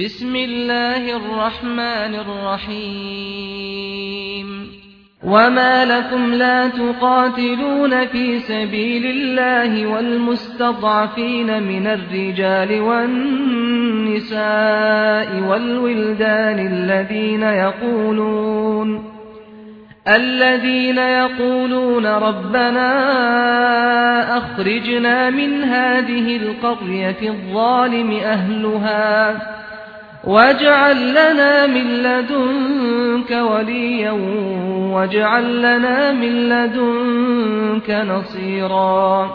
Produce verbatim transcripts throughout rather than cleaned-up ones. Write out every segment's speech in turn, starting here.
بسم الله الرحمن الرحيم. وما لكم لا تقاتلون في سبيل الله والمستضعفين من الرجال والنساء والولدان الذين يقولون الذين يقولون ربنا أخرجنا من هذه القرية الظالم أهلها واجعل لنا من لدنك وليا واجعل لنا من لدنك نصيرا.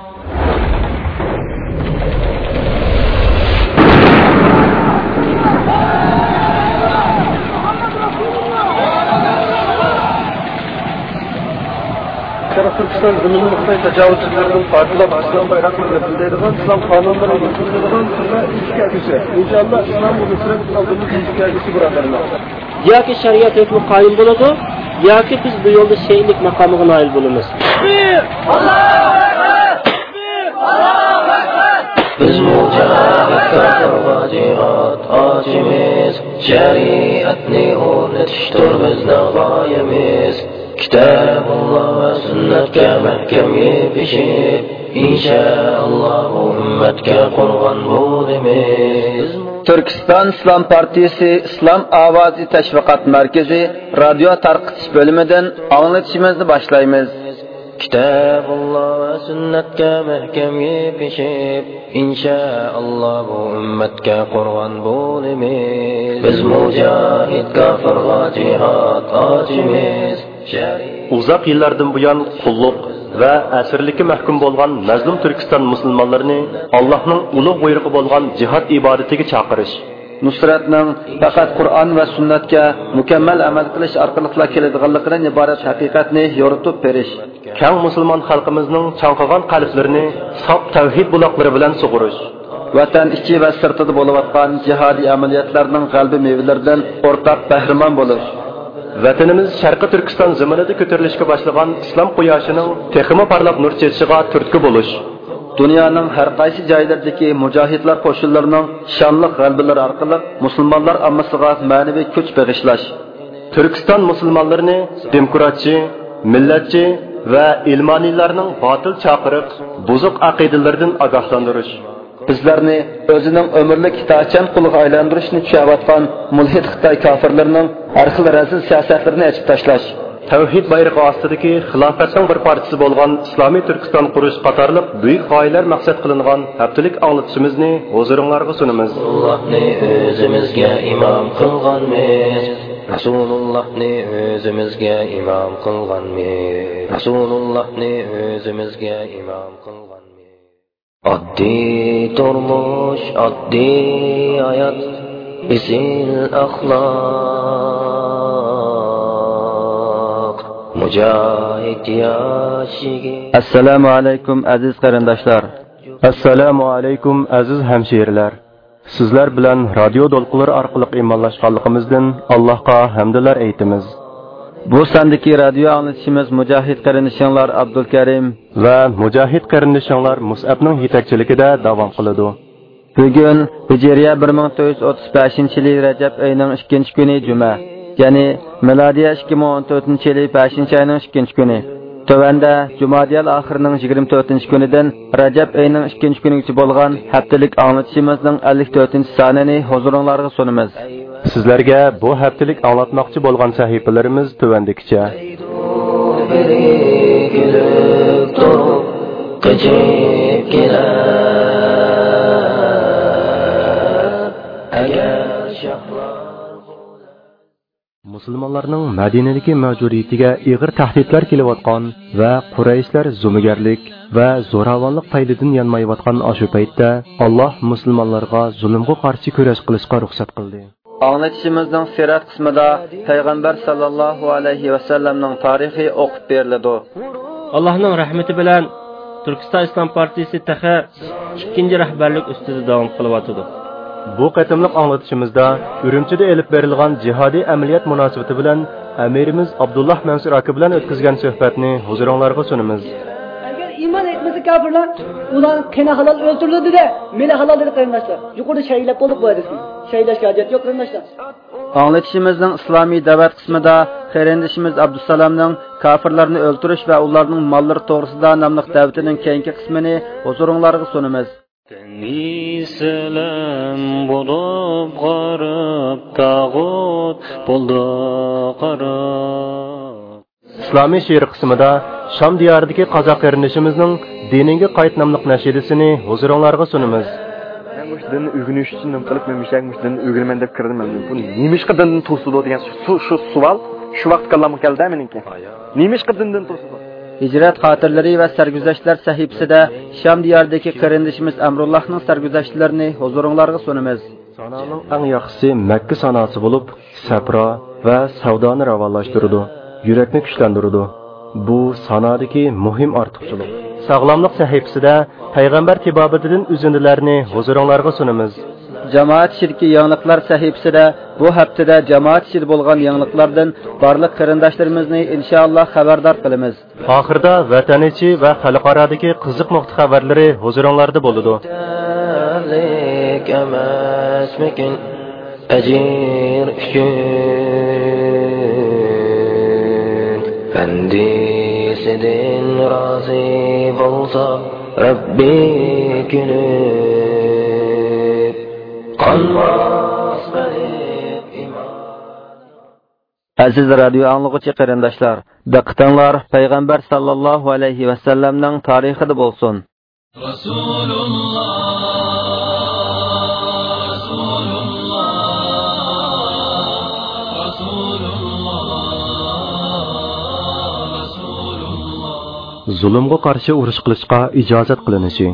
شەرقىي تۈركىستان زېمىنىنى خىتاي تاجاۋۇزچىلىرىدىن پارچىلاپ، ئىسلام بايراقلىرىنى بىلدۈرىدىغان، ئىسلام قانۇنلىرى يۈرگۈزىدىغان تۈرمە ئىلكىگۈچى. ئىنشائاللا، ئىسلام نۇسرەت ئالدىمىزدىكى ئىلكىگۈچى، بۇرادەرلەر. ياكى شەرىئەت ھۆكمى قايىم بولىدۇ، ياكى بىز بۇ يولدا شېھىتلىك ماقامىغا نائىل بولىمىز. بىز مۇجاھىد كاپىرغا جىھاد ئاچىمىز، شەرىئەتنى ئورنىتىشتۇر بىزنىڭ غايىمىز. كىتابۇللا ۋە سۈننەتكە مەھكەم يېپىشىپ، ئىنشائاللا بۇ ئۈممەتكە قۇربان بولىمىز. تۈركىستان ئىسلام پارتىيىسى ئىسلام ئاۋازى تەشۋىقات مەركىزى رادىيو تارقىتىش بۆلۈمىدىن ئاڭلىتىشىمىزنى باشلايمىز. كىتابۇللا ۋە سۈننەتكە مەھكەم يېپىشىپ، ئىنشائاللا بۇ ئۈممەتكە قۇربان بولىمىز. بىز مۇجاھىد كاپىرغا جىھاد ئاچىمىز. ئۇزاق يىللاردىن بۇيان قۇللۇق ۋە ئەسىرلىككە مەھكۇم بولغان مەزلۇم تۈركىستان مۇسۇلمانلىرىنى ئاللاھنىڭ ئۇلۇغ بۇيرۇقى بولغان جىھاد ئىبادىتىگە چاقىرىش. نۇسرەتنىڭ پەقەت قۇرئان ۋە سۈننەتكە مۇكەممەل ئەمەل قىلىش ئارقىلىقلا كېلىدىغانلىقىدىن ئىبارەت ھەقىقەتنى يورۇتۇپ بېرىش. كەڭ مۇسۇلمان خەلقىمىزنىڭ چاڭقىغان قەلبلىرىنى ساپ تەۋھىد بۇلاقلىرى بىلەن سۇغۇرۇش. ۋەتەن ئىچى ۋە سىرتىدا بولۇۋاتقان جىھادىي ئەمەلىيەتلەرنىڭ غەلىبە مېۋىلىرىدىن ئورتاق بەھرىمەن بولۇش. ۋەتىنىمىز شەرقىي تۈركىستان زېمىنىدا كۆتۈرۈلۈشكە باشلىغان ئىسلام قۇياشىنىڭ تېخىمۇ پارلاپ نۇر چېچىشىغا تۈرتكە بولۇش. دۇنيانىڭ ھەر قايسى جايلىرىدىكى مۇجاھىدلار قوشۇنلىرىنىڭ شانلىق غەلىبىلىرى ئارقىلىق مۇسۇلمانلار ئاممىسىغا مەنىۋى كۈچ بېغىشلاش. تۈركىستان مۇسۇلمانلىرىنى دېموكراتچى، مىللەتچى ۋە ئىلمانىيلارنىڭ باتىل چاقىرىق، بۇزۇق ئەقىدىلىرىدىن ئاگاھلاندۇرۇش. بىزلەرنى ئۆزىنىڭ ئۆمۈرلۈك ئىتائەتچان قۇلىغا ئايلاندۇرۇشنى چۈشەۋاتقان مۇلھىد خىتاي كاپىرلىرىنىڭ ھەر خىل رەزىل سىياسەتلىرىنى ئېچىپ تاشلاش. تەۋھىد بايرىقى ئاستىدىكى خىلاپەتنىڭ بىر پارچىسى بولغان ئىسلامىي تۈركىستان قۇرۇش قاتارلىق بۈيۈك غايىلەر مەقسەت قىلىنغان ھەپتىلىك ئاڭلىتىشىمىزنى ھۇزۇرۇڭلارغا سۇنىمىز. رەسۇلۇللاھنى ئۆزىمىزگە ئىمام قىلغانمىز. رەسۇلۇللاھنى ئۆزىمىزگە ئىمام قىلغانمىز. رەسۇلۇللاھنى ئۆزىمىزگە ئىمام قىلغانمىز. ئاددىي تۇرمۇش، ئاددىي ھايات، ئېسىل ئەخلاق، مۇجاھىد ياش يىگىت. ئەسسالامۇ ئەلەيكۇم، ئەزىز قېرىنداشلار. ئەسسالامۇ ئەلەيكۇم، ئەزىز ھەمشىرىلەر. سىزلەر بىلەن رادىيو دولقۇنلىرى ئارقىلىق ئىمانلاشقانلىقىمىزدىن ئاللاھقا ھەمدۇلار ئېيتىمىز. بۇ ساندىكى رادىيو ئاڭلىتىشىمىز مۇجاھىد قېرىندىشىڭلار ئابدۇلكەرىم ۋە مۇجاھىد قېرىندىشىڭلار مۇسئەبنىڭ يېتەكچىلىكىدە داۋام قىلىدۇ. بۈگۈن ھىجرىيە بىر مىڭ تۆت يۈز ئوتتۇز بەشىنچى يىلى رەجەپ ئېيىنىڭ ئىككىنچى كۈنى جۈمە، يەنى مىلادىيە ئىككى مىڭ ئون تۆتىنچى يىلى بەشىنچى ئاينىڭ ئىككىنچى كۈنى. تۆۋەندە جۇمادىيەل ئاخىرىنىڭ يىگىرمە تۆتىنچى كۈنىدىن رەجەپ ئېيىنىڭ ئىككىنچى كۈنىگىچە بولغان ھەپتىلىك ئاڭلىتىشىمىزنىڭ ئەللىك تۆتىنچى سانىنى ھۇزۇرۇڭلارغا سۇنىمىز. سىزلەرگە بۇ ھەپتىلىك ئاڭلاتماقچى بولغان سەھىپىلىرىمىز تۆۋەندىكىچە. بىرى كۈلۈپ تۇرۇپ قېچىپ كېلەر. ئەگەر شاھلار مۇسۇلمانلارنىڭ مەدىنىدىكى مەۋجۇدىيىتىگە ئېغىر تەھدىتلەر كېلىۋاتقان ۋە قۇرەيشلەر زومىگەرلىك ۋە زوراۋانلىق پەيلىدىن يانمايۋاتقان ئاشۇ پەيتتە، ئاللاھ مۇسۇلمانلارغا زۇلۇمغا قارشى كۈرەش قىلىشقا رۇخسەت قىلدى. ئاڭلىتىشىمىزنىڭ سىرەت قىسمىدا پەيغەمبەر ساللاللاھۇ ئەلەيھى ۋەسەللەمنىڭ تارىخى ئوقۇپ بېرىلىدۇ. ئاللاھنىڭ رەھمىتى بىلەن تۈركىستان ئىسلام پارتىيىسى تېخى ئىككىنچى رەھبەرلىك ئۈستىدە داۋام قىلىۋاتىدۇ. بۇ قېتىملىق ئاڭلىتىشىمىزدا ئۈرۈمچىدە ئېلىپ بېرىلغان جىھادىي ئەمەلىيەت مۇناسىۋىتى بىلەن ئەمىرىمىز ئابدۇللاھ مەنسۇر ئاكا بىلەن ئۆتكۈزگەن سۆھبەتنى ھۇزۇرۇڭلارغا سۇنىمىز. ئەگەر ئىمان ئېيتمىسا كاپىرلار، ئۇلار قېنى ھالال ئۆلتۈرۈلدى-دە، مېلى ھالال دېدى قېرىنداشلار. يۇقىرىدا شەھىدلەپ بولدۇق بۇ ھەدىسنى. شەھىدلەشكە ھاجەت يوق قېرىنداشلار. ئاڭلىتىشىمىزنىڭ ئىسلامىي دەۋەت قىسمىدا قېرىندىشىمىز ئابدۇسالامنىڭ كاپىرلارنى ئۆلتۈرۈش ۋە ئۇلارنىڭ ماللىرى توغرىسىدا ناملىق دەۋىتىنىڭ كېيىنكى قىسمىنى ھۇزۇرۇڭلارغا سۇنىمىز. دەڭگى سەلەم بولۇپ غارىب، تاغۇت بولدى قارا. ئىسلامىي شېئىر قىسمىدا شام دىيارىدىكى قازاق قېرىندىشىمىزنىڭ دىنىڭگە قايت ناملىق نەشىدىسىنى ھۇزۇرۇڭلارغا سۇنىمىز. مەن مۇشۇ دىننى ئۆگىنىش ئۈچۈن نېمە قىلىپ، مەن مۇشۇ يەرگە مۇشۇ دىننى ئۆگىنىمەن دەپ كىردىم. مەن بۇ نېمىشقا دىندىن توسىدۇ دېگەن شۇ، شۇ سوئال شۇ ۋاقىت كاللامغا كەلدى مېنىڭكى. نېمىشقا دىندىن توسىدۇ؟ ھىجرەت خاتىرىلىرى ۋە سەرگۈزەشتلەر سەھىپىسىدە شام دىيارىدىكى قېرىندىشىمىز ئەمرۇللاھنىڭ سەرگۈزەشتلىرىنى ھۇزۇرۇڭلارغا سۇنىمىز. سانانىڭ ئەڭ ياخشىسى مەككە ساناسى بولۇپ، سەپرا ۋە سەۋدانى راۋانلاشتۇرىدۇ، يۈرەكنى كۈچلەندۈرىدۇ. بۇ سانادىكى مۇھىم ئارتۇقچىلىق. ساغلاملىق سەھىپىسىدە پەيغەمبەر تېبابىتىدىن ئۈزۈندىلەرنى ھۇزۇرۇڭلارغا سۇنىمىز. جامائەت ئىچىدىكى يېڭىلىقلار سەھىپىسىدە بۇ ھەپتىدە جامائەت ئىچىدە بولغان يېڭىلىقلاردىن بارلىق قېرىنداشلىرىمىزنى ئىنشائاللا خەۋەردار قىلىمىز. ئاخىرىدا ۋەتەن ئىچى ۋە خەلقئارادىكى قىزىق نۇقتا خەۋەرلىرى ھۇزۇرۇڭلاردا بولىدۇ. يېتەرلىك ئەمەسمىكىن ئەجىر ئۈچۈن؟ بەندىسىدىن رازى بولسا رەببى كۈلۈپ، قانماس قېلىپ ئىمان. ئەزىز رادىيو ئاڭلىغۇچى قېرىنداشلار، دىققىتىڭلار پەيغەمبەر ساللاللاھۇ ئەلەيھى ۋەسەللەمنىڭ تارىخىدا بولسۇن. رەسۇلۇللا، رەسۇلۇللا، رەسۇلۇللا، رەسۇلۇللا. زۇلۇمغا قارشى ئۇرۇش قىلىشقا ئىجازەت قىلىنىشى.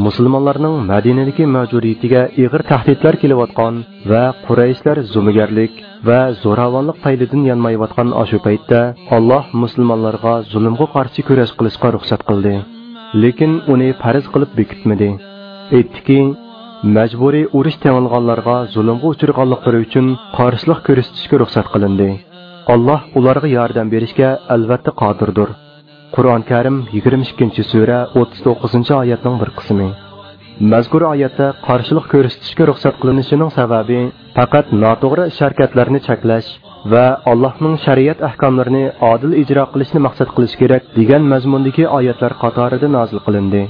مۇسۇلمانلارنىڭ مەدىنىدىكى مەۋجۇدىيىتىگە ئېغىر تەھدىتلەر كېلىۋاتقان ۋە قۇرەيشلەر زومىگەرلىك ۋە زوراۋانلىق پەيلىدىن يانمايۋاتقان ئاشۇ پەيتتە، ئاللاھ مۇسۇلمانلارغا زۇلۇمغا قارشى كۈرەش قىلىشقا رۇخسەت قىلدى. لېكىن ئۇنى پەرز قىلىپ بېكىتمىدى. ئېيتتىكى، مەجبۇرىي ئۇرۇش تېڭىلغانلارغا زۇلۇمغا ئۇچرىغانلىقلىرى ئۈچۈن قارشىلىق كۆرسىتىشكە رۇخسەت قىلىندى. ئاللاھ ئۇلارغا ياردەم بېرىشكە ئەلۋەتتە قادىردۇر. قۇرئان كەرىم يىگىرمە ئىككىنچى سۈرە، ئوتتۇز توققۇزىنچى ئايەتنىڭ بىر قىسمى. مەزكۇر ئايەتتە قارشىلىق كۆرسىتىشكە رۇخسەت قىلىنىشىنىڭ سەۋەبى پەقەت ناتوغرا ئىش-ھەرىكەتلەرنى چەكلەش ۋە ئاللاھنىڭ شەرىئەت ئەھكاملىرىنى ئادىل ئىجرا قىلىشنى مەقسەت قىلىش كېرەك دېگەن مەزمۇندىكى ئايەتلەر قاتارىدا نازىل قىلىندى.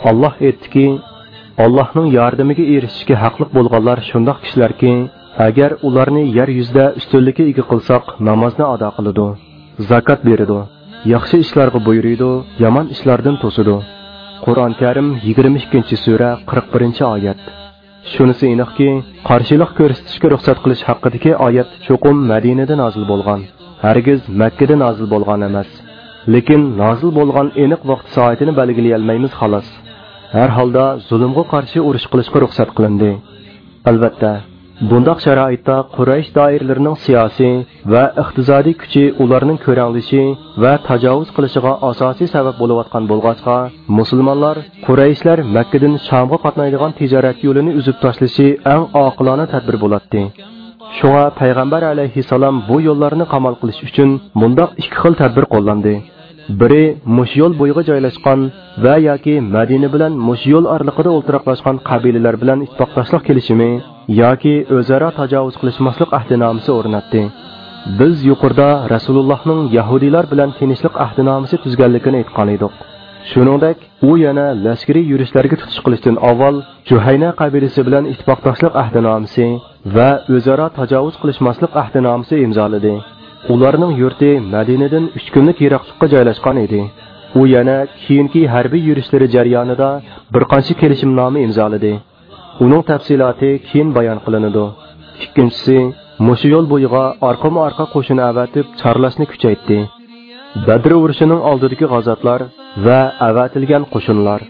ئاللاھ ئېيتتىكى، ئاللاھنىڭ ياردىمىگە ئېرىشىشكە ھەقلىق بولغانلار شۇنداق كىشىلەركى، ئەگەر ئۇلارنى يەر يۈزىدە ئۈستۈنلۈككە ئىگە قىلساق، نامازنى ئادا قىلىدۇ، زاكات بېرىدۇ، ياخشى ئىشلارغا بۇيرۇيدۇ، يامان ئىشلاردىن توسىدۇ. قۇرئان كەرىم يىگىرمە ئىككىنچى سۈرە، قىرىق بىرىنچى ئايەت. شۇنىسى ئېنىقكى، قارشىلىق كۆرسىتىشكە رۇخسەت قىلىش ھەققىدىكى ئايەت چوقۇم مەدىنىدە نازىل بولغان، ھەرگىز مەككىدە نازىل بولغان ئەمەس. لېكىن نازىل بولغان ئېنىق ۋاقتى سائىتىنى بەلگىلىيەلمەيمىز خالاس. ھەر ھالدا زۇلۇمغا قارشى ئۇرۇش قىلىشقا رۇخسەت قىلىندى. ئەلۋەتتە، بۇنداق شارائىتتا قۇرەيش دائىرىلىرىنىڭ سىياسىي ۋە ئىقتىسادىي كۈچى ئۇلارنىڭ كۆرەڭلىشى ۋە تاجاۋۇز قىلىشىغا ئاساسىي سەۋەب بولۇۋاتقان بولغاچقا، مۇسۇلمانلار قۇرەيشلەر مەككىدىن شامغا قاتنايدىغان تىجارەت يولىنى ئۈزۈپ تاشلىشى ئەڭ ئاقىلانە تەدبىر بولاتتى. شۇڭا پەيغەمبەر ئەلەيھىسسالام بۇ يوللارنى قامال قىلىش ئۈچۈن مۇنداق ئىككى خىل تەدبىر قوللاندى. بىرى مۇشۇ يول بويىغا جايلاشقان ۋە ياكى مەدىنە بىلەن مۇشۇ يول ئارىلىقىدا ئولتۇراقلاشقان قەبىلىلەر بىلەن ئىتتىپاقداشلىق كېلىشىمى ياكى ئۆزئارا تاجاۋۇز قىلىشماسلىق ئەھدىنامىسى ئورناتتى. بىز يۇقىرىدا رەسۇلۇللاھنىڭ يەھۇدىيلار بىلەن تىنچلىق ئەھدىنامىسى تۈزگەنلىكىنى ئېيتقانىدۇق. شۇنىڭدەك، ئۇ يەنە لەشكىرىي يۈرۈشلەرگە تۇتۇش قىلىشتىن ئاۋۋال جۇھەينە قەبىلىسى بىلەن ئىتتىپاقداشلىق ئەھدىنامىسى ۋە ئۆزئارا تاجاۋۇز قىلىشماسلىق ئەھدىنامىسى ئىمزالىدى. ئۇلارنىڭ يۇرتى مەدىنىدىن ئۈچ كۈنلۈك يىراقلىققا جايلاشقان ئىدى. ئۇ يەنە كېيىنكى ھەربىي يۈرۈشلىرى جەريانىدا بىر قانچە كېلىشىمنامە ئىمزالىدى. ئۇنىڭ تەپسىلاتى كېيىن بايان قىلىنىدۇ. ئىككىنچىسى، مۇشۇ يول بويىغا ئارقىمۇ ئارقا قوشۇن ئەۋەتىپ چارلاشنى كۈچەيتتى. بەدر ئۇرۇشىنىڭ ئالدىدىكى غازاتلار ۋە ئەۋەتىلگەن قوشۇنلار.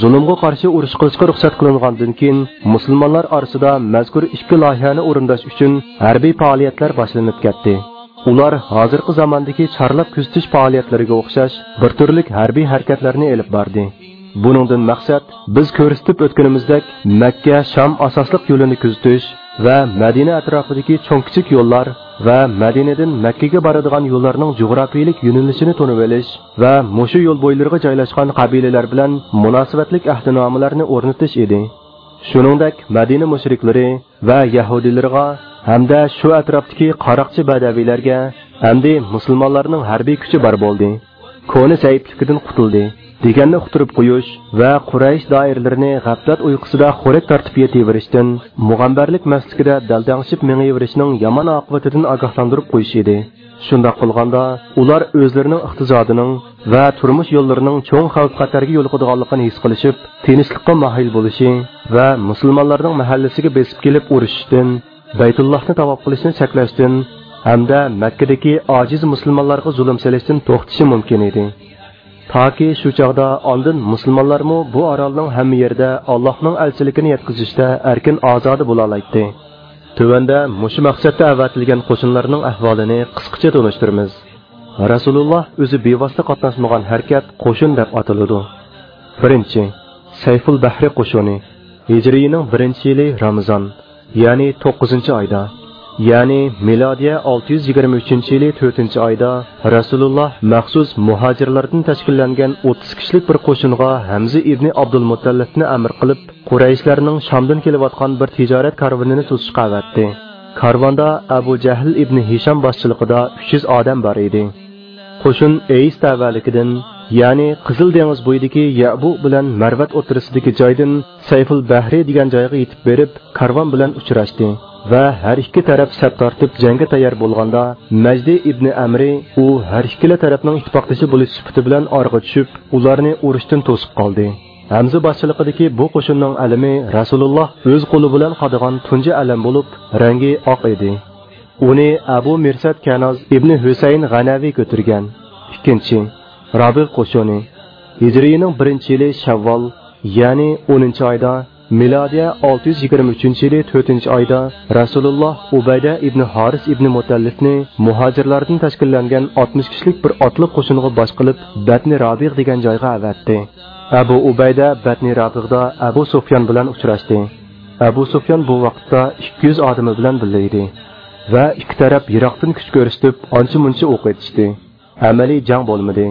زۇلۇمغا قارشى ئۇرۇش قىلىشقا رۇخسەت قىلىنغاندىن كېيىن، مۇسۇلمانلار ئارىسىدا مەزكۇر ئىككى لايىھەنى ئورۇنداش ئۈچۈن ھەربىي پائالىيەتلەر باشلىنىپ كەتتى. ئۇلار ھازىرقى زاماندىكى چارلاپ كۆزىتىش پائالىيەتلىرىگە ئوخشاش بىر تۈرلۈك ھەربىي ھەرىكەتلەرنى ئېلىپ باردى. بۇنىڭدىن مەقسەت، بىز كۆرسىتىپ ئۆتكىنىمىزدەك، مەككە شام ئاساسلىق يولىنى كۆزىتىش ۋە مەدىنە ئەتراپىدىكى چوڭ-كىچىك يوللار ۋە مەدىنىدىن مەككىگە بارىدىغان يوللارنىڭ جۇغراپىيىلىك يۆنىلىشىنى تونۇۋېلىش ۋە مۇشۇ يول بويلىرىغا جايلاشقان قەبىلىلەر بىلەن مۇناسىۋەتلىك ئەھدىنامىلەرنى ئورنىتىش ئىدى. شۇنىڭدەك، مەدىنە مۇشرىكلىرى ۋە يەھۇدىيلىرىغا ھەمدە شۇ ئەتراپتىكى قاراقچى بەدەۋىيلەرگە ئەمدى مۇسۇلمانلارنىڭ ھەربىي كۈچى بار بولدى، كونا زەئىپلىكىدىن قۇتۇلدى، دېگەننى ئۇقتۇرۇپ قويۇش ۋە قۇرەيش دائىرىلىرىنى غەپلەت ئۇيقۇسىدا خورەك تارتىپ يېتىۋېرىشتىن، مۇغەمبەرلىك مەستلىكىدە دەلدەڭشىپ مېڭىۋېرىشنىڭ يامان ئاقىۋىتىدىن ئاگاھلاندۇرۇپ قويۇش ئىدى. شۇنداق قىلغاندا، ئۇلار ئۆزلىرىنىڭ ئىقتىسادىنىڭ ۋە تۇرمۇش يوللىرىنىڭ چوڭ خەۋپ-خەتەرگە يولۇقىدىغانلىقىنى ھېس قىلىشىپ، تىنچلىققا ماھىل بولۇشى ۋە مۇسۇلمانلارنىڭ مەھەللىسىگە بېسىپ كېلىپ ئۇرۇشۇشتىن، بەيتۇللاھنى تاۋاپ قىلىشنى چەكلەشتىن ھەمدە مەككىدىكى ئاجىز مۇسۇلمانلارغا زۇلۇم سېلىشتىن توختىشى مۇمكىن ئىدى. تاكى شۇ چاغدا ئاندىن مۇسۇلمانلارمۇ بۇ ئارالنىڭ ھەممە يېرىدە ئاللاھنىڭ ئەلچىلىكىنى يەتكۈزۈشتە ئەركىن ئازادە بولالايتتى. تۆۋەندە مۇشۇ مەقسەتتە ئەۋەتىلگەن قوشۇنلارنىڭ ئەھۋالىنى قىسقىچە تونۇشتۇرىمىز. رەسۇلۇللاھ ئۆزى بىۋاسىتە قاتناشمىغان ھەرىكەت قوشۇن دەپ ئاتىلىدۇ. بىرىنچى، سەيفۇل بەھرى قوشۇنى. ھىجرىينىڭ بىرىنچى يىلى رامىزان، يەنى توققۇزىنچى ئايدا، يەنى مىلادىيە ئالتە يۈز يىگىرمە ئۈچىنچى يىلى تۆتىنچى ئايدا رەسۇلۇللاھ مەخسۇس مۇھاجىرلاردىن تەشكىللەنگەن ئوتتۇز كىشىلىك بىر قوشۇنغا ھەمزە ئىبنى ئابدۇلمۇتتەلىپنى ئەمىر قىلىپ، قۇرەيشلەرنىڭ شامدىن كېلىۋاتقان بىر تىجارەت كارۋىنىنى توسۇشقا ئەۋەتتى. كارۋاندا ئەبۇ جەھل ئىبنى ھىشام باشچىلىقىدا ئۈچ يۈز ئادەم بار ئىدى. قوشۇن ئەيس تەۋەلىكىدىن، يەنى قىزىل دېڭىز بويىدىكى يەبۇ بىلەن مەرۋەت ئوتتۇرىسىدىكى جايدىن سەيفۇل بەھرى دېگەن جايغا يېتىپ بېرىپ، كارۋان بىلەن ئۇچراشتى ۋە ھەر ئىككى تەرەپ سەپ تارتىپ جەڭگە تەييار بولغاندا، مەجدى ئىبنى ئەمرى، ئۇ ھەر ئىككىلا تەرەپنىڭ ئىتتىپاقدىشى بولۇش سۈپىتى بىلەن ئارىغا چۈشۈپ، ئۇلارنى ئۇرۇشتىن توسۇپ قالدى. ھەمزە باشچىلىقىدىكى بۇ قوشۇننىڭ ئەلىمى رەسۇلۇللاھ ئۆز قولى بىلەن قادىغان تۇنجى ئەلەم بولۇپ، رەڭگى ئاق ئىدى. ئۇنى ئەبۇ مىرسەت كەناز ئىبنى ھۈسەيىن غەنەۋى كۆتۈرگەن. ئىككىنچى، رابىغ قوشۇنى. ھىجرىينىڭ بىرىنچى يىلى شەۋۋال، يەنى ئونىنچى ئايدا، مىلادىيە ئالتە يۈز يىگىرمە ئۈچىنچى يىلى تۆتىنچى ئايدا رەسۇلۇللاھ ئۇبەيدە ئىبنى ھارىس ئىبنى مۇتەللىپنى مۇھاجىرلاردىن تەشكىللەنگەن ئاتمىش كىشىلىك بىر ئاتلىق قوشۇنغا باش قىلىپ، بەتنى رابىغ دېگەن جايغا ئەۋەتتى. ئەبۇ ئۇبەيدە بەتنى رابىغدا ئەبۇ سۇفيان بىلەن ئۇچراشتى. ئەبۇ سۇفيان بۇ ۋاقىتتا ئىككى يۈز ئادىمى بىلەن بىللە ئىدى ۋە ئىككى تەرەپ يىراقتىن كۈچ كۆرسىتىپ، ئانچە-مۇنچە ئوق ئېتىشتى. ئەمەلىي جەڭ بولمىدى.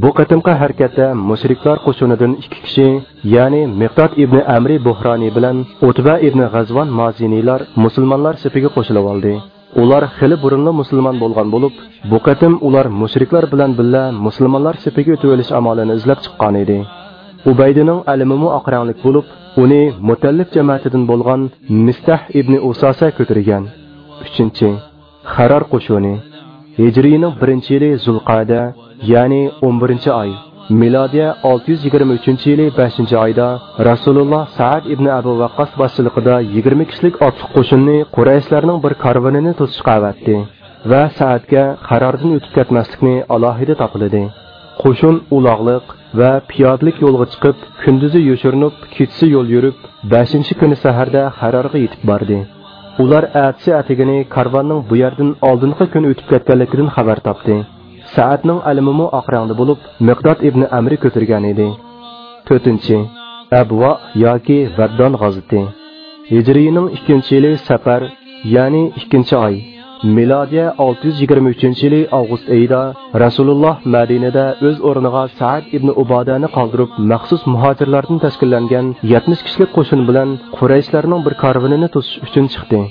بۇ قېتىمقى ھەرىكەتتە مۇشرىكلار قوشۇنىدىن ئىككى كىشى، يەنى مىقداد ئىبنى ئەمرى بۇھرانى بىلەن ئۇتبە ئىبنى غەزۋان مازىنىيلار مۇسۇلمانلار سېپىگە قوشۇلۇۋالدى. ئۇلار خېلى بۇرۇنلا مۇسۇلمان بولغان بولۇپ، بۇ قېتىم ئۇلار مۇشرىكلار بىلەن بىللە مۇسۇلمانلار سېپىگە ئۆتۈۋېلىش ئامالىنى ئىزدەپ چىققانىدى. ئۇبەيدىنىڭ ئەلىمىمۇ ئاق رەڭلىك بولۇپ، ئۇنى مۇتەللىپ جەمەتىدىن بولغان مىستەھ ئىبنى ئۇساسە كۆتۈرگەن. ئۈچىنچى، خەرار قوشۇنى. ھىجرىينىڭ بىرىنچى يىلى زۇلقەدە، يەنى ئون بىرىنچى ئاي، مىلادىيە ئالتە يۈز يىگىرمە ئۈچىنچى يىلى بەشىنچى ئايدا رەسۇلۇللاھ سەئەد ئىبنى ئەبۇ ۋەققاس باشچىلىقىدا يىگىرمە كىشىلىك ئاتلىق قوشۇننى قۇرەيشلەرنىڭ بىر كارۋىنىنى توسۇشقا ئەۋەتتى ۋە سەئەدكە خەراردىن ئۆتۈپ كەتمەسلىكنى ئالاھىدە تاپىلىدى. قوشۇن ئۇلاغلىق ۋە پىيادىلىك يولغا چىقىپ، كۈندۈزى يوشۇرۇنۇپ، كېچىسى يول يۈرۈپ، بەشىنچى كۈنى سەھەردە خەرارغا يېتىپ باردى. ئۇلار ئەتىسى ئەتىگىنى كارۋاننىڭ بۇ يەردىن ئالدىنقى كۈنى ئۆتۈپ كەتكەنلىكىدىن خەۋەر تاپتى. سەئەدنىڭ ئەلىمىمۇ ئاق رەڭدە بولۇپ، مىقداد ئىبنى ئەمرى كۆتۈرگەن ئىدى. تۆتىنچى، ئەبۋا ياكى ۋەددان غازىتى. ھىجرىينىڭ ئىككىنچى يىلى سەپەر، يەنى ئىككىنچى ئاي، مىلادىيە ئالتە يۈز يىگىرمە ئۈچىنچى يىلى ئاۋغۇست ئېيىدا رەسۇلۇللاھ مەدىنىدە ئۆز ئورنىغا سەئەد ئىبنى ئۇبادەنى قالدۇرۇپ، مەخسۇس مۇھاجىرلاردىن تەشكىللەنگەن يەتمىش كىشىلىك قوشۇن بىلەن قۇرەيشلەرنىڭ بىر كارۋىنىنى توسۇش ئۈچۈن چىقتى.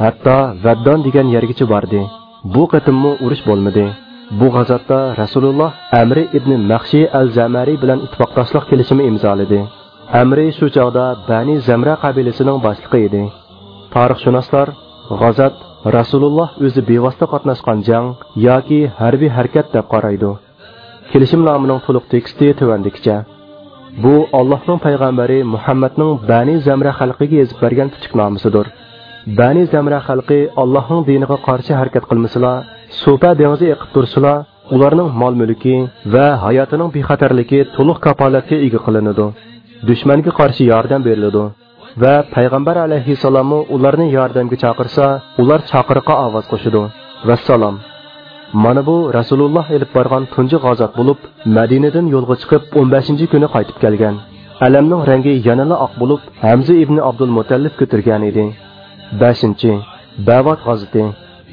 ھەتتا ۋەددان دېگەن يەرگىچە باردى. بۇ قېتىممۇ ئۇرۇش بولمىدى. بۇ غازاتتا رەسۇلۇللاھ ئەمرى ئىبنى مەخشى ئەل زەمەرى بىلەن ئىتتىپاقداشلىق كېلىشىمى ئىمزالىدى. ئەمرى شۇ چاغدا بەنى زەمرە قەبىلىسىنىڭ باشلىقى ئىدى. تارىخشۇناسلار غازات رەسۇلۇللاھ ئۆزى بىۋاسىتە قاتناشقان جەڭ ياكى ھەربىي ھەرىكەت دەپ قارايدۇ. كېلىشىمنامىنىڭ تولۇق تېكىستى تۆۋەندىكىچە. بۇ ئاللاھنىڭ پەيغەمبىرى مۇھەممەدنىڭ بەنى زەمرە خەلقىگە يېزىپ بەرگەن پۈتۈك نامىسىدۇر. بەنى زەمرە خەلقى ئاللاھنىڭ دىنىغا قارشى ھەرىكەت قىلمىسىلا، سۇپە دېڭىزى ئېقىپ تۇرسىلا، ئۇلارنىڭ مال-مۈلكى ۋە ھاياتىنىڭ بىخەتەرلىكى تولۇق كاپالەتكە ئىگە قىلىنىدۇ. دۈشمەنگە قارشى ياردەم بېرىلىدۇ. ۋە پەيغەمبەر ئەلەيھىسسالاممۇ ئۇلارنى ياردەمگە چاقىرسا، ئۇلار چاقىرىققا ئاۋاز قوشىدۇ. ۋەسسالام. مانا بۇ رەسۇلۇللاھ ئېلىپ بارغان تۇنجى غازات بولۇپ، مەدىنىدىن يولغا چىقىپ، ئون بەشىنچى كۈنى قايتىپ كەلگەن. ئەلەمنىڭ رەڭگى يەنىلا ئاق بولۇپ، ھەمزە ئىبنى ئابدۇلمۇتەللىپ كۆتۈرگەنىدى. بەشىنچى، بەۋات غازىتى.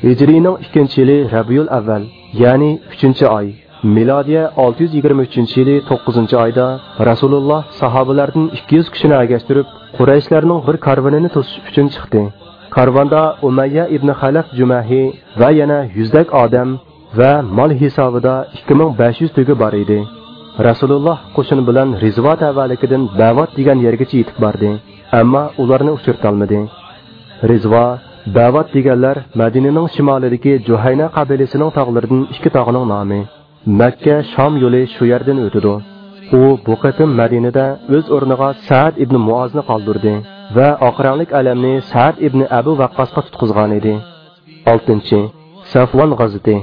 ھىجرىينىڭ ئىككىنچى يىلى رەبىيۇل ئەۋۋەل، يەنى ئۈچىنچى ئاي، مىلادىيە ئالتە يۈز يىگىرمە ئۈچىنچى يىلى توققۇزىنچى ئايدا رەسۇلۇللا ساھابىلەردىن ئىككى يۈز كىشىنى ئەگەشتۈرۈپ، قۇرەيشلەرنىڭ بىر كارۋىنىنى توسۇش ئۈچۈن چىقتى. كارۋاندا ئۇمەييە ئىبنى خەلەف جۈمەھى ۋە يەنە يۈزدەك ئادەم ۋە مال ھېسابىدا ئىككى مىڭ بەش يۈز تۆگە بار ئىدى. رەسۇلۇللا قوشۇن بىلەن رىزۋا تەۋەلىكىدىن بەۋات دېگەن يەرگىچە يېتىپ باردى، ئەمما ئۇلارنى ئۇچرىتالمىدى. رىزۋا، بەۋات دېگەنلەر مەدىنىنىڭ شىمالىدىكى جۇھەينە قەبىلىسىنىڭ تاغلىرىدىن ئىككى تاغنىڭ نامى. مەككە شام يولى شۇ يەردىن ئۆتىدۇ. ئۇ بۇ قېتىم مەدىنىدە ئۆز ئورنىغا سەئد ئىبنى مۇئازنى قالدۇردى ۋە ئاق رەڭلىك ئەلەمنى سەئد ئىبنى ئەبۇ ۋەققاسقا تۇتقۇزغانىدى. ئالتىنچى، سەفۋان غازىتى.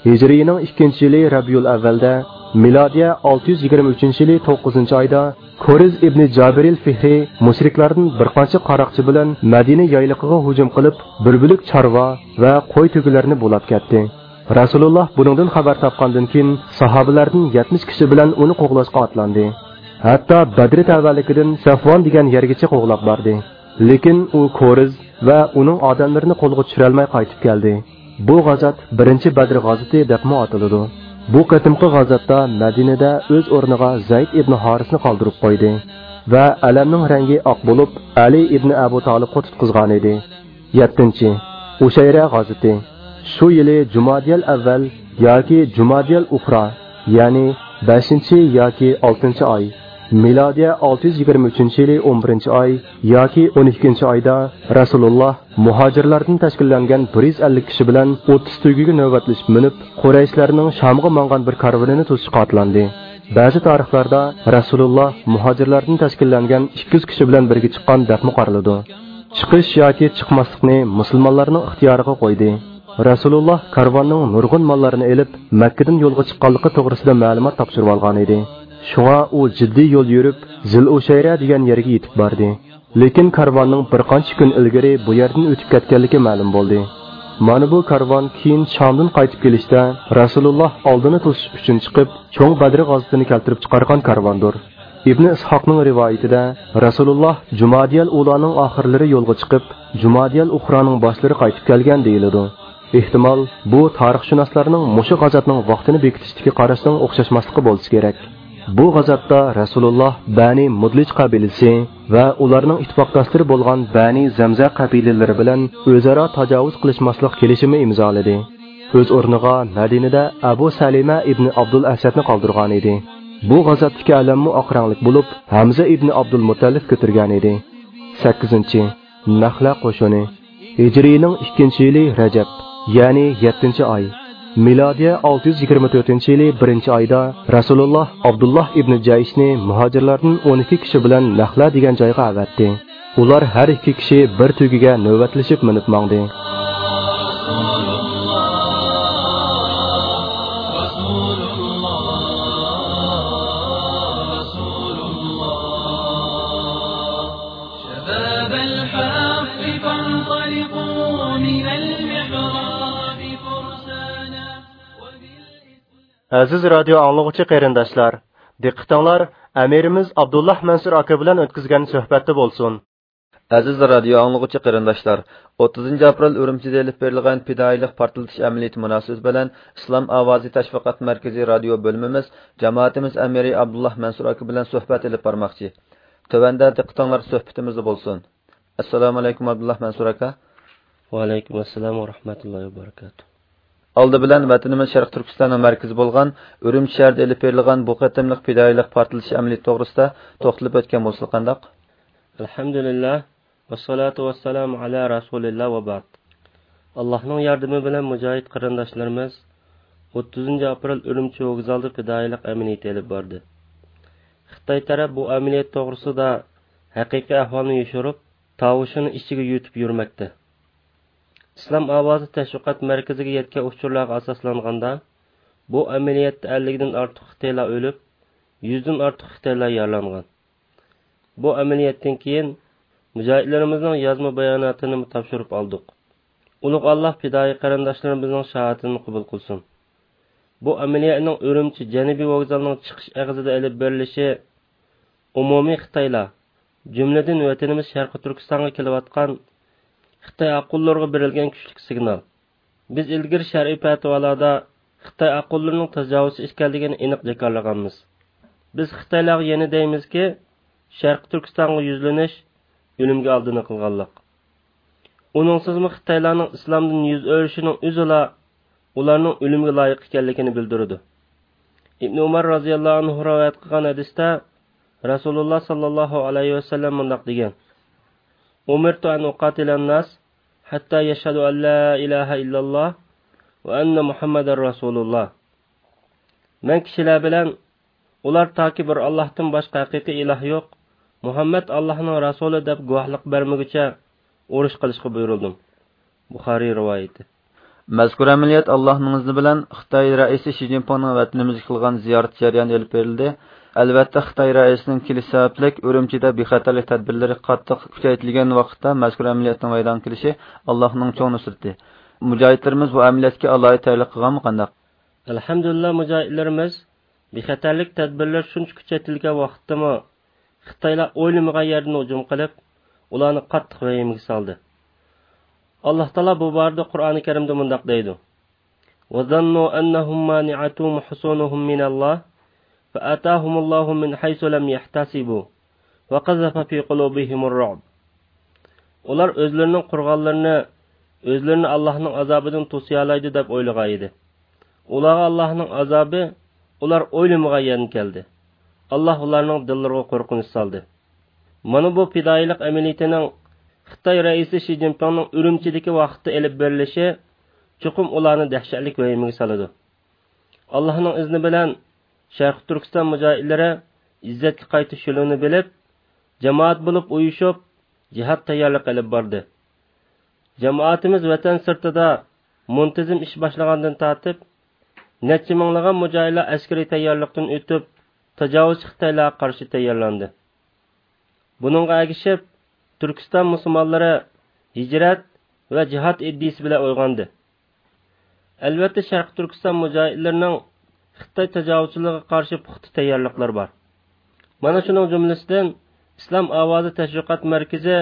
ھىجرىينىڭ ئىككىنچى يىلى رەبىيۇل ئەۋۋەلدە، مىلادىيە ئالتە يۈز يىگىرمە ئۈچىنچى يىلى توققۇزىنچى ئايدا، كورىز ئىبنى جابىرىل فىھرى مۇشرىكلاردىن بىر قانچە قاراقچى بىلەن مەدىنە يايلىقىغا ھۇجۇم قىلىپ، بىر بۆلەك چارۋا ۋە قوي تۆگىلەرنى بۇلاپ كەتتى. رەسۇلۇللا بۇنىڭدىن خەۋەر تاپقاندىن كېيىن، ساھابىلەردىن يەتمىش كىشى بىلەن ئۇنى قوغلاشقا ئاتلاندى. ھەتتا بەدرى تەۋەلىكىدىن سەفۋان دېگەن يەرگىچە قوغلاپ باردى. لېكىن ئۇ كورىز ۋە ئۇنىڭ ئادەملىرىنى قولغا چۈشۈرەلمەي قايتىپ كەلدى. بۇ غازات بىرىنچى بەدر غازىتى دەپمۇ ئاتىلىدۇ. بۇ قېتىمقى غازاتتا مەدىنىدە ئۆز ئورنىغا زەيد ئىبنى ھارىسنى قالدۇرۇپ قويدى ۋە ئەلەمنىڭ رەڭگى ئاق بولۇپ، ئەلى ئىبنى ئەبۇ تالىپقا تۇتقۇزغانىدى. يەتتىنچى، ئۇشەيرە غازىتى. شۇ يىلى جۇمادىيەل ئەۋۋەل ياكى جۇمادىيەل ئۇخرا، يەنى بەشىنچى ياكى ئالتىنچى ئاي، مىلادىيە ئالتە يۈز يىگىرمە ئۈچىنچى يىلى ئون بىرىنچى ئاي ياكى ئون ئىككىنچى ئايدا رەسۇلۇللا مۇھاجىرلاردىن تەشكىللەنگەن بىر يۈز ئەللىك كىشى بىلەن ئوتتۇز تۆگىگە نۆۋەتلىشىپ مىنىپ، قۇرەيشلەرنىڭ شامغا ماڭغان بىر كارۋىنىنى توسۇشقا ئاتلاندى. بەزى تارىخلاردا رەسۇلۇللا مۇھاجىرلاردىن تەشكىللەنگەن ئىككى يۈز كىشى بىلەن بىرگە چىققان دەپمۇ قارىلىدۇ. چىقىش ياكى چىقماسلىقنى مۇسۇلمانلارنىڭ ئىختىيارىغا قويدى. رەسۇلۇللا كارۋاننىڭ نۇرغۇن ماللارنى ئېلىپ، مەككىدىن يولغا چىققانلىقى توغرىسىدا مەلۇمات تاپشۇرۇۋالغانىدى. شۇڭا ئۇ جىددىي يول يۈرۈپ، زىل ئۇشەيرە دېگەن يەرگە يېتىپ باردى. لېكىن كارۋاننىڭ بىر قانچە كۈن ئىلگىرى بۇ يەردىن ئۆتۈپ كەتكەنلىكى مەلۇم بولدى. مانا بۇ كارۋان كېيىن شامدىن قايتىپ كېلىشتە رەسۇلۇللا ئالدىنى توسۇش ئۈچۈن چىقىپ، چوڭ بەدرى غازىتىنى كەلتۈرۈپ چىقارغان كارۋاندۇر. ئىبنى ئىسھاقنىڭ رىۋايىتىدە، رەسۇلۇللا جۇمادىيەل ئۇلانىڭ ئاخىرلىرى يولغا چىقىپ، جۇمادىيەل ئۇخرانىڭ باشلىرى قايتىپ كەلگەن دېيىلىدۇ. ئېھتىمال، بۇ تارىخشۇناسلارنىڭ مۇشۇ غازاتنىڭ ۋاقتىنى بېكىتىشتىكى قاراشنىڭ ئوخشاشماسلىقى بولسا كېرەك. بۇ غازاتتا رەسۇلۇللا بەنى مۇدلىج قەبىلىسى ۋە ئۇلارنىڭ ئىتتىپاقداشلىرى بولغان بەنى زەمزە قەبىلىلىرى بىلەن ئۆزئارا تاجاۋۇز قىلىشماسلىق كېلىشىمى ئىمزالىدى. ئۆز ئورنىغا مەدىنىدە ئەبۇ سەلىمە ئىبنى ئابدۇل ئەسەدنى قالدۇرغانىدى. بۇ غازاتتىكى ئەلەممۇ ئاق رەڭلىك بولۇپ، ھەمزە ئىبنى ئابدۇل مۇتەللىپ كۆتۈرگەنىدى. سەككىزىنچى، نەخلە قوشۇنى. ھىجرىينىڭ ئىككىنچى يىلى رەجەب، يەنى يەتتىنچى ئاي، مىلادىيە ئالتە يۈز يىگىرمە تۆتىنچى يىلى بىرىنچى ئايدا رەسۇلۇللا ئابدۇللا ئىبنى جەيشنى مۇھاجىرلاردىن ئون ئىككى كىشى بىلەن نەخلە دېگەن جايغا ئەۋەتتى. ئۇلار ھەر ئىككى كىشى بىر تۆگىگە نۆۋەتلىشىپ مىنىپ ماڭدى. شباب الحق فانطلقوا من المحراب فرسانا. ئەزىز رادىيو ئاڭلىغۇچى قېرىنداشلار، دىققىتىڭلار ئەمىرىمىز ئابدۇللا مەنسۇر ئاكا بىلەن ئۆتكۈزگەن سۆھبەتتە بولسۇن. ئەزىز رادىيو ئاڭلىغۇچى قېرىنداشلار، ئوتتۇزىنچى ئاپرېل ئۈرۈمچىدە ئېلىپ بېرىلغان پىدائىيلىق پارتلىتىش ئەمەلىيىتى مۇناسىۋىتى بىلەن ئىسلام ئاۋازى تەشۋىقات مەركىزى رادىيو بۆلۈمىمىز جامائىتىمىز ئەمىرى ئابدۇللا مەنسۇر ئاكا بىلەن سۆھبەت ئېلىپ بارماقچى. تۆۋەندە دىققىتىڭلار سۆھبىتىمىزدە بولسۇن. ئەسسالامۇئەلەيكۇم، ئابدۇللا مەنسۇر ئاكا. ۋەئەلەيكۇم ئەسسالام ۋە رەھمەتۇللاھى ۋە بەرىكاتۇھ. ئالدى بىلەن ۋەتىنىمىز شەرقىي تۈركىستاننىڭ مەركىزى بولغان ئۈرۈمچى شەھىرىدە ئېلىپ بېرىلغان بۇ قېتىملىق پىدائىيلىق پارتلىتىش ئەمەلىيىتى توغرىسىدا توختىلىپ ئۆتكەن بولسىلا قانداق؟ ئەلھەمدۇلىللاھ، ۋەسسالاتۇ ۋەسسالامۇ ئەلا رەسۇلىللاھ ۋە بەئد. ئاللاھنىڭ ياردىمى بىلەن مۇجاھىد قېرىنداشلىرىمىز ئوتتۇزىنچى ئاپرېل ئۈرۈمچى ۋوگزالدا پىدائىيلىق ئەمەلىيىتى ئېلىپ باردى. خىتاي تەرەپ بۇ ئەمەلىيەت توغرىسىدا ھەقىقىي ئەھۋالنى يوشۇرۇپ، تاۋۇشىنى ئىچىگە يۇتۇپ يۈرمەكتە. ئىسلام ئاۋازى تەشۋىقات مەركىزىگە يەتكەن ئۇچۇرلارغا ئاساسلانغاندا، بۇ ئەمەلىيەتتە ئەللىكتىن ئارتۇق خىتايلار ئۆلۈپ، يۈزدىن ئارتۇق خىتايلار يارىلانغان. بۇ ئەمەلىيەتتىن كېيىن مۇجاھىدلىرىمىزنىڭ يازما باياناتىنىمۇ تاپشۇرۇپ ئالدۇق. ئۇلۇغ ئاللاھ پىدائىي قېرىنداشلىرىمىزنىڭ شاھادىتىنى قوبۇل قىلسۇن. بۇ ئەمەلىيەتنىڭ ئۈرۈمچى جەنۇبىي ۋوگزالىنىڭ چىقىش ئېغىزىدا ئېلىپ بېرىلىشى ئومۇمىي خىتايلار، جۈملىدىن ۋەتىنىمىز شەرقىي تۈركىستانغا كېلىۋاتقان خىتاي ئاققۇنلىرىغا بېرىلگەن كۈچلۈك سىگنال. بىز ئىلگىرى شەرئىي پەتىۋالاردا خىتاي ئاققۇنلىرىنىڭ تاجاۋۇزچى ئىكەنلىكىنى ئېنىق جاكارلىغانمىز. بىز خىتايلارغا يەنە دەيمىزكى، شەرقىي تۈركىستانغا يۈزلىنىش ئۆلۈمگە ئالدىنى قىلغانلىق. ئۇنىڭسىزمۇ خىتايلارنىڭ ئىسلامدىن يۈز ئۆرۈشىنىڭ ئۆزىلا ئۇلارنىڭ ئۆلۈمگە لايىق ئىكەنلىكىنى بىلدۈرىدۇ. ئىبنى ئۇمار رازىياللاھۇ ئەنھۇ رىۋايەت قىلغان ھەدىستە رەسۇلۇللا ساللاللاھۇ ئەلەيھى ۋەسەللەم مۇنداق دېگەن: «ئۇمىرتۇ ئەن ئۇقاتىلەن ناس ھەتتا يەشھەدۇ ئەن لا ئىلاھە ئىللاللاھ ۋە ئەننە مۇھەممەدەر رەسۇلۇللاھ.» مەن كىشىلەر بىلەن ئۇلار تاكى بىر ئاللاھتىن باشقا ھەقىقىي ئىلاھ يوق، مۇھەممەد ئاللاھنىڭ رەسۇلى دەپ گۇۋاھلىق بەرمىگۈچە ئۇرۇش قىلىشقا بۇيرۇلدۇم. بۇخارىي رىۋايىتى. مەزكۇر ئەمەلىيەت ئاللاھنىڭ ئىزنى بىلەن خىتاي رەئىسى شى جىنپىڭنىڭ ۋەتىنىمىزگە قىلغان زىيارىتى جەريانىدا ئېلىپ بېرىلدى. ئەلۋەتتە، خىتاي رەئىسىنىڭ كېلىشى سەۋەبلىك ئۈرۈمچىدە بىخەتەرلىك تەدبىرلىرى قاتتىق كۈچەيتىلگەن ۋاقىتتا مەزكۇر ئەمەلىيەتنىڭ مەيدانغا كېلىشى ئاللاھنىڭ چوڭ نۇسرىتى. مۇجاھىدلىرىمىز بۇ ئەمەلىيەتكە ئالاھىدە تەييارلىق قىلغانمۇ قانداق؟ ئەلھەمدۇلىللا، مۇجاھىدلىرىمىز بىخەتەرلىك تەدبىرلىرى شۇنچە كۈچەيتىلگەن ۋاقىتتىمۇ خىتايلار ئويلىمىغان يەردىن ھۇجۇم قىلىپ، ئۇلارنى قاتتىق ۋەھىمىگە سالدى. ئاللاھ تائالا بۇ بارىدە قۇرئانى كەرىمدە مۇنداق دەيدۇ: «وَظَنُّوا أَنَّهُمْ مَانِعَتُهُمْ حُصُونُهُمْ مِنَ اللَّهِ فَأَتَاهُمُ اللَّهُ مِنْ حَيْثُ لَمْ يَحْتَسِبُوا وَقَذَفَ فِي قُلُوبِهِمُ الرُّعْبَ.» ئۇلار ئۆزلىرىنىڭ قورغانلىرىنى ئۆزلىرىنى ئاللاھنىڭ ئازابىدىن توسىيالايدۇ دەپ ئويلىغان ئىدى. ئۇلارغا ئاللاھنىڭ ئازابى ئۇلار ئويلىمىغان يەردىن كەلدى. ئاللاھ ئۇلارنىڭ دىللىرىغا قورقۇنچ سالدى. مانا بۇ پىدائىيلىق ئەمەلىيىتىنىڭ خىتاي رەئىسى شى جىنپىڭنىڭ ئۈرۈمچىدىكى ۋاقىتتا ئېلىپ بېرىلىشى چوقۇم ئۇلارنى دەھشەتلىك ۋەھىمىگە سالىدۇ. ئاللاھنىڭ ئىزنى بىلەن شەرقىي تۈركىستان مۇجاھىدلىرى ئىززەتكە قايتىش يولىنى بىلىپ، جامائەت بولۇپ ئۇيۇشۇپ، جىھاد تەييارلىقى ئېلىپ باردى. جامائىتىمىز ۋەتەن سىرتىدا مۇنتىزىم ئىش باشلىغاندىن تارتىپ، نەچچە مىڭلىغان مۇجاھىدلار ئەسكىرىي تەييارلىقتىن ئۆتۈپ، تاجاۋۇزچى خىتايلارغا قارشى تەييارلاندى. بۇنىڭغا ئەگىشىپ، تۈركىستان مۇسۇلمانلىرى ھىجرەت ۋە جىھاد ئىدىيىسى بىلەن ئويغاندى. ئەلۋەتتە، شەرقىي تۈركىستان مۇجاھىدلىرىنىڭ خىتاي تاجاۋۇزچىلىقىغا قارشى پۇختا تەييارلىقلىرى بار. مانا شۇنىڭ جۈملىسىدىن ئىسلام ئاۋازى تەشۋىقات مەركىزى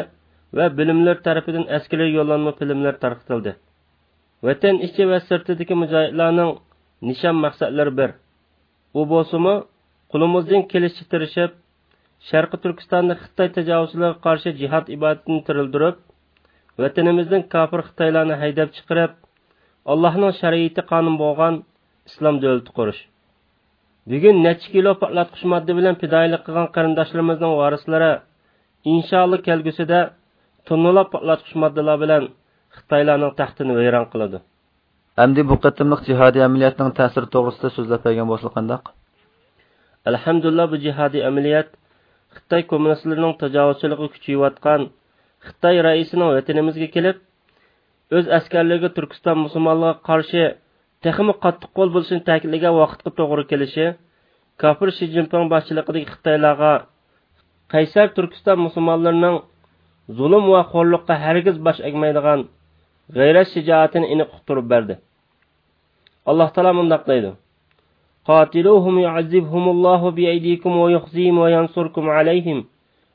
ۋە بۆلۈملىرى تەرىپىدىن ئەسكىرىي يوللانما فىلىملىرى تارقىتىلدى. ۋەتەن ئىچى ۋە سىرتىدىكى مۇجاھىدلارنىڭ نىشان مەقسەتلىرى بىر. ئۇ بولسىمۇ، قولىمىزدىن كېلىشىچە تىرىشىپ، شەرقىي تۈركىستاندا خىتاي تاجاۋۇزچىلىرىغا قارشى جىھاد ئىبادىتىنى تىرىلدۈرۈپ، ۋەتىنىمىزدىن كاپىر خىتايلارنى ھەيدەپ چىقىرىپ، ئاللاھنىڭ شەرىئىتى قانۇن بولغان ئىسلام دۆلىتى قۇرۇش. بۈگۈن نەچچە كىلو پارتلاتقۇچ ماددا بىلەن پىدائىيلىق قىلغان قېرىنداشلىرىمىزنىڭ ۋارىسلىرى، ئىنشائاللا، كەلگۈسىدە توننىلاپ پارتلاتقۇچ ماددىلار بىلەن خىتايلارنىڭ تەختىنى ۋەيران قىلىدۇ. ئەمدى بۇ قېتىملىق جىھادىي ئەمەلىيەتنىڭ تەسىرى توغرىسىدا سۆزلەپ بەرگەن بولسا قانداق؟ ئەلھەمدۇلىللا، بۇ جىھادىي ئەمەلىيەت خىتاي كوممۇنىستلىرىنىڭ تاجاۋۇزچىلىقىغا كۈچىيىۋاتقان خىتاي رەئىسىنىڭ ۋەتىنىمىزگە كېلىپ، ئۆز ئەسكەرلىرىگە تۈركىستان مۇسۇلمانلىرىغا قارشى تېخىمۇ قاتتىق قول بولۇشىنى تەكىتلىگەن ۋاقىتقا توغرا كېلىشى، كاپىر شى جىنپىڭ باشچىلىقىدىكى خىتايلارغا قەيسەر تۈركىستان مۇسۇلمانلىرىنىڭ زۇلۇم ۋە خورلۇققا ھەرگىز باش ئەگمەيدىغان غەيرەت شىجائىتىنى ئېنىق ئۇقتۇرۇپ بەردى. ئاللاھ تائالا مۇنداق دەيدۇ: «قاتلوهم يعذبهم الله بأيديكم ويخزهم وينصركم عليهم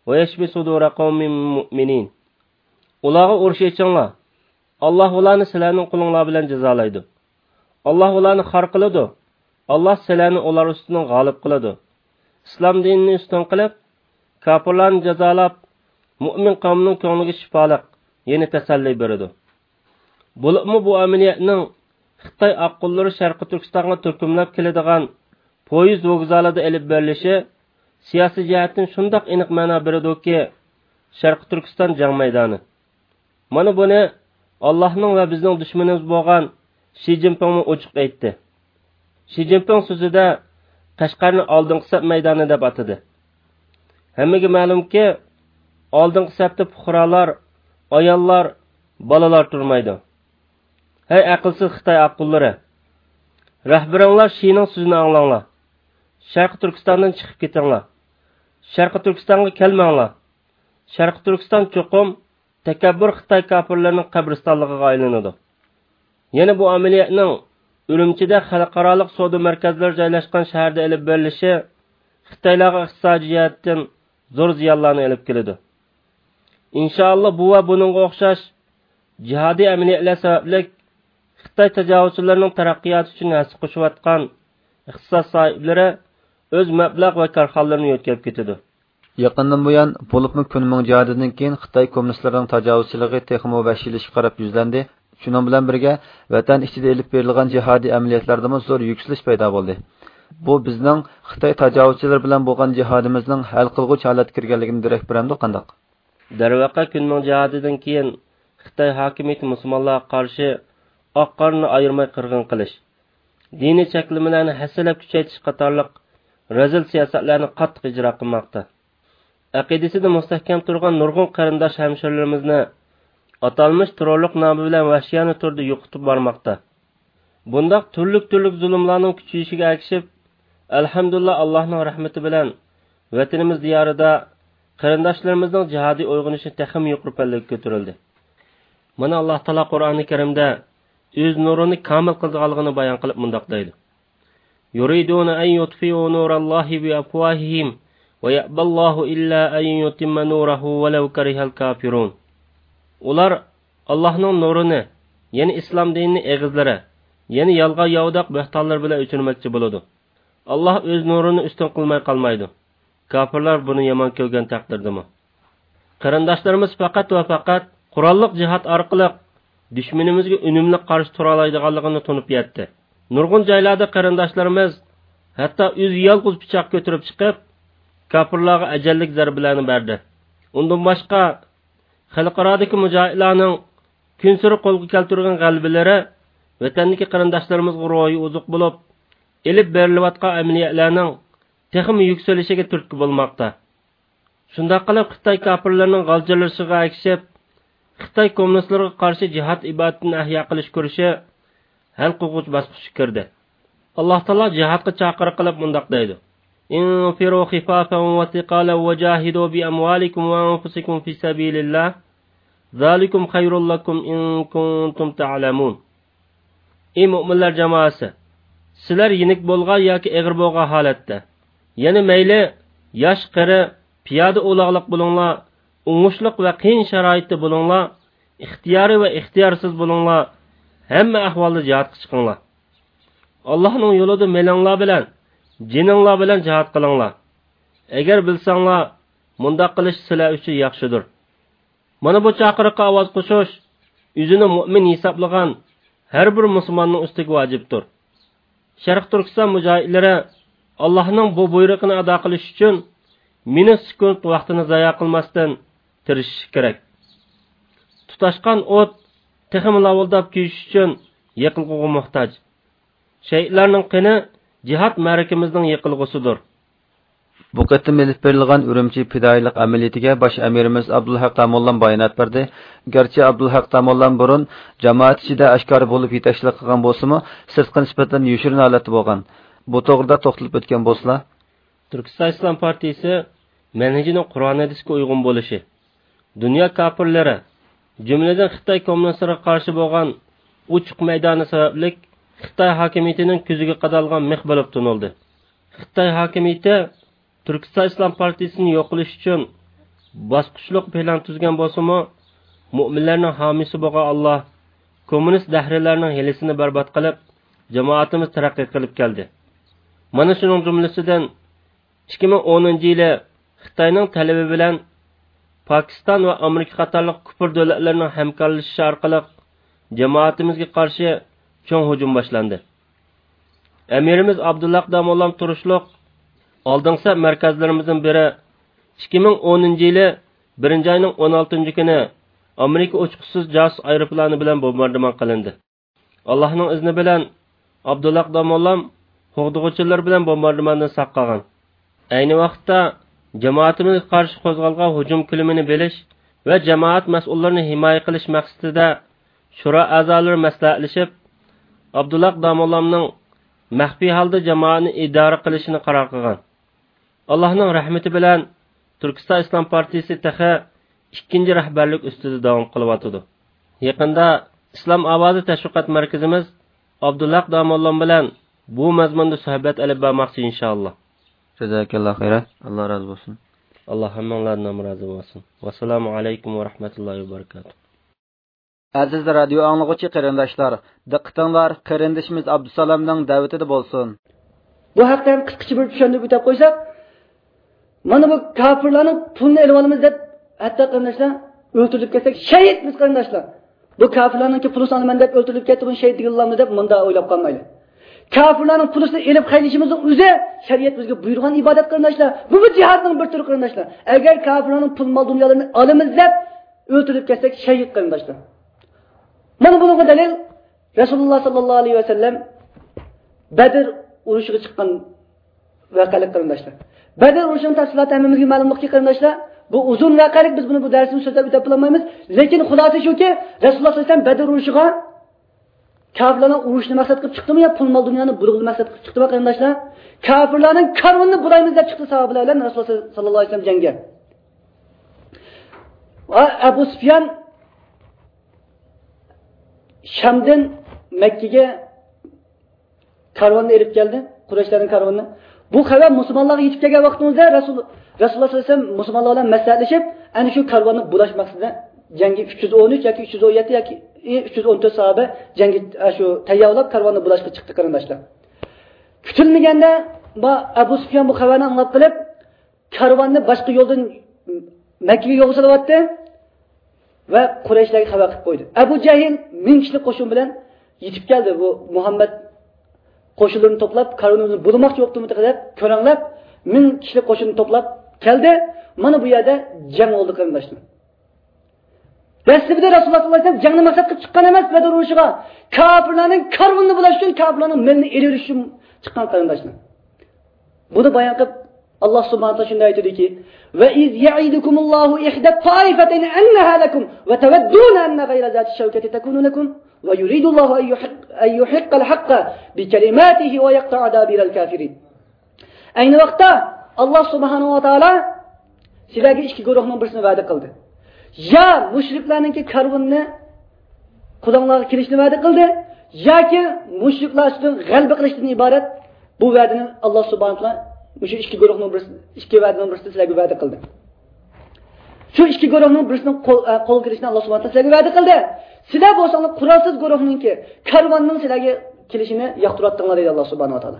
ويشف صدور قوم مؤمنين.» ئۇلارغا ئۇرۇش ئېچىڭلار. ئاللاھ ئۇلارنى سىلەرنىڭ قولۇڭلار بىلەن جازالايدۇ. ئاللاھ ئۇلارنى خار قىلىدۇ. ئاللاھ سىلەرنى ئۇلار ئۈستىدىن غالىب قىلىدۇ. ئىسلام دىنىنى ئۈستۈن قىلىپ، كاپىرلارنى جازالاپ، مۇئمىن قەۋمنىڭ كۆڭلىگە شىپالىق، يەنى تەسەللى بېرىدۇ. بولۇپمۇ بۇ ئەمەلىيەتنىڭ خىتاي ئاققۇنلىرى شەرقىي تۈركىستانغا تۈركۈملەپ كېلىدىغان پويىز ۋوگزالىدا ئېلىپ بېرىلىشى سىياسىي جەھەتتىن شۇنداق ئېنىق مەنا بېرىدۇكى، شەرقىي تۈركىستان جەڭ مەيدانى. مانا بۇنى ئاللاھنىڭ ۋە بىزنىڭ دۈشمىنىمىز بولغان شى جىنپىڭمۇ ئوچۇق ئېيتتى. شى جىنپىڭ سۆزىدە قەشقەرنى ئالدىنقى سەپ مەيدانى دەپ ئاتىدى. ھەممىگە مەلۇمكى، ئالدىنقى سەپتە پۇقرالار، ئاياللار، بالىلار تۇرمايدۇ. ھەي ئەقىلسىز خىتاي ئاققۇنلىرى! رەھبىرىڭلار شىنىڭ سۆزىنى ئاڭلاڭلار. شەرقىي تۈركىستاندىن چىقىپ كېتىڭلار. شەرقىي تۈركىستانغا كەلمەڭلار. شەرقىي تۈركىستان چوقۇم تەكەببۇر خىتاي كاپىرلىرىنىڭ قەبرىستانلىقىغا ئايلىنىدۇ. يەنە بۇ ئەمەلىيەتنىڭ ئۈرۈمچىدە خەلقئارالىق سودا مەركەزلىرى جايلاشقان شەھەردە ئېلىپ بېرىلىشى خىتايلارغا ئىقتىسادىي جەھەتتىن زور زىيانلارنى ئېلىپ كېلىدۇ. ئىنشائاللا، بۇ ۋە بۇنىڭغا ئوخشاش جىھادىي ئەمەلىيەتلەر سەۋەبلىك خىتاي تاجاۋۇزچىلىرىنىڭ تەرەققىياتى ئۈچۈن ھەسسە قوشۇۋاتقان ئىختىساس ساھىبلىرى ئۆز مەبلەغ ۋە كارخانىلىرىنى يۆتكەپ كېتىدۇ. يېقىندىن بۇيان، بولۇپمۇ كۈن مىڭ جىھادىدىن كېيىن خىتاي كوممۇنىستلىرىنىڭ تاجاۋۇزچىلىقى تېخىمۇ ۋەھشىيلىشىشكە قاراپ يۈزلەندى. شۇنىڭ بىلەن بىرگە، ۋەتەن ئىچىدە ئېلىپ بېرىلغان جىھادىي ئەمەلىيەتلەردىمۇ زور يۈكسىلىش پەيدا بولدى. بۇ بىزنىڭ خىتاي تاجاۋۇزچىلىرى بىلەن بولغان جىھادىمىزنىڭ ھەل قىلغۇچ ھالەتكە كىرگەنلىكىدىن دېرەك بېرەمدۇ قانداق؟ دەرۋەقە، كۈن مىڭ جىھادىدىن كېيىن خىتاي ھاكىمىيىتى مۇسۇلمانلارغا قارشى ئاق-قارىنى ئايرىماي قىرغىن قىلىش، دىنىي چەكلىمىلەرنى ھەسسىلەپ كۈچەيتىش قاتارلىق رەزىل سىياسەتلەرنى قاتتىق ئىجرا قىلماقتا. ئەقىدىسىدە مۇستەھكەم تۇرغان نۇرغۇن قېرىنداش ھەمشىرىلىرىمىزنى ئاتالمىش تېررورلۇق نامى بىلەن ۋەھشىيانە تۈردە يوقىتىپ بارماقتا. بۇنداق تۈرلۈك-تۈرلۈك زۇلۇملارنڭ كۈچىيىشىگە ئەگىشىپ، ئەلھەمدۇلىللا، ئاللاھنىڭ رەھمىتى بىلەن ۋەتىنىمىز دىيارىدا قېرىنداشلىرىمىزنىڭ جىھادىي ئويغىنىشى تېخىمۇ يۇقىرى پەللىگە كۆتۈرۈلدى. مانا، ئاللاھ تائالا قۇرئانى كەرىمدە ئۆز نۇرىنى كامىل قىلىدىغانلىقىنى بايان قىلىپ مۇنداق دەيدۇ: يريدون أن يطفئوا نور الله بأفواههم ويأبى الله إلا أن يتم نوره ولو كره الكافرون. ئۇلار ئاللاھنىڭ نۇرىنى، يەنى ئىسلام دىنىنى ئېغىزلىرى، يەنى يالغان ياۋىداق بۆھتانلىرى بىلەن ئۆچۈرمەكچى بولىدۇ. ئاللاھ ئۆز نۇرىنى ئۈستۈن قىلماي قالمايدۇ. كاپىرلار بۇنى يامان كۆرگەن تەقدىردىمۇ. قېرىنداشلىرىمىز پەقەت ۋە پەقەت قوراللىق جىھاد ئارقىلىق دۈشمىنىمىزگە ئۈنۈملۈك قارشى تۇرالايدىغانلىقىنى تونۇپ يەتتى. نۇرغۇن جايلاردا قېرىنداشلىرىمىز ھەتتا ئۆزى يالغۇز پىچاق كۆتۈرۈپ چىقىپ، كاپىرلارغا ئەجەللىك زەربىلەرنى بەردى. ئۇندىن باشقا، خەلقئارادىكى مۇجاھىدلارنىڭ كۈنسېرى قولغا كەلتۈرگەن غەلىبىلىرى ۋەتەندىكى قېرىنداشلىرىمىزغا روھىي ئوزۇق بولۇپ، ئېلىپ بېرىلىۋاتقان ئەمەلىيەتلەرنىڭ تېخىمۇ يۈكسىلىشىگە تۈرتكە بولماقتا. شۇنداق قىلىپ، خىتاي كاپىرلىرىنىڭ غالجىرلىشىغا ئەگىشىپ، خىتاي كوممۇنىستلىرىغا قارشى جىھاد ئىبادىتىنى ئەھيا قىلىش كۈرىشى ھەل قىلغۇچ باسقۇچقا كىردى. ئاللاھ تائالا جىھادقا چاقىرىق قىلىپ مۇنداق دەيدۇ: انفروا خفافا وثقالا وجاهدوا بأموالكم وأنفسكم في سبيل الله ذلكم خير لكم إن كنتم تعلمون. ئى مۆمىنلەر جامائەسى! سىلەر يېنىك بولغان ياكى ئېغىر بولغان ھالەتتە، يەنى مەيلى ياش، قېرى، پىيادە، ئولاغلىق بولۇڭلار، ئوڭۇشلۇق ۋە قىيىن شارائىتتا بولۇڭلار، ئىختىيارىي ۋە ئىختىيارسىز بولۇڭلار، ھەممە ئەھۋالدا جىھادقا چىقىڭلار. ئاللاھنىڭ يولىدا مېلىڭلار بىلەن، جېنىڭلار بىلەن جىھاد قىلىڭلار. ئەگەر بىلسەڭلار، مۇنداق قىلىش سىلەر ئۈچۈن ياخشىدۇر. مانا بۇ چاقىرىققا ئاۋاز قوشۇش ئۆزىنى مۆمىن ھېسابلىغان ھەر بىر مۇسۇلماننىڭ ئۈستىگە ۋاجىپتۇر. شەرقىي تۈركىستان مۇجاھىدلىرى ئاللاھنىڭ بۇ بۇيرۇقىنى ئادا قىلىش ئۈچۈن مىنۇت سېكۇنت ۋاقتىنى زايا قىلماستىن تىرىشىشى كېرەك. تۇتاشقان ئوت تېخىمۇ لاۋۇلداپ كۆيۈش ئۈچۈن يېقىلغۇغا موھتاج. شەھىدلەرنىڭ قېنى جىھاد مەرىكىمىزنىڭ يېقىلغۇسىدۇر. بۇ قېتىم ئېلىپ بېرىلغان ئۈرۈمچى پىدائىيلىق ئەمەلىيىتىگە باش ئەمىرىمىز ئابدۇلھەق داموللام بايانات بەردى. گەرچە ئابدۇلھەق داموللام بۇرۇن جامائەت ئىچىدە ئاشكارا بولۇپ يېتەكچىلىك قىلغان بولسىمۇ، سىرتقا نىسبەتەن يوشۇرۇن ھالەتتە بولغان. بۇ توغرىدا توختىلىپ ئۆتكەن بولسىلا. تۈركىستان ئىسلام پارتىيىسى مەنھىجىنىڭ قۇرئان ھەدىسكە ئۇيغۇن بولۇشى، دۇنيا كاپىرلىرى، جۈملىدىن خىتاي كوممۇنىستلىرىغا قارشى بولغان ئوچۇق مەيدانى سەۋەبلىك خىتاي ھاكىمىيىتىنىڭ كۆزىگە قادالغان مىخ بولۇپ تونۇلدى. خىتاي ھاكىمىيىتى تۈركىستان ئىسلام پارتىيىسىنى يوق قىلىش ئۈچۈن باسقۇچلۇق پىلان تۈزگەن بولسىمۇ، مۆمىنلەرنىڭ ھامىيسى بولغان ئاللاھ كوممۇنىست دەھرىيلەرنىڭ ھىيلىسىنى بەربات قىلىپ، جامائىتىمىز تەرەققىي قىلىپ كەلدى. مانا شۇنىڭ جۈملىسىدىن ئىككى مىڭ ئونىنچى يىلى خىتاينىڭ تەلىپى بىلەن پاكىستان ۋە ئامېرىكا قاتارلىق كۇپۇر دۆلەتلىرىنىڭ ھەمكارلىشىشى ئارقىلىق جامائىتىمىزگە قارشى چوڭ ھۇجۇم باشلاندى. ئەمىرىمىز ئابدۇللاھ داموللام تۇرۇشلۇق ئالدىنقى سەپ مەركەزلىرىمىزدىن بىرى ئىككى مىڭ ئونىنچى يىلى بىرىنچى ئاينىڭ ئون ئالتىنچى كۈنى ئامېرىكا ئۇچقۇچىسىز جاسۇس ئايروپىلانى بىلەن بومباردىمان قىلىندى. ئاللاھنىڭ ئىزنى بىلەن ئابدۇللاھ داموللام قوغدىغۇچىلىرى بىلەن بومباردىماندىن ساق قالغان. ئەينى ۋاقىتتا جامائىتىمىزگە قارشى قوزغالغان ھۇجۇم كۆلىمىنى بىلىش ۋە جامائەت مەسئۇللىرىنى ھىمايە قىلىش مەقسىتىدە شورا ئەزالىرى مەسلىھەتلىشىپ، ئابدۇللاھ داموللامنىڭ مەخپىي ھالدا جامائەتنى ئىدارە قىلىشىنى قارار قىلغان. ئاللاھنىڭ رەھمىتى بىلەن تۈركىستان ئىسلام پارتىيىسى تېخى ئىككىنچى رەھبەرلىك ئۈستىدە داۋام قىلىۋاتىدۇ. يېقىندا ئىسلام ئاۋازى تەشۋىقات مەركىزىمىز ئابدۇلھەق داموللام بىلەن بۇ مەزمۇندا سۆھبەت ئېلىپ بارماقچى، ئىنشائاللا. جازاكاللا خەيرا. ئاللا رازى بولسۇن. ئاللا ھەممىڭلاردىن رازى بولسۇن. ۋەسسالامۇ ئەلەيكۇم ۋە رەھمەتۇللاھى ۋە بەرىكاتۇھ. ئەزىز رادىيو ئاڭلىغۇچى قېرىنداشلار، دىققىتىڭلار قېرىندىشىمىز ئابدۇسالامنىڭ دەۋىتىدە بولسۇن. بۇ ھەقتە ھەم قىسقىچە بىر چۈشەندۈرۈپ ئۆتۈپ قويساق، مانا بۇ كاپىرلارنىڭ پۇلىنى ئېلىۋالىمىز دەپ، ھەتتا قېرىنداشلار، ئۆلتۈرۈلۈپ كەتسەك شەھىتمىز قېرىنداشلار. بۇ كاپىرلارنىڭكى پۇلىسىنى ئالىمەن دەپ ئۆلتۈرۈلۈپ كەتتى، بۇنى شەھىت دېگىلىمىز دەپ مۇنداق ئويلاپ قالمايلى. كاپىرلارنىڭ پۇلىسىنى ئېلىپ خەجلىشىمىزنىڭ ئۆزى شەرىئەت بىزگە بۇيرۇغان ئىبادەت قېرىنداشلار. بۇمۇ جىھادنىڭ بىر تۈرى قېرىنداشلار. ئەگەر كاپىرلارنىڭ پۇل مال دۇنيالىرىنى ئالىمىز دەپ ئۆلتۈرۈلۈپ كەتسەك شەھىت قېرىنداشلار. مانا بۇنىڭغا دەلىل رەسۇلۇللا ساللاللاھۇ ئەلەيھى ۋەسەللەم بەدر ئۇرۇشىغا چىققان ۋەقەلىك قېرىنداشلار. بەدر ئۇرۇشىنىڭ تەپسىلاتى ھەممىمىزگە مەلۇملۇقكى قېرىنداشلار. بۇ ئۇزۇن ۋەقەلىك، بىز بۇنى بۇ دەرسىمىز سۆزلەپ ئۆتەپ بولالمايمىز. لېكىن خۇلاسە شۇكى، رەسۇلۇللا ساللاللاھۇ ئەلەيھى ۋەسەللەم بەدر ئۇرۇشىغا كاپىرلارنىڭ ئۇرۇشنى مەقسەت قىلىپ چىقتىمۇ يا پۇل مال دۇنيانى بۇلغىنى مەقسەت قىلىپ چىقتىمۇ قېرىنداشلار؟ كاپىرلارنىڭ كارۋىنىنى بۇلايمىز دەپ چىقتى ساھابىلەر بىلەن رەسۇلۇللا ساللاللاھۇ ئەلەيھى ۋەسەللەم جەڭگە. ئەبۇ سۇفيان شامدىن مەككىگە كارۋاننى ئېلىپ كەلدى، قۇرەيشلەرنىڭ كارۋىنى. بۇ خەۋەر مۇسۇلمانلارغا يېتىپ كەلگەن ۋاقتىمىزدا رەسۇل، رەسۇلۇللا ساللاللاھۇ ئەلەيھى ۋەسەللەم مۇسۇلمانلار بىلەن مەسلىھەتلىشىپ، ئەنە شۇ كارۋاننى بۇلاش مەقسىتىدە جەڭگە ئۈچ يۈز ئون ئۈچ ياكى ئۈچ يۈز ئون يەتتە ياكى ئۈچ يۈز ئون تۆت ساھابە جەڭگە، ئە، شۇ تەييارلاپ كارۋاننى بۇلاشقا چىقتى قېرىنداشلار. كۈتۈلمىگەندە بۇ ئەبۇ سۇفيان بۇ خەۋەرنى ئاڭلاپ قېلىپ، كارۋاننى باشقا يولدىن مەككىگە يولغا سېلىۋەتتى ۋە قۇرەيشلەرگە خەۋەر قىلىپ قويدى. ئەبۇ جەھىل مىڭ كىشىلىك قوشۇن بىلەن يېتىپ كەلدى. بۇ مۇھەممەد قوشۇنلىرىنى توپلاپ، كارۋىنىمىزنى بۇلىماقچى بوپتۇمۇ تېخى دەپ كۆرەڭلەپ، مىڭ كىشىلىك قوشۇننى توپلاپ كەلدى. مانا بۇ يەردە جەڭ بولدى قېرىنداشلار. دەسلىپىدە رەسۇلۇللا ساللاللاھۇ ئەلەيھى ۋەسەللەم جەڭنى مەقسەت قىلىپ چىققان ئەمەس، بەدر ئۇرۇشىغا. كاپىرلارنىڭ كارۋىنىنى بۇلاش ئۈچۈن، كاپىرلارنىڭ مېلىنى ئېلىۋېلىش ئۈچۈن چىققان قېرىنداشلار. بۇنى بايان قىلىپ، ئاللا سۇبھانەھۇ ۋە تائالا شۇنداق ئېيتىدۇكى، وَإِذْ يَعِدُكُمُ اللَّهُ إِحْدَى الطَّائِفَتَيْنِ أَنَّهَا لَكُمْ وَتَوَدُّونَ أَنَّ غَيْرَ ذَاتِ الشَّوْكَةِ تَكُونُ لَكُمْ وَيُرِيدُ اللَّهُ أَنْ يُحِقَّ، أَنْ يُحِقَّ الْحَقَّ بِكَلِمَاتِهِ وَيَقْطَعَ دَابِرَ الْكَافِرِينَ. ئەينى ۋاقىتتا ئاللا سۇبھانەھۇ ۋە تائالا سىلەرگە ئىككى گۇرۇھنىڭ بىرسىنى ۋەدە قىلدى. يا مۇشرىكلارنىڭكى كارۋىنىنى قولۇڭلارغا كېلىشنى ۋەدە قىلدى، ياكى مۇشرىكلار ئۈستىدىن غەلىبە قىلىشتىن ئىبارەت بۇ ۋەدىنى ئاللا سۇبھانەھۇ ۋە تائالا مۇشۇ ئىككى گۇرۇھنىڭ بىرسى، ئىككى ۋەدىنىڭ بىرسىنى سىلەرگە ۋەدە قىلدى. شۇ ئىككى گۇرۇھنىڭ بىرسىنىڭ قول، ئە، قولغا كېلىشىنى ئاللا سۇبھانەھۇ ۋە تائالا سىلەرگە ۋەدە قىلدى. سىلەر بولساڭلار قورالسىز گۇرۇھنىڭكى، كارۋاننىڭ سىلەرگە كېلىشىنى ياقتۇراتتىڭلار دەيدۇ ئاللا سۇبھانەھۇ ۋە تائالا.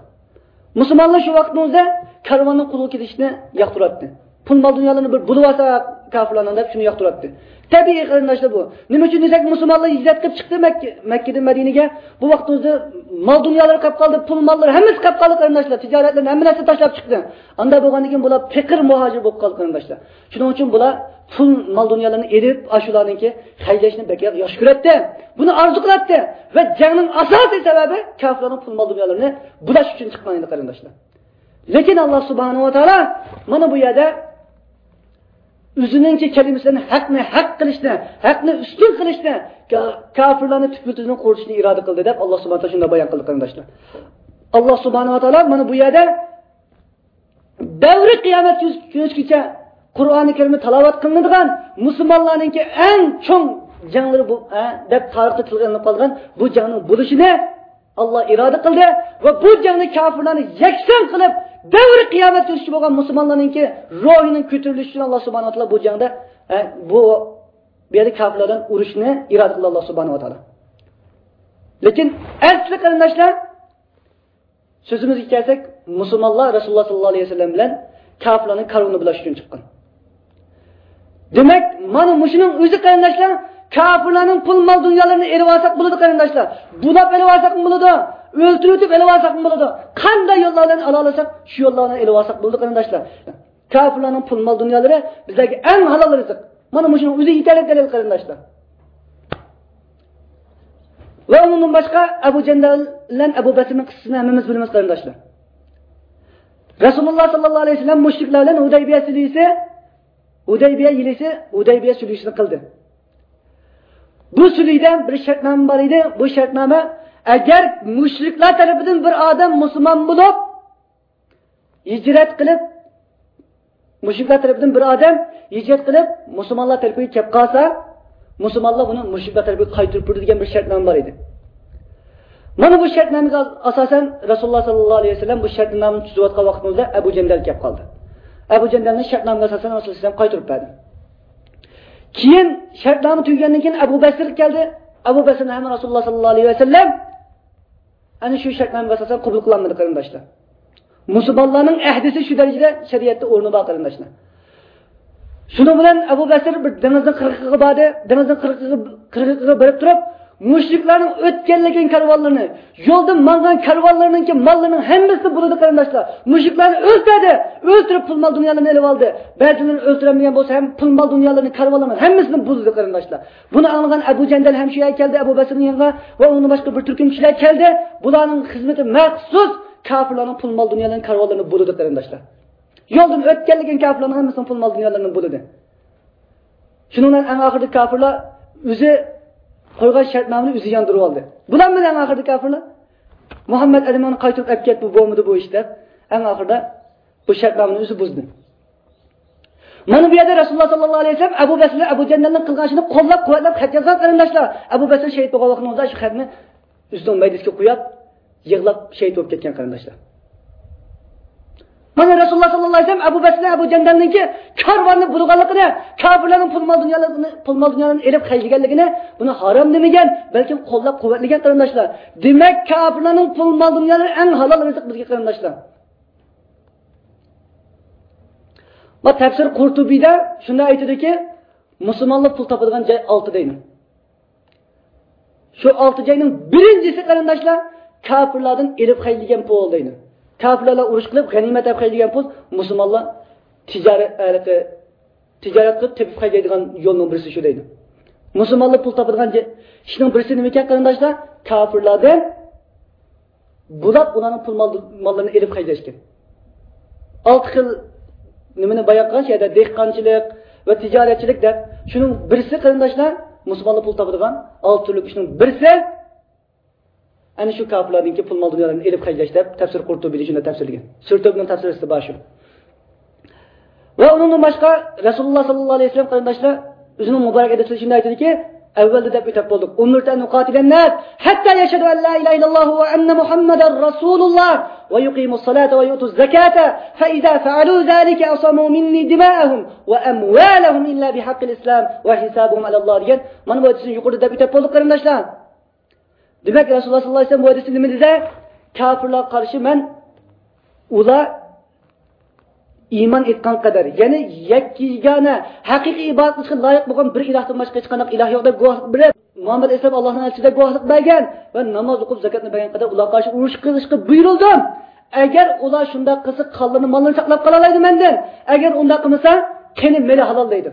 مۇسۇلمانلار شۇ ۋاقىتنىڭ ئۆزىدە كارۋاننىڭ قولغا كېلىشىنى ياقتۇراتتى. پۇل مال دۇنيالارنى بىر بولۇۋالسا كاپىرلارنىڭ دەپ شۇنى ياقتۇراتتى. تەبىئىي قېرىنداشلار بۇ. نېمە ئۈچۈن دېسەك، مۇسۇلمانلار ھىجرەت قىلىپ چىقتى مەككە، مەككىدىن مەدىنىگە. بۇ ۋاقىتنىڭ ئۆزىدە مال دۇنيالىرى قېلىپ قالدى، پۇل ماللىرى ھەممىسى قېلىپ قالدى قېرىنداشلار. تىجارەتلىرىنى ھەممە نەرسىنى تاشلاپ چىقتى. ئاندا بولغاندىن كېيىن بۇلار پېقىر مۇھاجىر بولۇپ قالدى قېرىنداشلار. شۇنىڭ ئۈچۈن بۇلار پۇل مال دۇنيالىرىنى ئېلىپ، ئاشۇلارنىڭكى خەجلەشنى بەك ياخشى كۆرەتتى. بۇنى ئارزۇ قىلاتتى. ۋە جەڭنىڭ ئاساسىي سەۋەبى كاپىرلارنىڭ پۇل مال دۇنيالىرىنى بۇلاش ئۈچۈن چىققان ئىدى قېرىنداشلار. لېكىن ئاللا سۇبھانەھۇ ۋە تائالا مانا بۇ يەردە ئۆزىنىڭكى كەلىمىسى بىلەن ھەقنى ھەق قىلىشنى، ھەقنى ئۈستۈن قىلىشنى، كا-، كاپىرلارنى تۈپتىن قۇرۇتۇشنى ئىرادە قىلدى دەپ ئاللا سۇبھانەھۇ ۋە تائالا شۇنداق بايان قىلدى قېرىنداشلار. ئاللا سۇبھانەھۇ ۋە تائالا مانا بۇ يەردە دەۋرى قىيامەت كۈنگىچە قۇرئانى كەرىمدە تىلاۋەت قىلىنىدىغان مۇسۇلمانلارنىڭكى ئەڭ چوڭ جەڭلىرى بۇ، ھە، دەپ تارىختا تىلغا ئېلىنىپ قالىدىغان بۇ جەڭنىڭ بولۇشىنى ئاللا ئىرادە قىلدى ۋە بۇ جەڭنى كاپىرلارنى يەكسان قىلىپ، دەۋرى قىيامەت كۈنگىچە بولغان مۇسۇلمانلارنىڭكى روھىنىڭ كۆتۈرۈلۈشى ئۈچۈن ئاللا سۇبھانەھۇ ۋە تائالا بۇ جەڭدە، ھە، بۇ، بۇ يەردە كاپىرلار بىلەن ئۇرۇشنى ئىرادە قىلدى ئاللا سۇبھانەھۇ ۋە تائالا. لېكىن ئەسلى قېرىنداشلار، سۆزىمىزگە كەلسەك، مۇسۇلمانلار رەسۇلۇللا ساللاللاھۇ ئەلەيھى ۋەسەللەم بىلەن كاپىرلارنىڭ كارۋىنىنى بۇلاش ئۈچۈن چىققان. دېمەك، مانا مۇشۇنىڭ ئۆزى قېرىنداشلار، كاپىرلارنىڭ پۇل مال دۇنيالىرىنى ئېلىۋالساق بولىدۇ قېرىنداشلار. بۇلاپ ئېلىۋالساقمۇ بولىدۇ، ئۆلتۈرۈۋېتىپ ئېلىۋالساقمۇ بولىدۇ. قانداق يوللار بىلەن ئالالىساق، شۇ يوللار بىلەن ئېلىۋالساق بولىدۇ قېرىنداشلار. كاپىرلارنىڭ پۇل مال دۇنيالىرى بىزلەرگە ئەڭ ھالال رىزىق. مانا مۇشۇنىڭ ئۆزى يېتەرلىك دەلىل قېرىنداشلار. ۋە ئۇنىڭدىن باشقا ئەبۇ جەندەل بىلەن ئەبۇ بەسىرنىڭ قىسسىسىنى ھەممىمىز بىلىمىز قېرىنداشلار. رەسۇلۇللا ساللاللاھۇ ئەلەيھى ۋەسەللەم مۇشرىكلار بىلەن ھۇدەيبىيە سۈلھىسى، ھۇدەيبىيە يىلىسى، ھۇدەيبىيە سۈلھىسىنى قىلدى. بۇ سۈلھىدە بىر شەرتنامە بار ئىدى. بۇ شەرتنامە، ئەگەر مۇشرىكلار تەرىپىدىن بىر ئادەم مۇسۇلمان بولۇپ، ھىجرەت قىلىپ، مۇشرىكلار تەرىپىدىن بىر ئادەم ھىجرەت قىلىپ، مۇسۇلمانلار تەرىپىگە كەپ قالسا، مۇسۇلمانلار بۇنى مۇشرىكلار تەرىپىگە قايتۇرۇپ بېرىدۇ دېگەن بىر شەرتنامە بار ئىدى. مانا بۇ شەرتنامىگە ئاساسەن، رەسۇلۇللا ساللاللاھۇ ئەلەيھى ۋەسەللەم بۇ شەرتنامىنى تۈزۈۋاتقان ۋاقتىمىزدا ئەبۇ جەندەل كەپ قالدى. ئەبۇ جەندەلنى شەرتنامىغا ئاساسەن رەسۇلۇللاھ ئەلەيھىسسالام قايتۇرۇپ بەردى. كېيىن شەرتنامە تۈگىگەندىن كېيىن ئەبۇ بەسىر كەلدى. ئەبۇ بەسىرنى ھەم رەسۇلۇللاھ سەللەللاھۇ ئەلەيھى ۋەسەللەم ئەنە شۇ شەرتنامىغا ئاساسەن قوبۇل قىلالمىدى، قېرىنداشلار. مۇسۇلمانلارنىڭ ئەھدىسى شۇ دەرىجىدە شەرىئەتتە ئورنى بار، قېرىنداشلار. شۇنىڭ بىلەن ئەبۇ بەسىر بىر دېڭىزنىڭ قىرغىقىغا باردى. دېڭىزنىڭ قىرغىقىغا، قىرغىقىغا بېرىپ تۇرۇپ، مۇشرىكلارنىڭ ئۆتكەنلىكىن كارۋانلىرىنى، يولدا ماڭغان كارۋانلىرىنىڭكى ماللىرىنىڭ ھەممىسىنى بۇلىدى، قېرىنداشلار. مۇشرىكلارنى ئۆلتۈردى، ئۆلتۈرۈپ پۇل مال دۇنيالىرىنى ئېلىپ ئالدى. بەزىلىرىنى ئۆلتۈرەلمىگەن بولسا ھەم پۇل مال دۇنيالىرىنى، كارۋانلىرىنىڭ ھەممىسىنى بۇلىدى، قېرىنداشلار. بۇنى ئاڭلىغان ئەبۇ جەندەل ھەم شۇ يەرگە كەلدى، ئەبۇ بەسىرنىڭ يېنىغا ۋە ئۇنىڭدىن باشقا بىر تۈركۈم كىشىلەر كەلدى. بۇلارنىڭ خىزمىتى مەخسۇس كاپىرلارنىڭ پۇل مال دۇنيالىرىنىڭ كارۋانلىرىنى بۇلىدى، قېرىنداشلار. يولدىن ئۆتكەنلىكىن كاپىرلارنىڭ ھەممىسىنىڭ پۇل مال دۇنيالىرىنى بۇلىدى. شۇنىڭ بىلەن ئەڭ ئاخىرىدا كاپىرلار ئۆزى قويغان شەرتنامىنى ئۆزى ياندۇرۇۋالدى. بۇلارمۇ ئەڭ ئاخىرىدا كاپىرلار مۇھەممەد ئەلىماننى قايتۇرۇپ ئەپ كەت، بۇ بولمىدى بۇ ئىش دەپ، ئەڭ ئاخىرىدا بۇ شەرتنامىنى ئۆزى بۇزدى. مانا بۇ يەردە رەسۇلۇللاھ سەللەللاھۇ ئەلەيھى ۋەسەللەم ئەبۇ بەسىرنى، ئەبۇ جەندەلنىڭ قىلغان ئىشىنى قوللاپ قۇۋۋەتلەپ خەت يازغان، قېرىنداشلار. ئەبۇ بەسىر شېھىت بولغان ۋاقتىنىڭ ئۆزىدە شۇ خەتنى ئۆزىنىڭ مەيدىسىگە قويۇپ، يىغلاپ شېھىت بولۇپ كەتكەن، قېرىنداشلار. مانا رەسۇلۇللاھ سەللەللاھۇ ئەلەيھى ۋەسەللەم ئەبۇ بەسىرنى، ئەبۇ جەندەلنىڭكى كارۋاننى بۇلىغانلىقىنى، كاپىرلارنىڭ پۇل مال دۇنيالىرىنى، پۇل مال دۇنيالىرىنى ئېلىپ خەجلىگەنلىكىنى، بۇنى ھارام دېمىگەن، بەلكىم قوللاپ قۇۋۋەتلىگەن، قېرىنداشلار. دېمەك، كاپىرلارنىڭ پۇل مال دۇنيالىرى ئەڭ ھالال رىزىق بىزگە، قېرىنداشلار. ما تەپسىر قۇرتۇبىدا شۇنداق ئېيتىدۇكى، مۇسۇلمانلار پۇل تاپىدىغان جاي ئالتە دەيدۇ. شۇ ئالتە جاينىڭ بىرىنچىسى، قېرىنداشلار، كاپىرلاردىن ئېلىپ خەجلىگەن پۇل دەيدۇ. كاپىرلار بىلەن ئۇرۇش قىلىپ، غەنىيمەت ئېلىپ خەجلىگەن پۇل مۇسۇلمانلار تىجارەت، ھېلىقى، تىجارەت قىلىپ تېپىپ خەجلەيدىغان يولنىڭ بىرسى شۇ دەيدۇ. مۇسۇلمانلار پۇل تاپىدىغان جاي، ئىشنىڭ بىرسى نېمىكەن، قېرىنداشلار؟ كاپىرلاردىن بۇلاپ ئۇلارنىڭ پۇل مال-، ماللىرىنى ئېلىپ خەجلەشكەن. ئالتە خىل نېمىنى بايان قىلغان شۇ يەردە دېھقانچىلىق ۋە تىجارەتچىلىك دەپ. شۇنىڭ بىرسى، قېرىنداشلار، مۇسۇلمانلار پۇل تاپىدىغان ئالتە تۈرلۈك ئىشنىڭ بىرسى، ئەنە شۇ كاپىرلاردىنكى پۇل مال دۇنيالارنى ئېلىپ خەجلەش دەپ تەپسىر قۇرتۇبىدا شۇنداق تەپسىرلىگەن. سۈرە تۆبىنىڭ تەپسىرىسىدە بار شۇ. ۋە ئۇنىڭدىن باشقا رەسۇلۇللاھ سەللەللاھۇ ئەلەيھى ۋەسەللەم، قېرىنداشلار، ئۆزىنىڭ مۇبارەك ھەدىسىدە شۇنداق ئېيتىدۇكى، ئەۋۋەلدە دەپ ئۆتۈپ بولدۇق. أمرت أن أقاتل الناس حتى يشهدوا أن لا إله إلا الله وأن محمدا رسول الله ويقيموا الصلاة ويؤتوا الزكاة فإذا فعلوا ذلك عصموا مني دماءهم وأموالهم إلا بحق الإسلام وحسابهم على الله دېگەن. مانا بۇ ھەدىسنى يۇقىرىدا دەپ ئۆتۈپ بولدۇق، قېرىنداشلار. دېمەك، رەسۇلۇللاھ سەللەللاھۇ ئەلەيھى ۋەسەللەم بۇ ھەدىستە نېمە دېدى؟ كاپىرلارغا قارشى مەن ئۇلار ئىمان ئېيتقان قەدەر، يەنى يەككە يېگانە، ھەقىقىي ئىبادەت قىلىشقا لايىق بولغان بىر ئىلاھتىن باشقا ھېچقانداق ئىلاھ يوق دەپ گۇۋاھلىق بېرىپ، مۇھەممەد ئەلەيھىسسالام ئاللاھنىڭ ئەلچىسى دەپ گۇۋاھلىق بەرگەن ۋە ناماز ئوقۇپ، زاكاتنى بەرگەن قەدەر ئۇلارغا قارشى ئۇرۇش قىلىشقا بۇيرۇلدۇم. ئەگەر ئۇلار شۇنداق قىلسا، قانلىرىنى، ماللىرىنى ساقلاپ قالالايدۇ مەندىن. ئەگەر ئۇنداق قىلمىسا، قېنى مېلى ھالال دەيدۇ.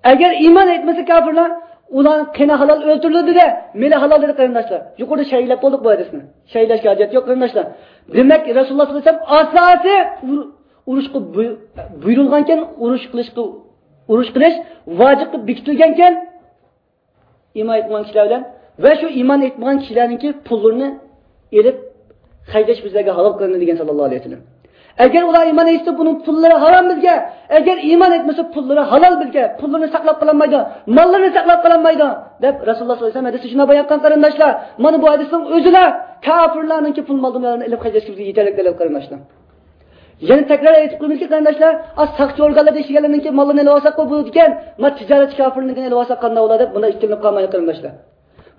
ئەگەر ئىمان ئېيتمىسا كاپىرلار، ئۇلارنىڭ قېنى ھالال ئۆلتۈرۈلىدۇ دە، مېلى ھالال دېدى قېرىنداشلار. يۇقىرىدا شەرھلەپ بولدۇق بۇ ھەدىسنى. شەرھلەشكە ھاجەت يوق قېرىنداشلار. دېمەك، رەسۇلۇللاھ سەللەللاھۇ ئەلەيھى ۋەسەللەم ئاساسىي ئۇر-، ئۇرۇشقا بۇي-، بۇيرۇلغانكەن، ئۇرۇش قىلىشقا، ئۇرۇش قىلىش ۋاجىپقا بېكىتىلگەنكەن، ئىمان ئېيتمىغان كىشىلەر بىلەن ۋە شۇ ئىمان ئېيتمىغان كىشىلەرنىڭكى پۇللىرىنى ئېلىپ خەجلەش بىزلەرگە ھالال قىلىندى دېگەن سەللەللاھۇ ئەلەيھى ۋەسەللەم. ئەگەر ئۇلار ئىمان ئېيتسا، بۇنىڭ پۇللىرى ھارام بىزگە. ئەگەر ئىمان ئېيتمىسا، پۇللىرى ھالال بىزگە. پۇللىرىنى ساقلاپ قالالمايدۇ، ماللىرىنى ساقلاپ قالالمايدۇ، دەپ رەسۇلۇللاھ سەللەللاھۇ ئەلەيھى ۋەسەللەم ھەدىستە شۇنداق بايان قىلغان قېرىنداشلار. مانا بۇ ھەدىسنىڭ ئۆزىلا كاپىرلارنىڭكى پۇل مال دۇنيالىرىنى ئېلىپ خەجلەشكە بىزگە يېتەرلىك دەلىل قېرىنداشلار. يەنە تەكرار ئېيتىپ قويىمىزكى، قېرىنداشلار، ئا، ساقچى ئورگانلاردا ئىشلىگەنلەرنىڭكى ماللىرىنى ئېلىۋالساقمۇ بولىدىكەن، ما تىجارەتچى كاپىرنىڭكىنى ئېلىۋالساق قانداق بولار دەپ، بۇنداق ئىككىلىنىپ قالمايلى، قېرىنداشلار.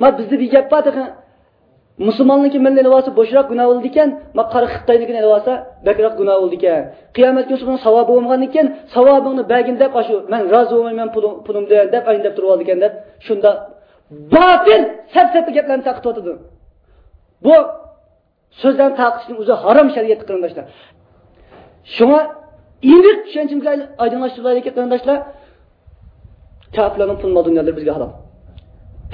ما بىزدە بىر گەپ بار تېخى، مۇسۇلماننىڭكى مېلىنى ئېلىۋالسا بوشراق گۇناھ بولىدىكەن، ما قارا خىتاينىڭكىنى ئېلىۋالسا بەكرەك گۇناھ بولىدىكەن. قىيامەت كۈنى سېنىڭ ساۋابىڭ بولمىغاندىكىن، ساۋابىڭنى بەرگىن دەپ، ئاشۇ، مەن رازى بولمايمەن پۇلۇم-، پۇلۇمدىن دەپ، ئاينى دەپ تۇرۇۋالىدىكەن دەپ، شۇنداق باتىل، سەپسەتە گەپلەرنى تارقىتىۋاتىدۇ. بۇ سۆزلەرنى تارقىتىشنىڭ ئۆزى ھارام شەرىئەتتە، قېرىنداشلار. شۇڭا ئېنىق چۈشەنچىمىزگە ئايدىڭلاشتۇرۇلايلىكى، قېرىنداشلار، كاپىرلارنىڭ پۇل مال دۇنيالىرى بىزگە ھالال.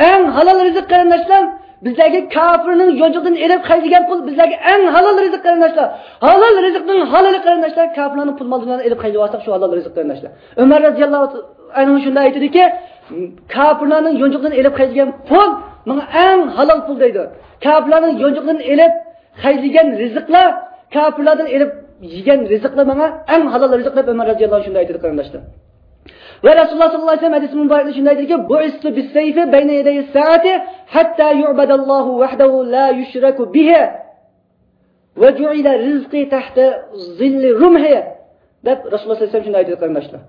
ئەڭ ھالال رىزىق، قېرىنداشلار، بىزلەرگە كاپىرنىڭ يونچۇقىدىن ئېلىپ خەجلىگەن پۇل بىزلەرگە ئەڭ ھالال رىزىق، قېرىنداشلار. ھالال رىزىقنىڭ ھالىلى، قېرىنداشلار، كاپىرلارنىڭ پۇل مال دۇنيالىرىنى ئېلىپ خەجلىۋالساق، شۇ ھالال رىزىق، قېرىنداشلار. ئۆمەر رەزىياللاھۇ ئەنھۇ شۇنداق ئېيتىدىكى، كاپىرلارنىڭ يونچۇقىدىن ئېلىپ خەجلىگەن پۇل ماڭا ئەڭ ھالال پۇل دەيدۇ. كاپىرلارنىڭ يونچۇقىدىن ئېلىپ خەجلىگەن رىزىقلار، كاپىرلاردىن ئېلىپ يېگەن رىزىقلار ماڭا ئەڭ ھالال رىزىق دەپ ئۆمەر رەزىياللاھۇ ئەنھۇ شۇنداق ئېيتىدۇ، قېرىنداشلار. ۋە رەسۇلۇللاھ سەللەللاھۇ ئەلەيھى ۋەسەللەم ھەدىسى مۇبارەكتە شۇنداق ئېيتىدىكى، بعثت بالسيف بين يدي الساعة حتى يعبد الله وحده لا يشرك به. «وجعل رزقي تحت ظل رمحي» دەپ رەسۇلۇللاھ سەللەللاھۇ ئەلەيھى ۋەسەللەم شۇنداق ئېيتىدۇ، قېرىنداشلار.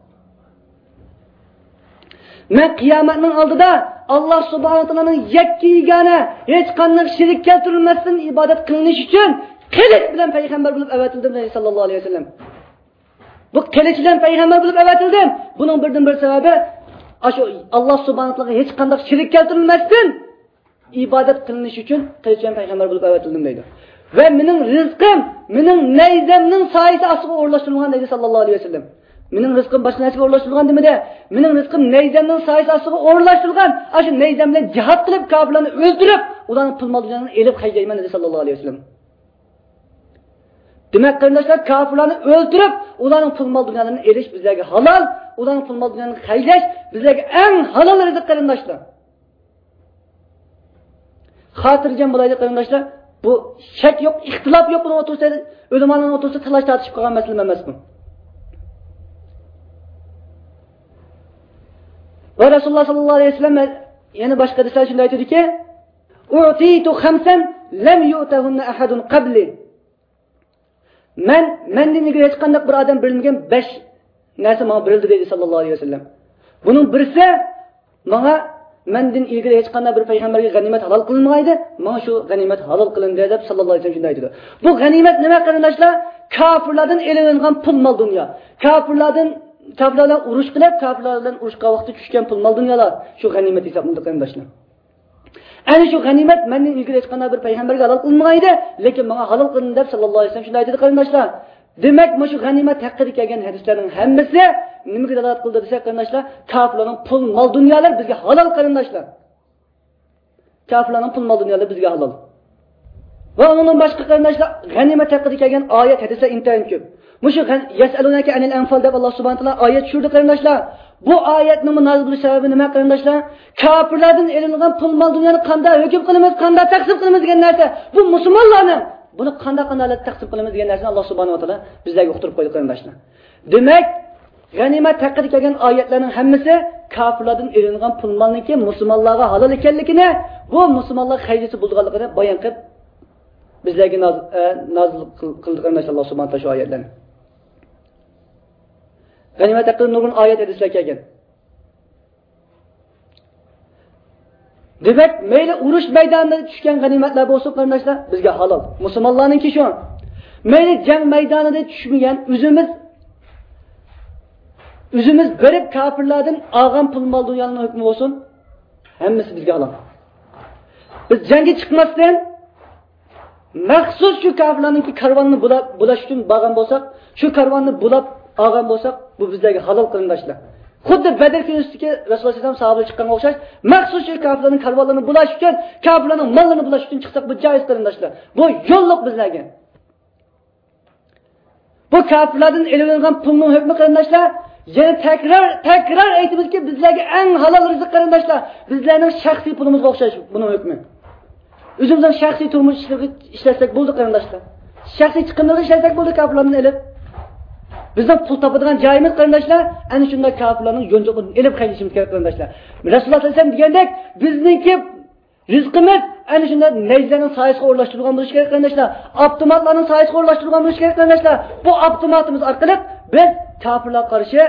مەن قىيامەتنىڭ ئالدىدا ئاللاھ سۇبھانەھۇ ۋە تائالانىڭ يەككە يېگانە، ھېچقانداق شېرىك كەلتۈرۈلمەستىن ئىبادەت قىلىنىش ئۈچۈن قىلىچ بىلەن پەيغەمبەر بولۇپ ئەۋەتىلدىم، دەيدۇ ساللاللاھۇ ئەلەيھى ۋەسەللەم. بۇ قىلىچ بىلەن پەيغەمبەر بولۇپ ئەۋەتىلدىم. بۇنىڭ بىردىن بىر سەۋەبى، ئاشۇ ئاللاھ سۇبھانەھۇ ۋە تائالاغا ھېچقانداق شېرىك كەلتۈرۈلمەستىن ئىبادەت قىلىنىش ئۈچۈن قىلىچ بىلەن پەيغەمبەر بولۇپ ئەۋەتىلدىم، دەيدۇ. ۋە مېنىڭ رىزقىم مېنىڭ نەيزەمنىڭ سايىسى ئاستىغا ئورۇنلاشتۇرۇلغان، دەيدۇ ساللاللاھۇ ئەلەيھى ۋەسەللەم. مېنىڭ رىزقىم باشقا نەرسىگە ئورۇنلاشتۇرۇلغان دېمىدى. مېنىڭ رىزقىم نەيزەمنىڭ سايىسى ئاستىغا ئورۇنلاشتۇرۇلغان. ئاشۇ نەيزەم بىلەن جىھاد قىلىپ، كاپىرلارنى ئۆلتۈرۈپ، ئۇلارنىڭ پۇل مال دۇنيالىرىنى ئېلىپ خەجلەيمەن، دېدى ساللاللاھۇ ئەلەيھى ۋەسەللەم. دېمەك، قېرىنداشلار، كاپىرلارنى ئۆلتۈرۈپ، ئۇلارنىڭ پۇل مال دۇنيالىرىنى ئېلىش بىزلەرگە ھالال، ئۇلارنىڭ پۇل مال دۇنيالىرىنى خەجلەش بىزلەرگە ئەڭ ھالال رىزىق، قېرىنداشلار. خاتىرجەم بولايلى، قېرىنداشلار. بۇ شەك يوق، ئىختىلاپ يوق بۇنىڭ ئوتتۇرىسىدا، ئۆلىمالارنىڭ ئوتتۇرىسىدا تالاش تارتىشىپ قالغان مەسىلە ئەمەس بۇ. ۋە رەسۇلۇللاھ ساللاللاھۇ ئەلەيھى ۋەسەللەم يەنە باشقا ھەدىسلەردە شۇنداق ئېيتىدۇكى، «أعطيت خمسا لم يؤتهن أحد قبلي». مەن، مەندىن ئىلگىرى ھېچقانداق بىر ئادەم بېرىلمىگەن بەش نەرسە ماڭا بېرىلدى، دەيدۇ ساللاللاھۇ ئەلەيھى ۋەسەللەم. بۇنىڭ بىرسى، ماڭا مەندىن ئىلگىرى ھېچقانداق بىر پەيغەمبەرگە غەنىيمەت ھالال قىلىنمىغانىدى، ماڭا شۇ غەنىيمەت ھالال قىلىندى، دەپ ساللاللاھۇ ئەلەيھى ۋەسەللەم شۇنداق ئېيتىدۇ. بۇ غەنىيمەت نېمە، قېرىنداشلار؟ كاپىرلاردىن ئېلىنغان پۇل مال دۇنيا. كاپىرلاردىن، كاپىرلار بىلەن ئۇرۇش قىلىپ، كاپىرلار بىلەن ئۇرۇشقان ۋاقىتتا چۈشكەن پۇل مال دۇنيالار شۇ غەنىيمەت ھېسابلىنىدۇ، قېرىنداشلار. ئەنە شۇ غەنىيمەت مەندىن ئىلگىرى ھېچقانداق بىر پەيغەمبەرگە ھالال قىلىنمىغان ئىدى، لېكىن ماڭا ھالال قىلىندى، دەپ ساللاللاھۇ ئەلەيھى ۋەسەللەم شۇنداق ئېيتىدۇ، قېرىنداشلار. دېمەك، مۇشۇ غەنىيمەت ھەققىدە كەلگەن ھەدىسلەرنىڭ ھەممىسى نېمىگە دالالەت قىلىدۇ دېسەك، قېرىنداشلار، كاپىرلارنىڭ پۇل مال دۇنيالىرى بىزگە ھالال، قېرىنداشلار. كاپىرلارنىڭ پۇل مال دۇنيالىرى بىزگە ھالال. ۋە ئۇنىڭدىن باشقا، قېرىنداشلار، غەنىيمەت ھەققىدە كەلگەن ئايەت، ھەدىسلەر ئىنتايىن كۆپ. مۇشۇ غەن-، «يسألونك عن الأنفال» دەپ ئاللا سۇبھانەھۇ ۋە تائالا ئايەت چۈشۈردى، قېرىنداشلار. بۇ ئايەتنىڭمۇ نازىل بولۇش سەۋەبى نېمە، قېرىنداشلار؟ كاپىرلاردىن ئېلىنغان پۇل مال دۇنيانى قانداق ھۆكۈم قىلىمىز، قانداق تەقسىم قىلىمىز دېگەن نەرسە، بۇ مۇسۇلمانلارنىڭ، بۇنى قانداق، قانداق ھالەتتە تەقسىم قىلىمىز دېگەن نەرسىنى ئاللا سۇبھانەھۇ ۋە تائالا بىزلەرگە ئۇقتۇرۇپ قويدى، قېرىنداشلار. دېمەك، غەنىيمەت ھەققىدە كەلگەن ئايەتلەرنىڭ ھەممىسى كاپىرلاردىن ئېلىنغان پۇل مالنىڭكى مۇسۇلمانلارغا ھالال ئىكەنلىكىنى، بۇ مۇسۇلمانلارغا خەجلىسى بولىدىغانلىقىنى بايان قىلىپ، بىزلەرگە ناز-، ئە، نازىل قىل-، قىلدى، قېرىنداشلار، ئاللا سۇبھانەھۇ ۋە تائالا شۇ ئايەتلەرنى. غەنىيمەت ھەققىدە نۇرغۇن ئايەت، ھەدىسلەر كەلگەن. دېمەك، مەيلى ئۇرۇش مەيدانىدا چۈشكەن غەنىيمەتلەر بولسۇن، قېرىنداشلار، بىزگە ھالال. مۇسۇلمانلارنىڭكى شۇ. مەيلى جەڭ مەيدانىدا چۈشمىگەن، ئۆزىمىز، ئۆزىمىز بېرىپ كاپىرلاردىن ئالغان پۇل مال دۇنيانىڭ ھۆكمى بولسۇن، ھەممىسى بىزگە ھالال. بىز جەڭگە چىقماستىن، مەخسۇس شۇ كاپىرلارنىڭكى كارۋانىنى بۇلاپ، بۇلاش ئۈچۈن بارغان بولساق، شۇ كارۋاننى بۇلاپ ئالغان بولساق، بۇ بىزلەرگە ھالال، قېرىنداشلار. خۇددى بەدر كۈنىسىدىكى رەسۇلۇللا سەللەللاھۇ ئەلەيھى ۋەسەللەم ساھابىلەر چىققانغا ئوخشاش، مەخسۇس شۇ كاپىرلارنىڭ كارۋانلىرىنى بۇلاش ئۈچۈن، كاپىرلارنىڭ ماللىرىنى بۇلاش ئۈچۈن چىقساق، بۇ جائىز، قېرىنداشلار. بۇ يوللۇق بىزلەرگە. بۇ كاپىرلاردىن ئېلىۋېلىنغان پۇلنىڭ ھۆكمى، قېرىنداشلار، يەنە تەكرار، تەكرار ئېيتىمىزكى، بىزلەرگە ئەڭ ھالال رىزىق، قېرىنداشلار، بىزلەرنىڭ شەخسىي پۇلىمىزغا ئوخشاش بۇنىڭ ھۆكمى. ئۆزىمىزنىڭ شەخسىي تۇرمۇش ئىشلىرىگە ئىشلەتسەك بولدى، قېرىنداشلار. شەخسىي چىقىملىرىغا ئىشلەتسەك بولدى كاپىرلاردىن ئېلىپ. بىزنىڭ پۇل تاپىدىغان جايىمىز، قېرىنداشلار، ئەنە شۇنداق كاپىرلارنىڭ يونچۇقىدىن ئېلىپ خەجلىشىمىز كېرەك، قېرىنداشلار. رەسۇلۇللا سەللەللاھۇ ئەلەيھى ۋەسەللەم دېگەندەك، بىزنىڭكى رىزقىمىز ئەنە شۇنداق نەيزىلەرنىڭ سايىسىغا ئورۇنلاشتۇرۇلغان بولۇشى كېرەك، قېرىنداشلار. ئاپتوماتلارنىڭ سايىسىغا ئورۇنلاشتۇرۇلغان بولۇشى كېرەك، قېرىنداشلار. بۇ ئاپتوماتىمىز ئارقىلىق بىز كاپىرلارغا قارشى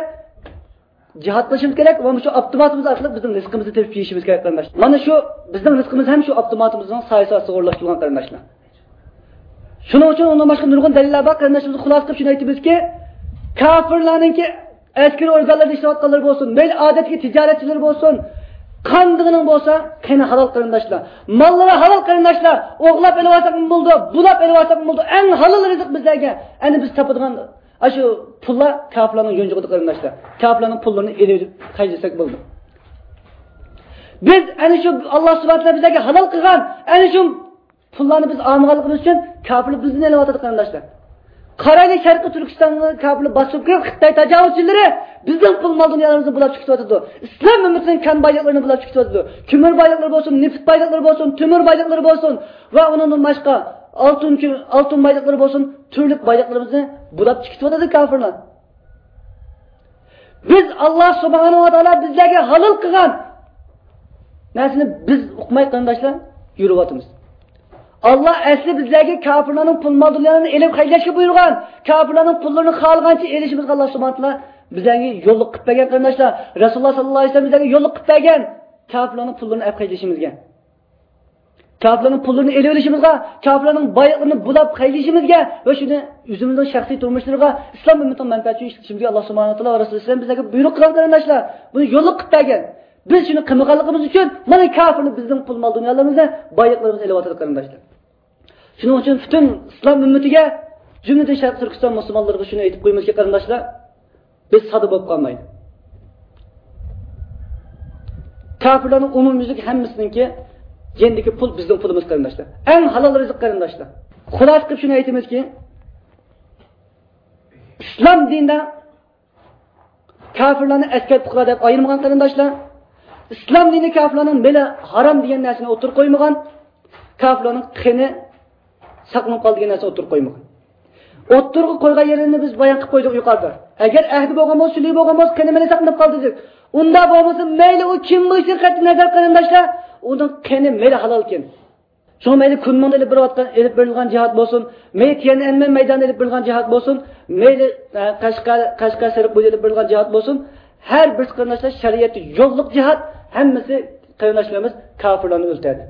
جىھاد قىلىشىمىز كېرەك ۋە مۇشۇ ئاپتوماتىمىز ئارقىلىق بىزنىڭ رىزقىمىزنى تېپىپ يېيىشىمىز كېرەك، قېرىنداشلار. مانا شۇ بىزنىڭ رىزقىمىز ھەم شۇ ئاپتوماتىمىزنىڭ سايىسى ئاستىغا ئورۇنلاشتۇرۇلغان، قېرىنداشلار. شۇنىڭ ئۈچۈن ئۇنىڭدىن باشقا نۇرغۇن دەلىللەر بار، قېرىنداشلىرىمىز. خۇلاسە قىلىپ شۇنى ئېيتىمىزكى، كاپىرلارنىڭكى ئەسكىرىي ئورگانلاردا ئىشلەۋاتقانلىرى بولسۇن، مەيلى ئادەتتىكى تىجارەتچىلىرى بولسۇن، قاندىقىنىڭ بولسا، قېنى ھالال، قېرىنداشلار. ماللىرى ھالال، قېرىنداشلار. ئوغرىلاپ ئېلىۋالساقمۇ بولىدۇ، بۇلاپ ئېلىۋالساقمۇ بولىدۇ. ئەڭ ھالال رىزىق بىزلەرگە. ئەنە بىز تاپىدىغان ئاشۇ پۇللار كاپىرلارنىڭ يونچۇقىدا، قېرىنداشلار. كاپىرلارنىڭ پۇللىرىنى ئېلىۋېلىپ خەجلىسەك بولىدۇ. بىز ئەنە شۇ ئاللا سۇبھانەھۇ ۋە تائالا بىزلەرگە ھالال قىلغان ئەنە شۇ پۇللارنى بىز ئالمىغانلىقىمىز ئۈچۈن كاپىرلار بىزدىن ئېلىۋاتىدۇ، قېرىنداشلار. قارايلى، شەرقىي تۈركىستانغا كاپىرلار باسىپ كىرىپ، خىتاي تاجاۋۇزچىلىرى بىزنىڭ پۇل مال دۇنيالىرىمىزنى بۇلاپ چىقىۋاتىدۇ. ئىسلام ئۈممىتىنىڭ كان بايلىقلىرىنى بۇلاپ چىقىۋاتىدۇ. كۆمۈر بايلىقلىرى بولسۇن، نېفىت بايلىقلىرى بولسۇن، تۆمۈر بايلىقلىرى بولسۇن ۋە ئۇنىڭدىن باشقا ئالتۇن، ئالتۇن بايلىقلىرى بولسۇن، تۈرلۈك بايلىقلىرىمىزنى بۇلاپ چىقىۋاتىدۇ كاپىرلار. بىز، ئاللا سۇبھانەھۇ ۋە تائالا بىزلەرگە ھالال قىلغان نەرسىنى بىز ئۇقماي، قېرىنداشلار، يۈرۈۋاتىمىز. ئاللا ئەسلى بىزلەرگە كاپىرلارنىڭ پۇل مال دۇنيالىرىنى ئېلىپ خەجلەشكە بۇيرۇغان. كاپىرلارنىڭ پۇللىرىنى خالىغانچە ئېلىشىمىزغا ئاللا سۇبھانەھۇ ۋە تائالا بىزلەرگە يوللۇق قىلىپ بەرگەن قېرىنداشلار. رەسۇلۇللا ساللاللاھۇ ئەلەيھى ۋەسەللەم بىزلەرگە يوللۇق قىلىپ بەرگەن. كاپىرلارنىڭ پۇللىرىنى ئەپ خەجلىشىمىزگە، كاپىرلارنىڭ پۇللىرىنى ئېلىۋېلىشىمىزغا، كاپىرلارنىڭ بايلىقلىرىنى بۇلاپ خەجلىشىمىزگە ۋە شۇنى ئۆزىمىزنىڭ شەخسىي تۇرمۇشلىرىغا، ئىسلام ئۈممىتىنىڭ مەنپەئەتى ئۈچۈن ئىشلىتىشىمىزگە ئاللا سۇبھانەھۇ ۋە تائالا ۋە رەسۇلى ئەلەيھىسسالام بىزلەرگە بۇيرۇق قىلغان قېرىنداشلار. بۇنى يوللۇق قىلىپ بەرگەن. بىز شۇنى قىلمىغانلىقىمىز ئۈچۈن مانا كاپىرلار بىزنىڭ پۇل مال دۇنيالىرىمىزنى، بايلىقلىرىمىزنى ئېلىۋاتىدۇ قېرىنداشلار. شۇنىڭ ئۈچۈن پۈتۈن ئىسلام ئۈممىتىگە، جۈملىدىن شەرقىي تۈركىستان مۇسۇلمانلىرىغا شۇنى ئېيتىپ قويىمىزكى قېرىنداشلار، بىز سادا بولۇپ قالمايلى. كاپىرلارنىڭ ئومۇميۈزلۈك ھەممىسىنىڭكى يېنىدىكى پۇل بىزنىڭ پۇلىمىز قېرىنداشلار. ئەڭ ھالال رىزىق قېرىنداشلار. خۇلاسە قىلىپ شۇنى ئېيتىمىزكى، ئىسلام دىنىدا كاپىرلارنى ئەسكەر پۇقرا دەپ ئايرىمىغان قېرىنداشلار. ئىسلام دىنى كاپىرلارنىڭ مېلى ھارام دېگەن نەرسىنى ئوتتۇرىغا قويمىغان. كاپىرلارنىڭ قېنى ساقلىنىپ قالدى دېگەن نەرسىنى ئوتتۇرىغا قويمىغان. ئوتتۇرىغا قويغان يېرىنى بىز بايان قىلىپ قويدۇق يۇقىرىدا. ئەگەر ئەھدى بولغان بولسا، سۈلھى بولغان بولسا، قېنى مېلى ساقلىنىپ قالدى دېدۇق. ئۇنداق بولمىسا، مەيلى ئۇ كىم بولۇشىدىن قەتئىينەزەر قېرىنداشلار، ئۇنىڭ قېنى مېلى ھالالكەن. شۇڭا مەيلى كۇنمىڭدا ئېلىپ بېرىۋاتقان، ئېلىپ بېرىلغان جىھاد بولسۇن، مەيلى تيەنئەنمەن مەيدانىدا ئېلىپ بېرىلغان جىھاد بولسۇن، مەيلى، ئە، قەشقەر، قەشقەر سېرىق بويىدا ئېلىپ بېرىلغان جىھاد بولسۇن، ھەر بىرسى قېرىنداشلار شەرىئەتتە يوللۇق جىھاد، ھەممىسى قېرىنداشلىرىمىز كاپىرلارنى ئۆلتۈرەدۇ.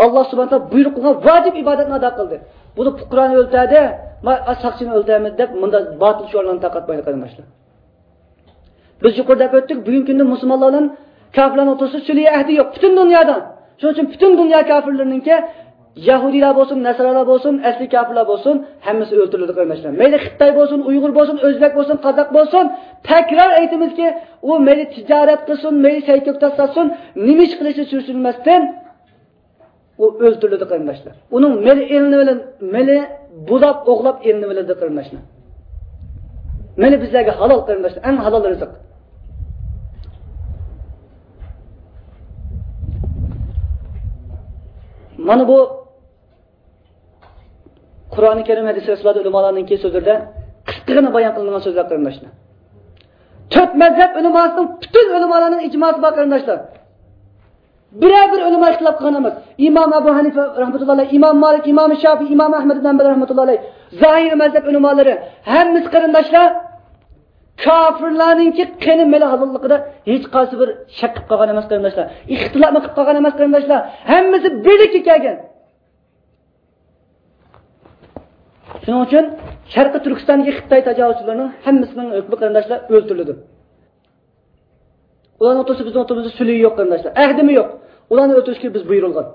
ئاللا سۇبھانەھۇ ۋە تائالا بۇيرۇق قىلغان ۋاجىپ ئىبادەتنى ئادا قىلدى. بۇ پۇقرانى ئۆلتۈردى، ما-، ساقچىنى ئۆلتۈرىمىز دەپ مۇنداق باتىل شوئارلارنى تارقاتمايدۇ قېرىنداشلار. بىز يۇقىرىدا دەپ ئۆتتۇق، بۈگۈنكى كۈندە مۇسۇلمانلار بىلەن كاپىرلارنىڭ ئوتتۇرىسىدا سۈلھى ئەھدى يوق. پۈتۈن دۇنيادا. شۇنىڭ ئۈچۈن پۈتۈن دۇنيا كاپىرلىرىنىڭكى يەھۇدىيلار بولسۇن، نەسرانىلار بولسۇن، ئەسلى كاپىرلار بولسۇن، ھەممىسى ئۆلتۈرۈلىدۇ قېرىنداشلار. مەيلى خىتاي بولسۇن، ئۇيغۇر بولسۇن، ئۆزبەك بولسۇن، قازاق بولسۇن، تەكرار ئېيتىمىزكى، ئۇ مەيلى تىجارەت قىلسۇن، مەيلى سەي كۆكتات ساتسۇن، نېمە ئىش قىلىشى سۈرۈشتۈرمەستىن، ئۇ ئۆلتۈرۈلىدۇ قېرىنداشلار. ئۇنىڭ مېلى ئېلىنىۋېلىن-، مېلى بۇلاپ، ئوغلاپ ئېلىنىۋېلىدۇ قېرىنداشلار. مېلى بىزلەرگە ھالال قېرىنداشلار، ئەڭ ھالال رىزىق. مانا بۇ قۇرئانى كەرىم، ھەدىس رەسۇللاردا، ئۆلىمالارنىڭكى سۆزلىرىدە قىسقىغىنە بايان قىلىنغان سۆزلەر قېرىنداشلار. تۆت مەزھەپ ئۆلىماسىنىڭ، پۈتۈن ئۆلىمالارنىڭ ئىجماسى بار قېرىنداشلار. بىرەر بىر ئۆلىما ئىختىلاپ قىلغان ئەمەس. ئىمام ئەبۇ ھەنىفە رەھمەتۇللا ئەلەيھ، ئىمام مالىك، ئىمام شافىئى، ئىمام ئەھمەد ئىبن ھەمبەل رەھمەتۇللا ئەلەيھ، زاھىرىي مەزھەپ ئۆلىمالىرى، ھەممىسى قېرىنداشلار كاپىرلارنىڭكى قېنى مېلى ھالاللىقىدا ھېچقايسى بىر شەك قىلىپ قالغان ئەمەس قېرىنداشلار. ئىختىلاپمۇ قىلىپ قالغان ئەمەس قېرىنداشلار. ھەممىسى بىرلىككە كەلگەن. شۇنىڭ ئۈچۈن شەرقىي تۈركىستاندىكى خىتاي تاجاۋۇزچىلىرىنىڭ ھەممىسىنىڭ ھۆكمى قېرىنداشلار ئۆلتۈرۈلىدۇ. ئۇلارنىڭ ئوتتۇرىسىدا بىزنىڭ ئوتتۇرىمىزدا سۈلھى يوق قېرىنداشلار. ئەھدىمۇ يوق. ئۇلارنى ئۆلتۈرۈشكە بىز بۇيرۇلغان.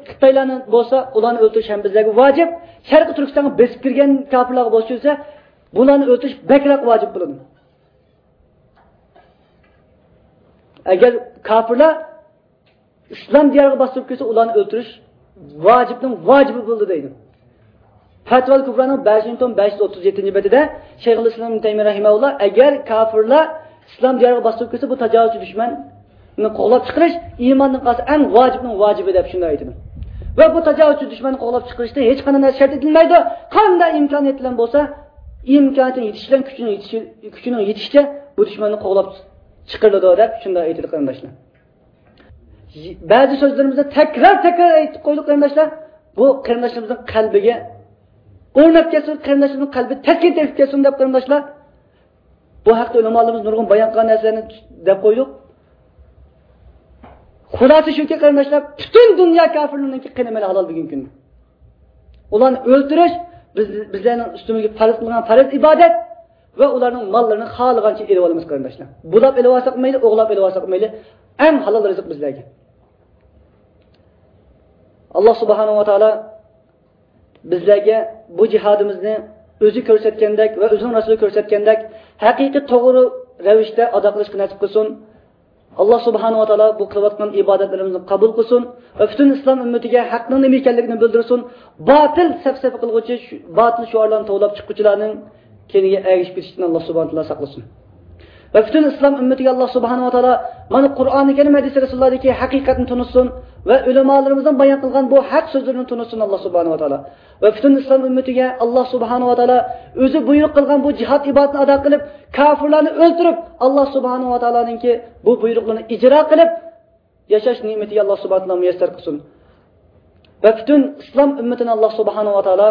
خىتايلارنى بولسا ئۇلارنى ئۆلتۈرۈش ھەم بىزلەرگە ۋاجىپ. شەرقىي تۈركىستانغا بېسىپ كىرگەن كاپىرلارغا بولسا، بۇلارنى ئۆلتۈرۈش بەكرەك ۋاجىپ بولىدۇ. ئەگەر كاپىرلار ئىسلام دىيارىغا باستۇرۇپ كىرسە، ئۇلارنى ئۆلتۈرۈش ۋاجىپنىڭ ۋاجىپى بولىدۇ دەيدۇ. پەتۋال كۇبرانىڭ بەشىنچى توم بەش يۈز ئوتتۇز يەتتىنچى بەتىدە شەيخۇل ئىسلام ئىبن تەيمىيە رەھىمەھۇللا، ئەگەر كاپىرلار ئىسلام دىيارىغا باستۇرۇپ كىرسە، بۇ تاجاۋۇزچى دۈشمەننى قوغلاپ چىقىرىش ئىماندىن قالسا ئەڭ ۋاجىپنىڭ ۋاجىپى دەپ شۇنداق ئېيتىدۇ. ۋە بۇ تاجاۋۇزچى دۈشمەننى قوغلاپ چىقىرىشتا ھېچقانداق نەرسە شەرت ئېتىلمەيدۇ. قانداق ئىمكانىيەت بىلەن بولسا، ئىمكانىيىتىنىڭ يېتىشى بىلەن كۈچىنىڭ يېتىشى، كۈچىنىڭ يېتىشىچە بۇ دۈشمەننى قوغلاپ چىقىرىلىدۇ دەپ شۇنداق ئېيتىدۇ قېرىنداشلار. بەزى سۆزلىرىمىزنى تەكرار، تەكرار ئېيتىپ قويدۇق قېرىنداشلار. بۇ قېرىنداشلىرىمىزنىڭ قەلبىگە ئورناپ كەتسۇن، قېرىنداشلىرىمىزنىڭ قەلبى تەسكىن تېپىپ كەتسۇن دەپ قېرىنداشلار. بۇ ھەقتە ئۆلىمالىرىمىز نۇرغۇن بايان قىلغان نەرسىلەرنى دەپ قويدۇق. خۇلاسە شۇكى قېرىنداشلار، پۈتۈن دۇنيا كاپىرلىرىنىڭكى قېنى مېلى ھالال بۈگۈنكى كۈندە. ئۇلارنى ئۆلتۈرۈش بىز، بىزلەرنىڭ ئۈستىمىزگە پەرز قىلغان پەرز ئىبادەت ۋە ئۇلارنىڭ ماللىرىنى خالىغانچە ئېلىۋالىمىز قېرىنداشلار. بۇلاپ ئېلىۋالساق مەيلى، ئوغلاپ ئېلىۋالساق مەيلى، ئەڭ ھالال رىزىق بىزلەرگە. ئاللا سۇبھانەھۇ ۋە تائالا بىزلەرگە بۇ جىھادىمىزنى ئۆزى كۆرسەتكەندەك ۋە ئۆزىنىڭ رەسۇلى كۆرسەتكەندەك ھەقىقىي توغرا رەۋىشتە ئادا قىلىشقا نەسىپ قىلسۇن. ئاللا سۇبھانەھۇ ۋە تائالا بۇ قىلىۋاتقان ئىبادەتلىرىمىزنى قوبۇل قىلسۇن ۋە پۈتۈن ئىسلام ئۈممىتىگە ھەقنىڭ نېمە ئىكەنلىكىنى بىلدۈرسۇن. باتىل سەپسەپە قىلغۇچى، شۇ باتىل شوئارلارنى توۋلاپ چىققۇچىلارنىڭ كەينىگە ئەگىشىپ كېتىشتىن ئاللا سۇبھانەھۇ ۋە تائالا ساقلىسۇن. ۋە پۈتۈن ئىسلام ئۈممىتىگە ئاللا سۇبھانەھۇ ۋە تائالا مانا قۇرئانى كەرىم، ھەدىسى رەسۇلۇللاھدىكى ھەقىقەتنى تونۇتسۇن ۋە ئۆلىمالىرىمىزنىڭ بايان قىلغان بۇ ھەق سۆزلىرىنى تونۇتسۇن ئاللا سۇبھانەھۇ ۋە تائالا. ۋە پۈتۈن ئىسلام ئۈممىتىگە ئاللا سۇبھانەھۇ ۋە تائالا ئۆزى بۇيرۇق قىلغان بۇ جىھاد ئىبادىتىنى ئادا قىلىپ، كاپىرلارنى ئۆلتۈرۈپ، ئاللا سۇبھانەھۇ ۋە تائالانىڭكى بۇ بۇيرۇقلىرىنى ئىجرا قىلىپ، ياشاش نېمىتى ئاللا سۇبھانەھۇ ۋە تائالا مۇيەسسەر قىلسۇن. ۋە پۈتۈن ئىسلام ئۈممىتىنى ئاللا سۇبھانەھۇ ۋە تائالا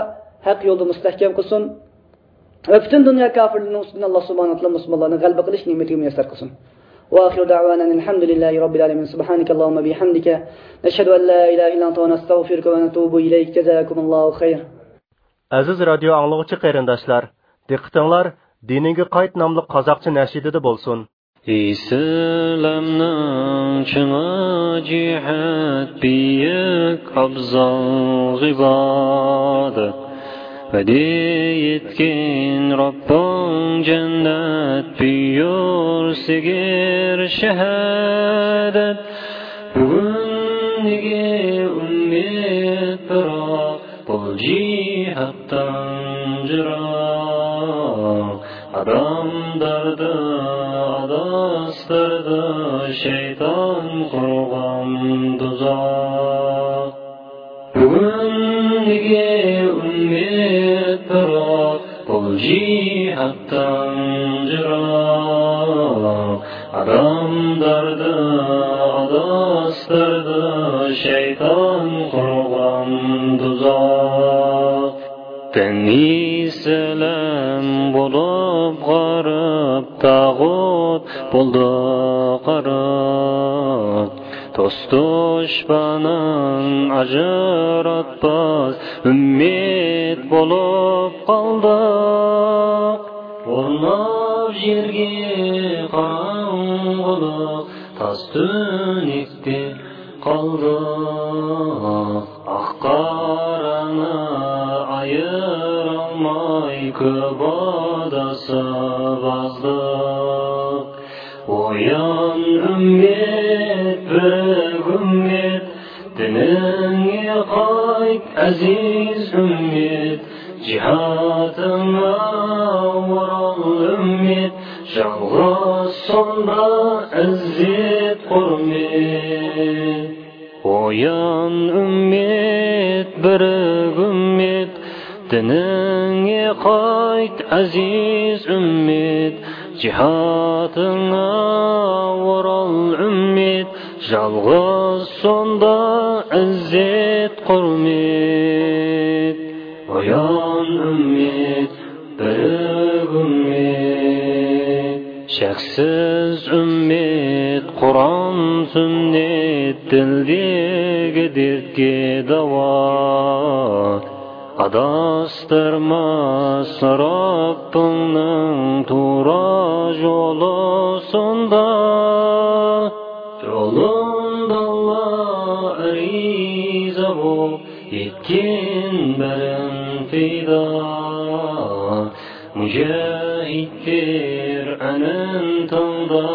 ھەق يولدا مۇستەھكەم قىلسۇن. ۋە پۈتۈن دۇنيا كاپىرلىرىنىڭ ئۈستىدىن ئاللا سۇبھانەھۇ ۋە تائالا مۇسۇلمانلارنىڭ غەلىبە قىلىش نېمىتىگە مۇيەسسەر قىلسۇن. وآخر دعوانا أن الحمد لله رب العالمين. سبحانك اللهم بحمدك، نشهد أن لا إله إلا أنت، نستغفرك ونتوب إليك. جزاكم الله خير. ئەزىز رادىيو ئاڭلىغۇچى قېرىنداشلار، دىققىتىڭلار دىنىڭگە قايت ناملىق قازاقچە نەشىدىدە بولسۇن. ئىسلامنىڭ چىڭى جىھاد، بىيىك ئابزال ئىبادەت، ۋەدە يەتكەن رەببىڭ جەننەت، بىيۇر سىگىر شاھادەت. بۈگۈنگى ئۈممەت بىراق، بۇ جىھادتىن جىراق. ئادەم دەردى، ئاداس دەردى، شەيتان قۇرغان دوزاخ. بۈگۈنگى ئۈممەت بىراق، بۇ جىھادتىن جىراق. ئادەم دەردى، ئاداس دەردى، شەيتان قۇرغان دوزاخ. دىن ئىسلام بولۇپ غېرىب، تاغۇت بولدى غېرىب. دوست دۈشمەننى ئاجراتماس ئۈممەت بولۇپ قالدۇق. ئورناپ يەرگە قاراڭغۇلۇق، تاس تۈنۈكتە قالدۇق. ئاق قارانى ئايرالماي، كۆپ ئاداس بازدۇق. ئويان ئۈممەت، بىرىك ئۈممەت، دىنىڭغا قايت، ئەزىز ئۈممەت، جىھادىڭغا ئورال ئۈممەت، يالغۇز سۇنما ئىززەت ھۆرمەت. ئويان ئۈممەت، بىرىك ئۈممەت، دىنىڭغا قايت، ئەزىز ئۈممەت، جىھادىڭغا ئورال ئۈممەت، يالغۇز سۇنما ئىززەت ھۆرمەت. ئويان ئۈممەت، بىرىك ئۈممەت، شەكسىز ئۈممەت، قۇرئان سۈننەت، دىلدىكى دەردكە داۋا. ئاداستۇرماس رەببىڭنىڭ تۇرا يولى سۇندا. يولۇڭدا ئارىزا بوپ، يەتكىن بەرىن پىدا. مۇجاھىد پىر ئەنىن تىڭدا،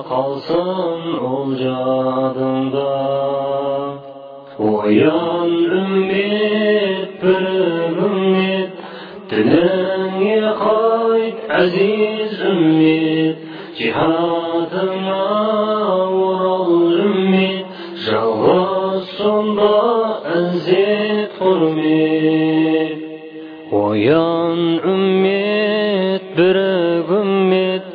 قالسۇن ئۇل جادىڭدا. ئويان ئۈممەت، بىرىك ئۈممەت، دىنىڭغا قايت، ئەزىز ئۈممەت، جىھادىڭغا ئورال ئۈممەت، يالغۇز سۇنما ئىززەت ھۆرمەت. ئويان ئۈممەت، بىرىك ئۈممەت،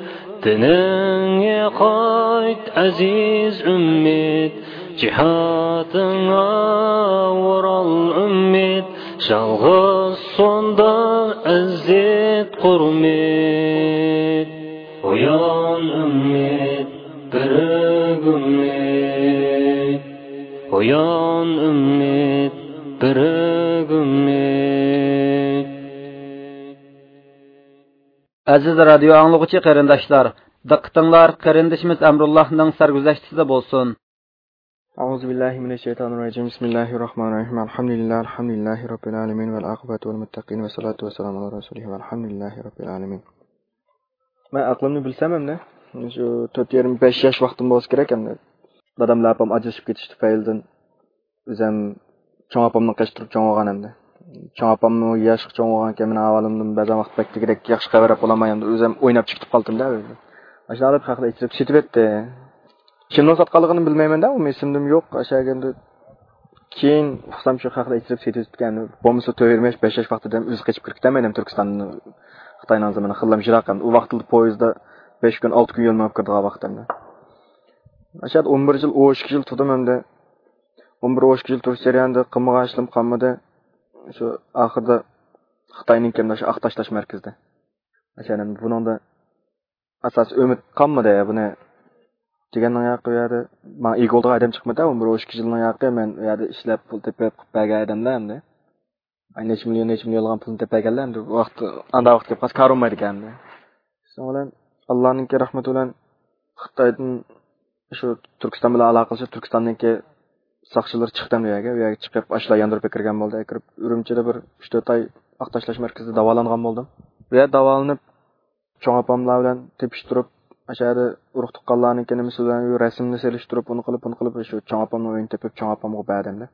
دىنىڭغا قايت، ئەزىز ئۈممەت، جىھادىڭغا ئورال ئۈممەت، يالغۇز سۇنما ئىززەت ھۆرمەت. ئويان ئۈممەت، بىرىك ئۈممەت، ئويان ئۈممەت، بىرىك ئۈممەت. ئەزىز رادىيو ئاڭلىغۇچى قېرىنداشلار، دىققىتىڭلار قېرىندىشىمىز ئەمرۇللاھنىڭ سەرگۈزەشتىسىدە بولسۇن. أعوذ بالله من الشيطان الرجيم. بسم الله الرحمن الرحيم. الحمد لله، الحمد لله رب العالمين، والعاقبة للمتقين، والصلاة والسلام على رسوله، والحمد لله رب العالمين. مەن ئەقلىمنى بىلسەم ئەمدى، شۇ تۆت يېرىم، بەش ياش ۋاقتىم بولسا كېرەك ئەمدى. دادام ۋە ئاپام ئاجرىشىپ كېتىش تۈپەيلىدىن ئۆزۈم چوڭ ئاپامنى قېچىپ تۇرۇپ چوڭ بولغان ئەمدى. چوڭ ئاپاممۇ ياشقا چوڭ بولغانكەن، مېنىڭ ئەھۋالىمدىن بەزەن ۋاقىت بەك دېگۈدەك ياخشى خەۋەر ئاپ بولالماي ئەمدى ئۆزۈم ئويناپ چىقىپ قالدىم-دە ئۆيدىن. ئاشۇنداق قىلىپ خەقلەر ئېچىرىپ سېتىۋەتتى. كىمنىڭ ساتقانلىقىنى بىلمەيمەن-دە، ئۇمۇ ئېسىمدىمۇ يوق. ئاشۇ ئەمدى كېيىن ئۇقسام شۇ خەقلەر ئېچىرىپ سېتىۋېتىپتىكەن. بولمىسا تۆت يېرىم ياش، بەش ياش ۋاقتىدا ئۆزى قېچىپ كىرىپ كېتەلمەيدۇ تۈركىستاندىن. خىتاينىڭ زېمىنى خېلىلا يىراق ئەمدى. ئۇ ۋاقىتتا پويىزدا بەش كۈن، ئالتە كۈن يول مېڭىپ كىرىدىغان ۋاقىت ئەمدى. ئاشۇ يەردە ئون بىر يىل، ئون ئىككى يىل تۇردۇم ئەمدى. ئون بىر، ئون ئىككى يىل تۇرۇش جەريانىدا قىلمىغان ئىشلىرىم قالمىدى. شۇ ئاخىرىدا خىتاينىڭ كەنداش ئاق تاشلاش مەركىزىدە. ئاشۇ يەردە بۇنىڭدا ئاساسىي ئۈمىد قالمىدى بۇنى دېگەننىڭ ياقى ئۇ يەردە ماڭا ئىگە بولىدىغان ئادەم چىقمىدى. ئون بىر، ئون ئىككى يىلنىڭ ياقى مەن ئۇ يەردە ئىشلەپ، پۇل تېپىپ، قىلىپ بەرگەن ئادەمدە ئەمدى. ئاي، نەچچە مىليون، نەچچە مىليونلىغان پۇلنى تېپىپ بەرگەنلەر ئەمدى ۋاقىت، ئانداق ۋاقىت كەپ قالسا كار بولمايدىكەن ئەمدى. شۇنىڭ بىلەن ئاللانىڭكى رەھمىتى بىلەن خىتايدىن شۇ تۈركىستان بىلەن ئالاقىلىشىپ، تۈركىستاننىڭكى ساقچىلىرى چىقتى ئەمدى ئۇ يەرگە. ئۇ يەرگە چىقىپ، ئاشۇلار ياندۇرۇپ ئەكىرگەن بولدى. ئەكىرىپ، ئۈرۈمچىدە بىر ئۈچ تۆت ئاي ئاق تاشلاش مەركىزىدە داۋالانغان بولدۇم. بۇ يەردە داۋالىنىپ، چوڭ ئاپاملار بىلەن تېپىشتۇرۇپ، ئاشۇ يەردە ئۇرۇق تۇغقانلارنىڭكى نېمىسى بىلەن رەسىمنى سېلىشتۇرۇپ، ئۇنى قىلىپ، بۇنى قىلىپ، شۇ چوڭ ئاپامنىڭ ئۆيىنى تېپىپ، چوڭ ئاپامغا بەردىم-دە.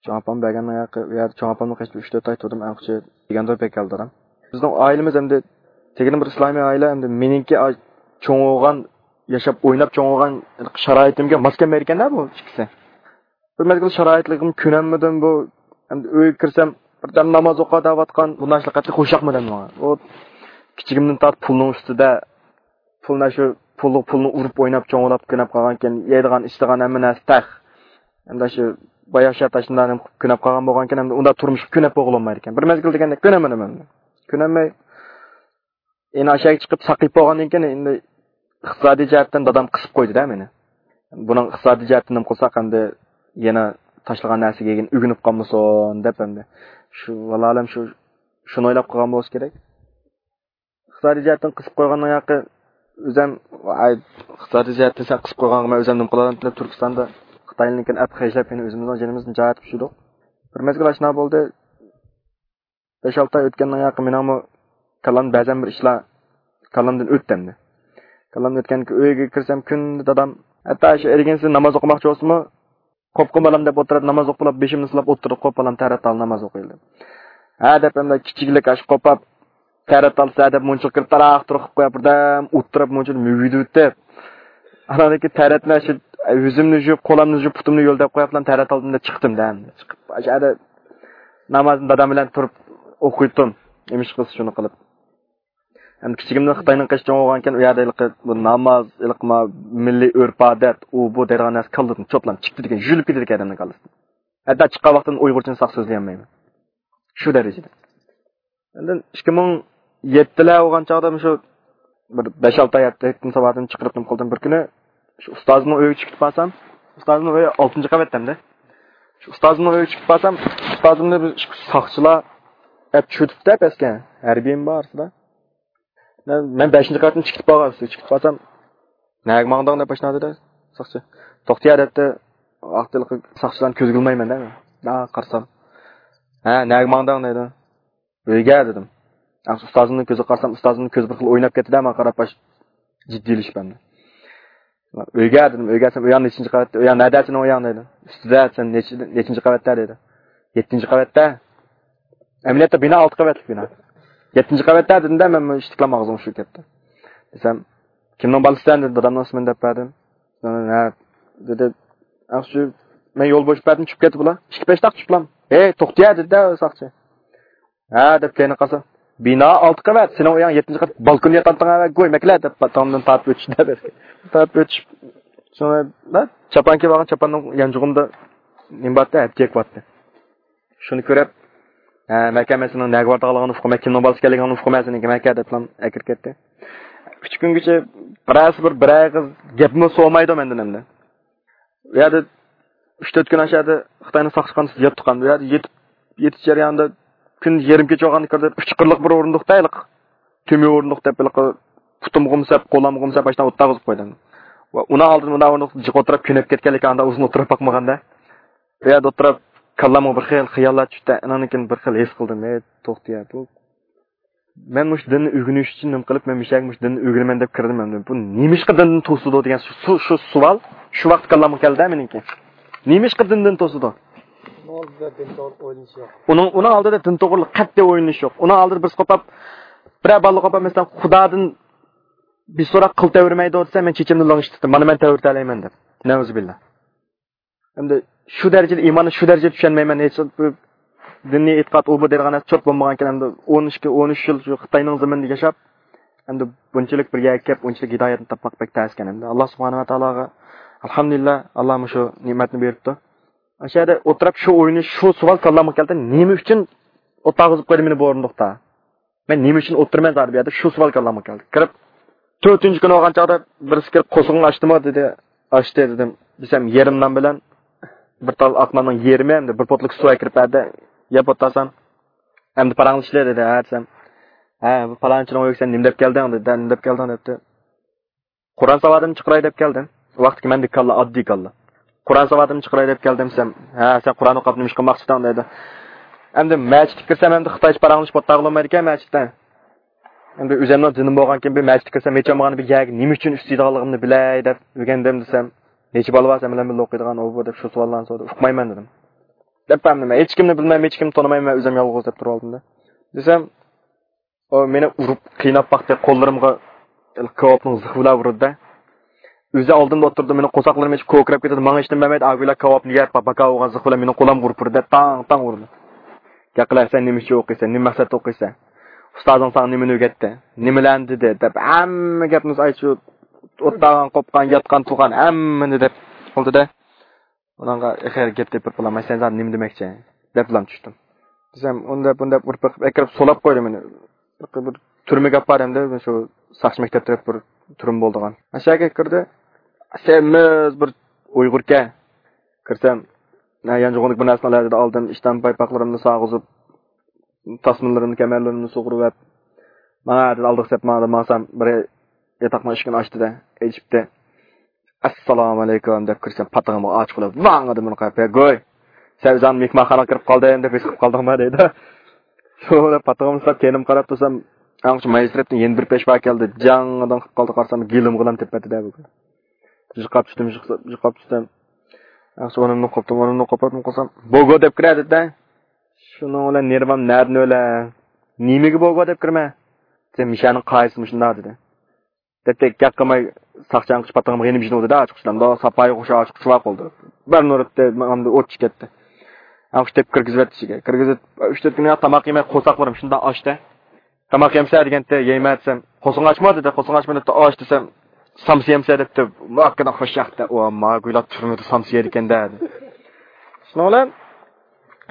چوڭ ئاپام بەرگەننىڭ ھەققى، ئۇ يەردە چوڭ ئاپامنىڭ قېشىدا ئۈچ تۆت ئاي تۇردۇم، ئەڭ قىچى دېگەندۇر بەك كەلدى ئادەم. بىزنىڭ ئائىلىمىز ئەمدى تېگىنى بىر ئىسلامىي ئائىلە، ئەمدى مېنىڭكى ئا-، چوڭ بولغان، ياشاپ ئويناپ چوڭ بولغان شارائىتىمگە ماس كەلمەيدىكەن-دە بۇ ئىككىسى. بىر مەزگىل شارائىتلىقىم كۆنەلمىدىم بۇ. ئەمدى ئۆيگە كىرسەم، بىردەم ناماز ئوقۇ دەۋاتقان بۇ ناشلىق قەتئىي خۇشياقمىدى ماڭا. ئۇ كىچىكىمدىن تارتىپ پۇلنىڭ ئۈستىدە، پۇلنى شۇ پۇللۇق پۇلنى ئۇرۇپ ئويناپ چوڭلاپ كۆنەپ قالغانكەن، يەيدىغان ئىچىدىغان ھەممە نەرسە تەق. ئەمدى شۇ باياشات ئاشۇنداق نېمە قىلىپ كۆنەپ قالغان بولغانكەن، ئەمدى ئۇنداق تۇرمۇشقا كۆنەپ بولغىلىمايدىكەن. بىر مەزگىل دېگەندەك كۆنەلمىدىم ئەمدى. كۆنەلمەي، يەنە ئاشۇ يەرگە چىقىپ ساقىيىپ بولغاندىن كېيىن، ئەمدى ئىقتىسادىي جەھەتتىن دادام قىسىپ قويدى-دە مېنى. بۇنىڭ ئىقتىسادىي جەھەتتىن نېمە قىلساق، ئەمدى يەنە تاشلىغان نەرسىگە يەنە ئۆگىنىپ قالمىسۇن دەپ، ئەمدى شۇ، ۋاللاھالەم شۇ، شۇنى ئويلاپ قالغان بولسا كېرەك. ئىقتىسادىي جەھەتتىن قىسىپ قويغاننىڭ ھەققى ئۆزەم، ئاي، ئىقتىسادىي جەھەتتىن سەن قىسىپ قويغانغا مەن ئۆزەم نېمە قىلالامتىم دەپ تۈركىستاندا خىتاينىڭكىنى ئەپ خەجلەپ يەنە ئۆزىمىزنىڭ جېنىمىزنى نىجات ئېتىپ يۈردۇق. بىر مەزگىل ئاشۇنداق بولدى. بەش ئالتە ئاي ئۆتكەندىن كېيىن مېنىڭمۇ كاللامدىن بەزەن بىر ئىشلار كاللامدىن ئۆتتى ئەمدى. كاللامدىن ئۆتكەن ئۆيگە كىرسەم كۈندە دادام، ھەتتا شۇ ئەرگىنسىز ناماز ئوقۇماقچى بولسىمۇ، قوپقىن بالام دەپ ئولتۇرۇپ ناماز ئوقۇپ بولۇپ بېشىمنى سىلاپ ئولتۇرۇپ، قوپ بالام تەرەت ئال ناماز ئوقۇيلى. ھە دەپ ئەمدى كىچىكلىك ئاشۇ قوپاپ تەرەت ئالسا دەپ مۇنچىلىق كىرىپ تاراق تۇرۇپ قويۇپ بىردەم ئولتۇرۇپ مۇنچىلىق مۈگۈدۈۋېتىپ. ئاندىن كېيىن تەرەتنى شۇ يۈزۈمنى يۇيۇپ، قولامنى يۇيۇپ، پۇتۇمنى يۆلەپ قويۇپلا تەرەت ئالدىم دەپ چىقتىم دە ئەمدى. چىقىپ ئاشۇ يەردە نامازنى دادام بىلەن تۇرۇپ ئوقۇيتتۇم. نېمىش قىلسا شۇنى قىلىپ. ھەم كىچىكىمدىن خىتاينىڭ قېشى چوڭ بولغانكەن، ئۇ يەردە ھېلىقى بۇ ناماز، ھېلىقى ما مىللىي ئۆرپ-ئادەت، ئۇ بۇ دەيدىغان نەرسە كاللىدىن چوپلام چىقتى دېگەن، يۈلۈپ كېتىدىكەن ئادەمنىڭ كاللىسىدىن. ھەتتا چىققان ۋاقتىدىن ئۇيغۇرچىنى ساق سۆزلىيەلمەيمەن. شۇ دەرىجىدە. ئاندىن ئىككى مىڭ يەتتىلەر بولغان چاغدا مۇشۇ بىر بەش ئالتە ئاي يەتتە ساۋاتىنى چىقىرىپ نېمە قىلدىم. بىر كۈنى شۇ ئۇستازىمنىڭ ئۆيىگە چىقىپ بارسام، ئۇستازىمنىڭ ئۆيى ئالتىنچى قەۋەتتە ئەمدى. شۇ ئۇستازىمنىڭ ئۆيىگە چىقىپ بارسام، ئۇستازىمنى بىر ئىككى ساقچىلار ئەپ چۆتۈپتە پەسكە. ھەربىيمۇ بار ئارىسىدا. مەن، مەن بەشىنچى قەۋەتتىن چىقىپ بارغان، چىقىپ بارسام، «نەگە ماڭدىڭ؟» دەپ ئاشۇنداق دېدى ساقچى. «توختىيە» دەپتۇ. ۋاقتىلىق ساقچىلارنى كۆزگە ئىلمايمەن دە مەن. ھە، قارىسام. «ھە، نەگە ماڭدىڭ؟» دەيدۇ. «ئۆيگە» دېدىم. ئۇستازىمنىڭ كۆزىگە قارىسام، ئۇستازىمنىڭ كۆزى بىر خىل ئويناپ كەتتى دە، ماڭا قاراپ باش جىددىيلىشىپ ئەمدى. «ئۆيگە» دېدىم. «ئۆيگە» دېسەم، «ئۆيۈڭ نەچچىنچى قەۋەتتە؟» «ئۆيۈڭ نەدە سېنىڭ ئۆيۈڭ؟» دەيدۇ. «ئۈستىدە» دېسەم، «نەچچىنچى قەۋەتتە؟» دەيدۇ. «يەتتىنچى قەۋەتتە.» ئەمەلىيەتتە بىنا ئالتە قەۋەتلىك بىنا. «يەتتىنچى قەۋەتتە» دېدىم دە، مەن ئىشتىكلام ئاغزىم ئۇشۇپ كەتتى. دېسەم، «كىمنىڭ بالىسىسەن؟» دېدى، دادامنىڭ ئىسمىنى دەپ بەردىم. «ھە» دېدى. ئاخشى مەن يول بوشاپ بەردىم، چۈشۈپ كەتتى بۇلار. ئىككى پەشتاق چۈشۈپلام. «ھەي، توختىيە» دېدى دە ساقچى. «ھە» دەپ كەينىگە قارىسام، «بىنا ئالتە قەۋەت، سېنىڭ ئۆيۈڭ يەتتىنچى قەۋەت، بالكوندا ياتامتىڭ ھە، گوي مەكلە» دەپ تامدىن تارتىپ ئۆتۈشتى دە. تارتىپ ئۆتۈش. شۇڭا چاپان كىيىپ ئالغان، چاپاننىڭ يانچۇقۇمدا نېمە بارتى، ھەپتىيەك بارتى. شۇنى كۆرۈپ، «ھە، مەكە، مەن سېنىڭ نەگە بارىدىغانلىقىڭنى ئۇققان، مەن كىمنىڭ بالىسى ئىكەنلىكىڭنى ئۇققان مەن سېنىڭكى، مەكە» دەپلا ئەكىرىپ كەتتى. ئۈچ كۈنگىچە بىرەرسى بىر، بىر ئېغىز گەپمۇ سورىمايدۇ مەندىن ئەمدى. ئۇ يەردە ئۈچ تۆت كۈن ئاشۇ يەردە خىتاينىڭ ساقچىخانىسىدا ياتتۇق ئەمدى. ئۇ يەردە يېتىپ، يېتىش جەريانىدا كۈندە يېرىم كېچە بولغاندا كىردى، ئۈچ قىرلىق بىر ئورۇندۇقتا ھېلىقى تۈمۈ ئورۇندۇق دەپ ھېلىقى پۇتۇمغىمۇ سەپ، قولامغىمۇ سەپ، ئاشۇنداق ئولتۇرغۇزۇپ قويدى. ۋە ئۇنىڭ ئالدىدا مۇنداق ئورۇندۇقتا جىق ئولتۇرۇپ كۆنۈپ كەتكەنلىكى ئانداق ئۇزۇن ئولتۇرۇپ باقمىغاندا. ئۇ يەردە ئولتۇرۇپ، كاللامغا بىر خىل خىياللار چۈشتى. ئاناندىن كېيىن بىر خىل ھېس قىلدىم، ھەي، توختىيە، بۇ مەن مۇشۇ دىننى ئۆگىنىش ئۈچۈن نېمە قىلىپ، مەن مۇشۇ يەرگە مۇشۇ دىننى ئۆگىنىمەن دەپ كىردىم ئەمدى. بۇ نېمىشقا دىندىن توسىدۇ دېگەن شۇ، شۇ، شۇ سوئال شۇ ۋاقىت كاللامغا كەلدى مېنىڭكى. نېمىشقا دىندىن توسىدۇ؟ ئۇنىڭ ئالدىدا دىن توغرىلىق ئويلىنىش يوق. ئۇنىڭ، ئۇنىڭ ئالدىدا دىن توغرىلىق قەتئىي ئويلىنىش يوق. ئۇنىڭ ئالدىدا بىرسى قوپاپ، بىرەر بالىلىق قوپاپ، مەسىلەن، خۇدادىن بىر سوراق قىل تەۋرىمەيدۇ دېسە، مەن چېچىمنى لىڭشىتتىم، مانا مەن تەۋرىتەلەيمەن دەپ. نەئۇزۇبىللا. ئەمدى شۇ دەرىجىدە ئىماننى شۇ دەرىجىدە چۈشەنمەيمەن. ھېچ بىر دىنىي ئېتىقاد ئۇ بۇ دەيدىغان نەرسە چوت بولمىغانكەن. ئەمدى ئون ئىككى، ئون ئۈچ يىل شۇ خىتاينىڭ زېمىنىدا ياشاپ، ئەمدى بۇنچىلىك بىر يەرگە كەپ، ئۇنچىلىك ھىدايەتنى تاپماق بەك تەسكەن. ئەمدى ئاللا سۇبھانەھۇ ۋە تائالاغا ئەلھەمدۇلىللا، ئاللا مۇشۇ نېمەتنى بېرىپتۇ. ئاشۇ يەردە ئولتۇرۇپ شۇ ئوينى، شۇ سوئال كاللامغا كەلدى، نېمە ئۈچۈن ئولتۇرغۇزۇپ قويدى مېنى بۇ ئورۇندۇقتا؟ مەن نېمە ئۈچۈن ئولتۇرىمەن زادى بۇ يەردە؟ شۇ سوئال كاللامغا كەلدى. كىرىپ، تۆتىنچى كۈنى بولغان چاغدا بىرسى كىرىپ، قورسىقىڭنى ئاچتىمۇ دېدى. ئاچتى دېدىم. دېسەم، يېرىم نان بىلەن بىر تال ئاق ناننىڭ يېرىمى ھەمدە بىر پوتلۇق سۇ ئەكىرىپ بەردى. يەپ ئولتۇرسام، ئەمدى پاراڭلىشىلى دېدى. ھە دېسەم، ھە، بۇ پالانچىنىڭ ئۆيىگە سەن نېمە دەپ كەلدىڭ دېدى. نېمە دەپ كەلدىڭ دەپتۇ. قۇرئان ساۋاتىمنى چىقىراي دەپ كەلدىم. ۋاقتىكى مەندىكى كاللا، ئاددىي كاللا. قۇرئان ساۋاتىمنى چىقىراي دەپ كەلدىم دېسەم، ھە، سەن قۇرئان ئوقۇپ نېمە ئىش قىلماقچىدىڭ دەيدۇ. ئەمدى مەسچىتكە كىرسەم، ئەمدى خىتايچە پاراڭلىشىپ ئولتۇرغىلى بولمايدىكەن مەسچىتتە. ئەمدى ئۆزۈمنىڭ دىنىم بولغانكىن، بىر مەسچىتكە كىرسەم، ھېچ بولمىغاندا بىر يەرگە نېمە ئۈچۈن ئۈستە يېتىدىغانلىقىمنى بىلەي دەپ ئۆگەندىم دېسەم، نەچچە بالا بار سەن بىلەن بىللە ئوقۇيدىغان، ئۇ بۇ دەپ شۇ سوئاللارنى سورىدى. ئۇقمايمەن دېدىم. دەپ بەرمىدىم. ھېچ كىمنى بىلمەيمەن، ھېچ كىمنى تونۇمايمەن، مەن ئۆزۈم يالغۇز دەپ تۇرۇۋالدىم دە. دېسەم، ئۇ مېنى ئۇرۇپ، قىيناپ باقتى، قوللىرىمغا كاۋاپنىڭ زىخى بىلەن ئۇردى. ئۆزى ئالدىمدا ئولتۇردى، مېنىڭ قورساقلىرىم ئېچىپ كوكىراپ كېتىدۇ، ماڭا ھېچنېمە بەرمەيدۇ، ئاگۇيلا كاۋاپنى يەپ، باكا بولغان زىخى بىلەن مېنىڭ قولۇمغا ئۇرۇپ ئۇردى، تاڭ تاڭ ئۇردى. گەپ قىلە، سەن نېمە ئۈچۈن ئوقۇيسەن، نېمە مەقسەتتە ئوقۇيسەن؟ ئۇستازىڭ ساڭا نېمىنى ئۆگەتتى؟ نېمىلەرنى دېدى؟ دەپ ھەممە گەپنى ئايشۇ ئولتۇرغان، قوپقان، ياتقان، تۇرغان ھەممىنى دەپ قىلدى-دە. ئۇنىڭغا ئېخىر گەپ تېپىپ بولالماي، سەن زادى نېمە دېمەكچى؟ دەپلا چۈشتۈم. دېسەم، ئۇنى دەپ، بۇنى دەپ ئۇرۇپ بېقىپ، ئەكىرىپ سولاپ قويدى مېنى. بىر تۈرمىگە ئاپاردى ئەمدى، شۇ ساقچى مەكتەپ دەپ بىر تۈرمە بولىدىغان. ئاشۇ يەرگە كىردى. سېمىز بىر ئۇيغۇركەن. كىرسەم، ھە، يانچۇقۇمدىكى بىر نەرسىنى ئالاي دېدى، ئالدىم ئىشتان پايپاقلىرىمنى سالغۇزۇپ، تاسمىلىرىمنى، كەمەرلىرىمنى سۇغۇرۇۋەپ، ماڭا دېدى، ئالدىغا سەپ ماڭا دېدى، ماڭسام بىر ياتاقنىڭ ئىشىكىنى ئاچتى-دە، ئېچىپتى. ئەسسالامۇئەلەيكۇم دەپ كىرسەم، پاتىقىمغا ئاچىقىپ، ۋاڭ دېدى، مېنى قايىپ، ھە گۇي، سەن ئۆزۈڭ مېھمانخانىغا كىرىپ قالدىم دەپ ھېس قىلىپ قالدىڭما دەيدۇ. شۇ پاتىقىمنى ساپ كەينىمگە قاراپ تۇرسام، ئاڭ شۇ مايسىرەپتىن يەنە بىر پېشۋا كەلدى، جاڭدىن قىلىپ قالدى، قارىسام گېلىمغىلا تېپىۋەتتى-دە بۈگۈن. يىقاپ چۈشتۈم، يىقاپ چۈشتۈم. ئاڭ شۇ ئورنۇمدىن قوپتۇم، ئورنۇمدىن قوپۇپ قالسام، بوگو دەپ كىرە دېدى. شۇنىڭ بىلەن نېرۋام نەدىن ئۆلە؟ نېمىگە بوگو دەپ كىرىمەن؟ سەن مىشەنىڭ قايسى مۇشۇنداق دېدى. دەپتە گەپ قىلماي ساقچى ئاڭقىش پاتىڭىمغا يېنىپ جىنىۋالدى-دە، ئاچقۇچلامدا ساپايى خۇشال ئاچقۇچ بار قالدى. بىر نۇرۇپتە ماڭدى ئوت چىكەتتى. ئاڭقىش دەپ كىرگۈزۈۋەتتى ئىچىگە. كىرگۈزۈپ، ئۈچ تۆت كۈن تاماق يېمەي قورساقلىرىم شۇنداق ئاچتى. تاماق يەمسە دېگەنتى، يەيمەن دېسەم، قورسىقىڭ ئاچما دېدى، قورسىقىڭ ئاچما دەپتۇ، ئاچ دېسەم، سامسا يەمسە دەپتۇ، ماكىنا خۇش ياقتى، ئۇ ماگۇيلا تۈرمىدە سامسا يەيدىكەن-دە دېدى. شۇنىڭ بىلەن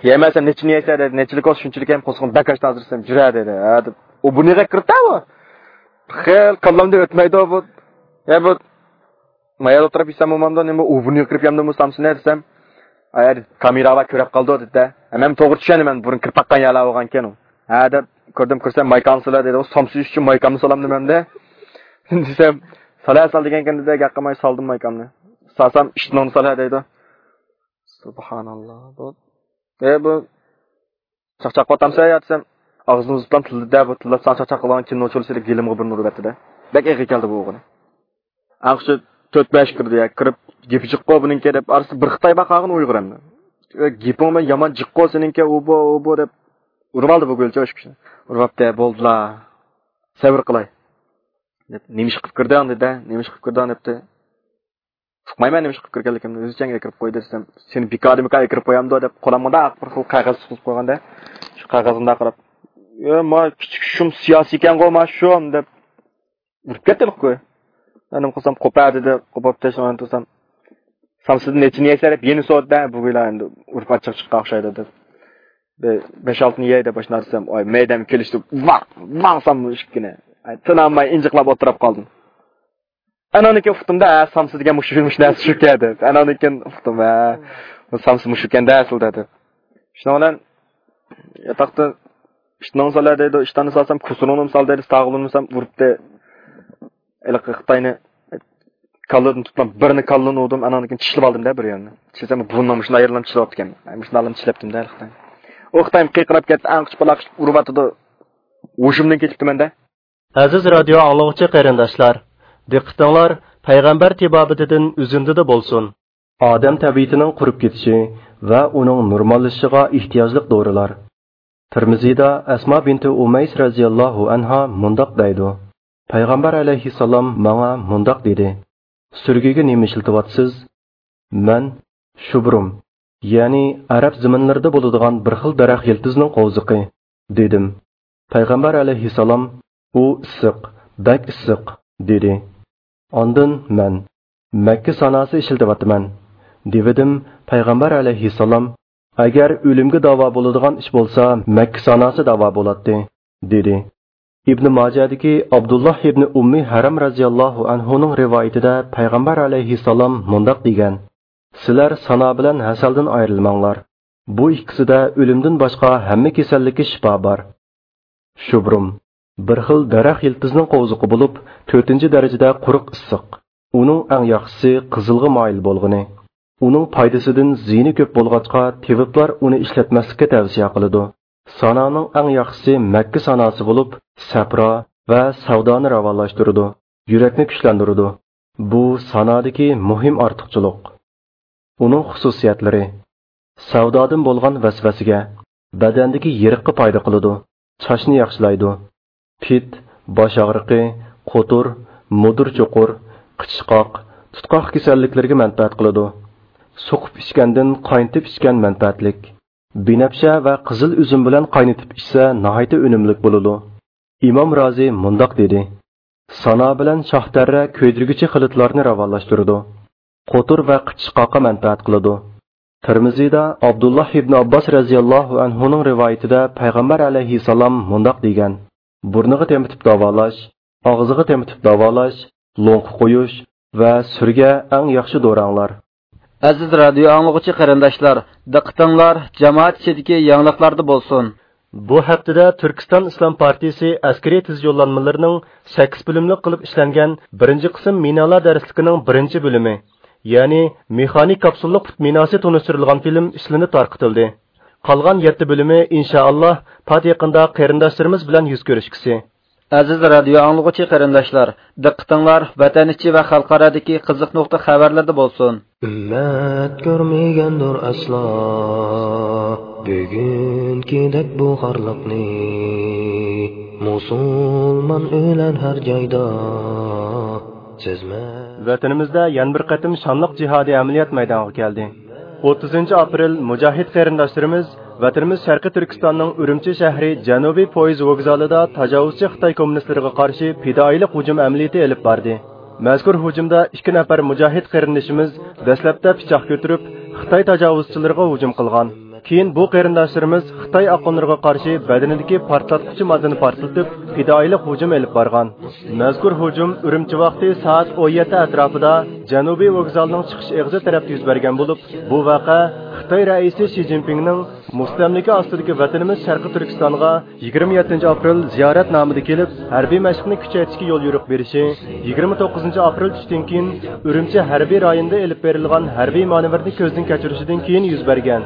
يەيمەن دېسەم، نەچچىنى يەيسە دېدى، نەچچىلىك بولسا شۇنچىلىك يەيمەن، قورسىقىم بەك ئاچتى ھازىر دېسەم، جۈرە دېدى، ھە دەپ، ئۇ بۇنى يېگەن كىرىپتۇ ئۇ. خېلى كاللامدىن ئۆتمەيدۇ بۇ. يا بۇ مايا ئولتۇرۇپ يېسەم بولمامدۇ، نېمە ئۇ بۇنى كىرىپ يەمدىمۇ سامسىنى دېسەم، ئايا كامېرا بار كۆرۈپ قالدى دېدى. مەن توغرا چۈشەندىم، مەن بۇرۇن كىرىپ باققان يەرلەر بولغانكەن ئۇ. ھە دەپ كىردىم، كىرسەم مايكامنى سالا دېدى، ئۇ سامسا يېيىش ئۈچۈن مايكامنى سالامدۇ مەندە. دېسەم، سالا سال دېگەنكەن دېدى، گەپ قىلماي سالدىم مايكامنى. سالسام ئىشتىنىڭنى سالا دەيدۇ. سۇبھاناللا. بۇ، ئە بۇ چاقچاق قىلىۋاتامسەن يا دېسەم، ئاغزىنى ئۇزۇپلا تىللىدى، بۇ تىللاپ ساڭا چاقچاق قىلغان كىنو چولىسى دەپ گېلىمغا بىرنى ئۇرۇۋەتتى-دە. بەك ئېغىر كەلدى بۇ ئوغۇل. ئاڭقىشى تۆت بەش كىردى يا، كىرىپ گېپى جىققۇ بۇنىڭكى دەپ ئارىسىدا بىر خىتاي بار قالغىنى ئۇيغۇر ئەمدى. ئە، گېپىڭ بىلەن يامان جىققۇ سېنىڭكى، ئۇ بۇ، ئۇ بۇ دەپ ئۇرۇۋالدى بۇ گۈلچى ئاشۇ كىشىنى. ئۇرۇۋەپتۇ، بولدىلا. سەۋر قىلاي. دەپ، نېمە ئىش قىلىپ كىردىڭ دېدى، نېمە ئىش قىلىپ كىردىڭ دەپتۇ. ئۇقمايمەن نېمە ئىش قىلىپ كىرگەنلىكىمنى، ئۆزى چەڭگە كىرىپ قويدى دېسەم، سېنى بىكاردىن بىكار كىرىپ قويامدۇ دەپ قولۇمغا مۇنداق بىر خىل قەغەز تۇتقۇزۇپ قويغاندا، شۇ قەغەزگە مۇنداق قاراپ، يا ما كىچىك شۇم سىياسىيكەنغۇ ما شۇم دەپ ئۇرۇپ كەتتى قوي. مەن نېمە قىلسام قوپە دېدى، قوپۇپ تەشنىغان تۇرسام، سامسىدىن نەچچىنى يەيسەن دەپ يەنە سورىدى، بۇ ئىلا ئەمدى ئۇرۇپ ئاچچىق چىققان ئوخشايدۇ دەپ. بەش ئالتىنى يەي دەپ ئاشۇنداق دېسەم، ئاي مەيدەم كېلىشتى، ۋاڭ ۋاڭ سام ئىككىنى. ئاي، تىنالماي ئىنجىقلاپ ئولتۇرۇپ قالدىم. ئانانكىن ئۇقتۇم-دە، ھە، سامسا دېگەن مۇشۇ، مۇشۇ نەرسە شۇكەن دەپ. ئانانكىن ئۇقتۇم، ھە، بۇ سامسا مۇشۇكەن-دە ئەسلىدە دەپ. شۇنىڭ بىلەن ياتاقتا ئىشتىنىڭ سالە دەيدۇ، ئىشتاننى سالسام، كۇسۇرۇڭنىمۇ سال دەيدۇ، ساغلىنمىسام ئۇرۇپتۇ. ھېلىقى خىتاينى كاللىدىن تۇتقان بىرنى كاللىنى ئۇردۇم، ئانانكىن چىشلىۋالدىم-دە بىر يەرنى. چىشلىسام بۇرنۇم مۇشۇنداق يېرىلىم چىشلىۋاپتىكەن. مۇشۇنداقلىم چىشلەپتىم-دە ھېلىقى. ئۇ خىتايمۇ قىيقىراپ كەتتى، ئەڭ قىچپالاق ئۇرۇۋاتىدۇ. ھوشۇمدىن كېتىپتىمەن-دە. ئەزىز رادىيو ئاڭلىغۇچى قېرىنداشلار، دىققىتىڭلار پەيغەمبەر تېبابىتىدىن ئۈزۈندىدە بولسۇن. ئادەم تەبىئىتىنىڭ قۇرۇپ كېتىشى ۋە ئۇنىڭ نورماللىشىشىغا ئېھتىياجلىق دورىلار. تىرمىزىدا ئەسما بىنتى ئۇمەيس رەزىياللاھۇ ئەنھا مۇنداق دەيدۇ، پەيغەمبەر ئەلەيھىسسالام ماڭا مۇنداق دېدى، سۈرگۈگە نېمە ئىشلىتىۋاتىسىز؟ مەن شۇبرۇم، يەنى ئەرەب زېمىنلىرىدا بولىدىغان بىر خىل دەرەخ يىلتىزنىڭ قوۋزىقى، دېدىم. پەيغەمبەر ئەلەيھىسسالام، ئۇ ئىسسىق، بەك ئىسسىق، دېدى. ئاندىن مەن، مەككە ساناسى ئىشلىتىۋاتىمەن، دېۋىدىم. پەيغەمبەر ئەلەيھىسسالام، ئەگەر ئۆلۈمگە داۋا بولىدىغان ئىش بولسا، مەككە ساناسى داۋا بولاتتى، دېدى. ئىبنى ماجەدىكى ئابدۇللاھ ئىبنى ئۇممى ھەرەم رەزىياللاھۇ ئەنھۇنىڭ رىۋايىتىدە پەيغەمبەر ئەلەيھىسسالام مۇنداق دېگەن: سىلەر سانا بىلەن ھەسەلدىن ئايرىلماڭلار. بۇ ئىككىسىدە ئۆلۈمدىن باشقا ھەممە كېسەللىككە شىپا بار. شۇبرۇم، بىر خىل دەرەخ يىلتىزنىڭ قوۋزۇقى بولۇپ، تۆتىنچى دەرىجىدە قۇرۇق ئىسسىق. ئۇنىڭ ئەڭ ياخشىسى قىزىلغا مايىل بولغىنى. ئۇنىڭ پايدىسىدىن زىيىنى كۆپ بولغاچقا، تېۋىپلار ئۇنى ئىشلەتمەسلىككە تەۋسىيە قىلىدۇ. سانانىڭ ئەڭ ياخشىسى مەككە ساناسى بولۇپ، سەپرا ۋە سەۋدانى راۋانلاشتۇرىدۇ، يۈرەكنى كۈچلەندۈرىدۇ. بۇ سانادىكى مۇھىم ئارتۇقچىلىق. ئۇنىڭ خۇسۇسىيەتلىرى: سەۋدادىن بولغان ۋەسۋەسىگە، بەدەندىكى يېرىققا پايدا قىلىدۇ، چاچنى ياخشىلايدۇ. پىت، باش ئاغرىقى، قوتۇر، مۇدۇر چوقۇر، قىچىشقاق، تۇتقاق كېسەللىكلىرىگە مەنپەئەت قىلىدۇ. سوقۇپ ئىچكەندىن قاينىتىپ ئىچكەن مەنپەئەتلىك. بىنەپشە ۋە قىزىل ئۈزۈم بىلەن قاينىتىپ ئىچسە ناھايىتى ئۈنۈملۈك بولىدۇ. ئىمام رازى مۇنداق دېدى: سانا بىلەن شاھ تەررە كۆيدۈرگۈچى خىلىتلارنى راۋانلاشتۇرىدۇ. قوتۇر ۋە قىچىشقاققا مەنپەئەت قىلىدۇ. تىرمىزىدا ئابدۇللاھ ئىبنى ئابباس رەزىياللاھۇ ئەنھۇنىڭ رىۋايىتىدە پەيغەمبەر ئەلەيھىسسالام مۇنداق دېگەن: بۇرنىغا تېمىتىپ داۋالاش، ئاغزىغا تېمىتىپ داۋالاش، لوڭقا قويۇش ۋە سۈرگە ئەڭ ياخشى دوراڭلار. ئەزىز رادىيو ئاڭلىغۇچى قېرىنداشلار، دىققىتىڭلار جامائەت ئىچىدىكى يېڭىلىقلاردا بولسۇن. بۇ ھەپتىدە تۈركىستان ئىسلام پارتىيىسى ئەسكىرىي تېز يوللانمىلىرىنىڭ سەككىز بۆلۈملۈك قىلىپ ئىشلەنگەن بىرىنچى قىسىم مىنالار دەرسلىكىنىڭ بىرىنچى بۆلۈمى، يەنى مېخانىك كاپسۇللۇق پۇت مىناسى تونۇشتۇرۇلغان فىلىم ئىشلىنىپ تارقىتىلدى. قالغان يەتتە بۆلۈمى، ئىنشائاللا، پات يېقىندا قېرىنداشلىرىمىز بىلەن يۈز كۆرۈشكۈسى. ئەزىز رادىيو ئاڭلىغۇچى قېرىنداشلار، دىققىتىڭلار ۋەتەن ئىچى ۋە خەلقئارادىكى قىزىق نۇقتا خەۋەرلەردە بولسۇن. ئۈممەت كۆرمىگەندۇر ئەسلا بۈگۈنكىدەك بۇ خارلىقنى. مۇسۇلمان ئۆلەر ھەر جايدا سەزمە. ۋەتىنىمىزدە يەنە بىر قېتىم شانلىق جىھادىي ئەمەلىيەت مەيدانغا كەلدى. ئوتتۇزىنچى ئاپرېل مۇجاھىد قېرىنداشلىرىمىز ۋەتىنىمىز شەرقىي تۈركىستاننىڭ ئۈرۈمچى شەھىرى جەنۇبىي پويىز ۋوگزالىدا تاجاۋۇزچى خىتاي كوممۇنىستلىرىغا قارشى پىدائىيلىق ھۇجۇم ئەمەلىيىتى ئېلىپ باردى. مەزكۇر ھۇجۇمدا ئىككى نەپەر مۇجاھىد قېرىندىشىمىز دەسلەپتە پىچاق كۆتۈرۈپ، خىتاي تاجاۋۇزچىلىرىغا ھۇجۇم قىلغان. كېيىن بۇ قېرىنداشلىرىمىز خىتاي ئاقۇنلىرىغا قارشى بەدىنىدىكى پارتلاتقۇچى ماددىنى پارتلىتىپ، پىدائىيلىق ھۇجۇم ئېلىپ بارغان. مەزكۇر ھۇجۇم ئۈرۈمچى ۋاقتى سائەت ئون يەتتە ئەتراپىدا جەنۇبىي ۋوگزالنىڭ چىقىش ئېغىزى تەرەپتە يۈز بەرگەن بولۇپ، بۇ ۋەقە خىتاي رەئىسى شى جىنپىڭنىڭ مۇستەملىكە ئاستىدىكى ۋەتىنىمىز شەرقىي تۈركىستانغا يىگىرمە يەتتىنچى ئاپرېل زىيارەت نامىدا كېلىپ، ھەربىي مەشىقنى كۈچەيتىشكە يول يورۇق بېرىشى، يىگىرمە توققۇزىنچى ئاپرېل چۈشتىن كېيىن ئۈرۈمچى ھەربىي رايونىدا ئېلىپ بېرىلغان ھەربىي مانېۋىرنى كۆزدىن كەچۈرۈشىدىن كېيىن يۈز بەرگەن.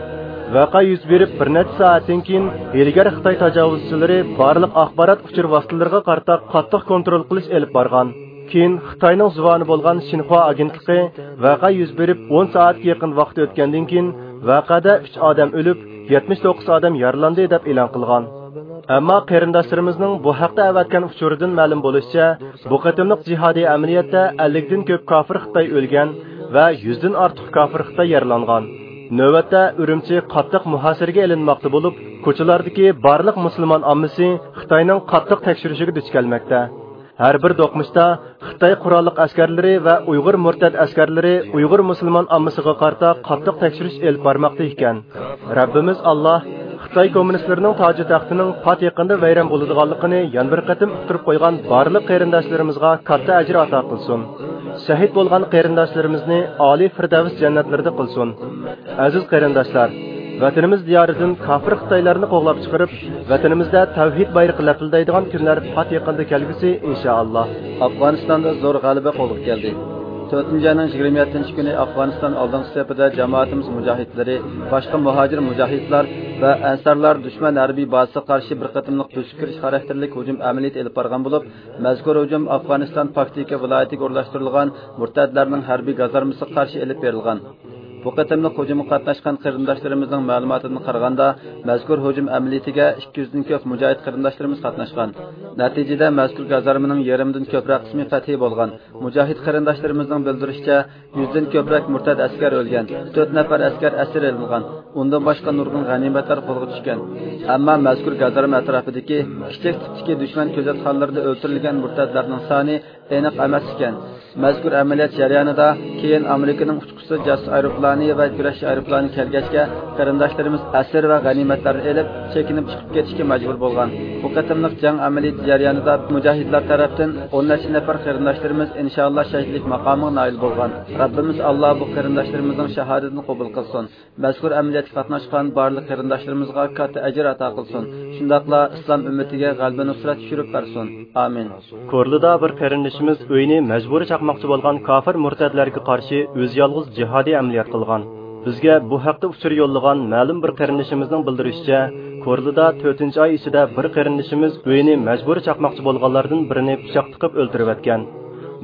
ۋەقە يۈز بېرىپ بىر نەچچە سائەتتىن كېيىن، ھىيلىگەر خىتاي تاجاۋۇزچىلىرى بارلىق ئاخبارات ئۇچۇر ۋاسىتىلىرىغا قارىتا قاتتىق كونترول قىلىش ئېلىپ بارغان. كېيىن خىتاينىڭ زۇۋانى بولغان شىنخۇا ئاگېنتلىقى ۋەقە يۈز بېرىپ ئون سائەتكە يېقىن ۋاقىت ئۆتكەندىن كېيىن، ۋەقەدە ئۈچ ئادەم ئۆلۈپ، يەتمىش توققۇز ئادەم يارىلاندى، دەپ ئېلان قىلغان. ئەمما قېرىنداشلىرىمىزنىڭ بۇ ھەقتە ئەۋەتكەن ئۇچۇرىدىن مەلۇم بولۇشىچە، بۇ قېتىملىق جىھادىي ئەمەلىيەتتە ئەللىكتىن كۆپ كاپىر خىتاي ئۆلگەن ۋە يۈزدىن ئارتۇق كاپىر خىتاي يارىلانغان. نۆۋەتتە ئۈرۈمچى قاتتىق مۇھاسىرىگە ئېلىنماقتا بولۇپ، كوچىلاردىكى بارلىق مۇسۇلمان ئاممىسى خىتاينىڭ قاتتىق تەكشۈرۈشىگە دۇچ كەلمەكتە. ھەر بىر دوقمۇشتا خىتاي قوراللىق ئەسكەرلىرى ۋە ئۇيغۇر مۇرتەت ئەسكەرلىرى ئۇيغۇر مۇسۇلمان ئاممىسىغا قارىتا قاتتىق تەكشۈرۈش ئېلىپ بارماقتا ئىكەن. رەببىمىز ئاللا خىتاي كوممۇنىستلىرىنىڭ تاجى تەختىنىڭ پات يېقىندا ۋەيران بولىدىغانلىقىنى يەنە بىر قېتىم ئۇقتۇرۇپ قويغان بارلىق قېرىنداشلىرىمىزغا كاتتا ئەجىر ئاتا قىلسۇن. شەھىت بولغان قېرىنداشلىرىمىزنى ئالىي فىردەۋس جەننەتلىرىدە قىلسۇن. ئەزىز قېرىنداشلار، ۋەتىنىمىز دىيارىدىن كاپىر خىتايلارنى قوغلاپ چىقىرىپ، ۋەتىنىمىزدە تەۋھىد بايرىقى لەپىلدەيدىغان كۈنلەر پات يېقىندا كەلگۈسى، ئىنشائاللا. ئافغانىستاندا زور غەلىبە قولغا كەلدى. تۆتىنچى ئاينىڭ يىگىرمە يەتتىنچى كۈنى ئافغانىستان ئالدىنقى سېپىدە جامائىتىمىز مۇجاھىدلىرى، باشقا مۇھاجىر مۇجاھىدلار ۋە ئەنسارلار دۈشمەن ھەربىي بازىسىغا قارشى بىر قېتىملىق بۆسۈپ كىرىش خاراكتېرلىك ھۇجۇم ئەمەلىيىتى ئېلىپ بارغان بولۇپ، مەزكۇر ھۇجۇم ئافغانىستان پاكتىكا ۋىلايىتىگە ئورۇنلاشتۇرۇلغان مۇرتەتلەرنىڭ ھەربىي گازارمىسىغا قارشى ئېلىپ بېرىلغان. بۇ قېتىملىق ھۇجۇمغا قاتناشقان قېرىنداشلىرىمىزنىڭ مەلۇماتىدىن قارىغاندا، مەزكۇر ھۇجۇم ئەمەلىيىتىگە ئىككى يۈزدىن كۆپ مۇجاھىد قېرىنداشلىرىمىز قاتناشقان. نەتىجىدە، مەزكۇر گازارمىنىڭ يېرىمدىن كۆپرەك قىسمى پەتھىي بولغان. مۇجاھىد قېرىنداشلىرىمىزنىڭ بىلدۈرۈشىچە، يۈزدىن كۆپرەك مۇرتەت ئەسكەر ئۆلگەن، تۆت نەپەر ئەسكەر ئەسىر ئېلىنغان، ئۇندىن باشقا نۇرغۇن غەنىيمەتلەر قولغا چۈشكەن. ئەمما مەزكۇر گازارما ئەتراپىدىكى كىچىك تىپتىكى دۈشمەن كۆزەتخانىلىرىدا ئۆلتۈرۈلگەن مۇرتەتلەرنىڭ سانى ئېنىق ئەمەس ئىكەن. مەزكۇر ئەمەلىيەت جەريانىدا كېيىن ئامېرىكىنىڭ ئۇچقۇچىسىز جاسۇس ئايروپىلانى ۋە كۈرەشچى ئايروپىلانى كەلگەچكە، قېرىنداشلىرىمىز ئەسىر ۋە غەنىيمەتلەرنى ئېلىپ، چېكىنىپ چىقىپ كېتىشكە مەجبۇر بولغان. بۇ قېتىملىق جەڭ ئەمەلىيىتى جەريانىدا مۇجاھىدلار تەرەپتىن ئون نەچچە نەپەر قېرىنداشلىرىمىز ئىنشائاللا شەھىدلىك ماقامىغا نائىل بولغان. رەببىمىز ئاللا بۇ قېرىنداشلىرىمىزنىڭ شاھادىتىنى قوبۇل قىلسۇن. مەزكۇر ئەمەلىيەتكە قاتناشقان بارلىق قېرىنداشلىرىمىزغا كاتتا ئەجىر ئاتا قىلسۇن. شۇنداقلا ئىسلام ئۈممىتىگە غەلىبە نۇسرەت چۈشۈرۈپ بەرسۇن. ئامىن. كورلىدا بىر قېرىندىشىمىز ئۆيىنى مەجبۇرىي چاقماقچى بولغان كاپىر مۇرتەتلەرگە قارشى ئۆزى يالغۇز جىھادىي ئەمەلىيەت قىلغان. بىزگە بۇ ھەقتە ئۇچۇر يوللىغان مەلۇم بىر قېرىندىشىمىزنىڭ بىلدۈرۈشىچە، كورلىدا تۆتىنچى ئاي ئىچىدە بىر قېرىندىشىمىز ئۆيىنى مەجبۇرىي چاقماقچى بولغانلاردىن بىرىنى پىچاق تىقىپ ئۆلتۈرۈۋەتكەن.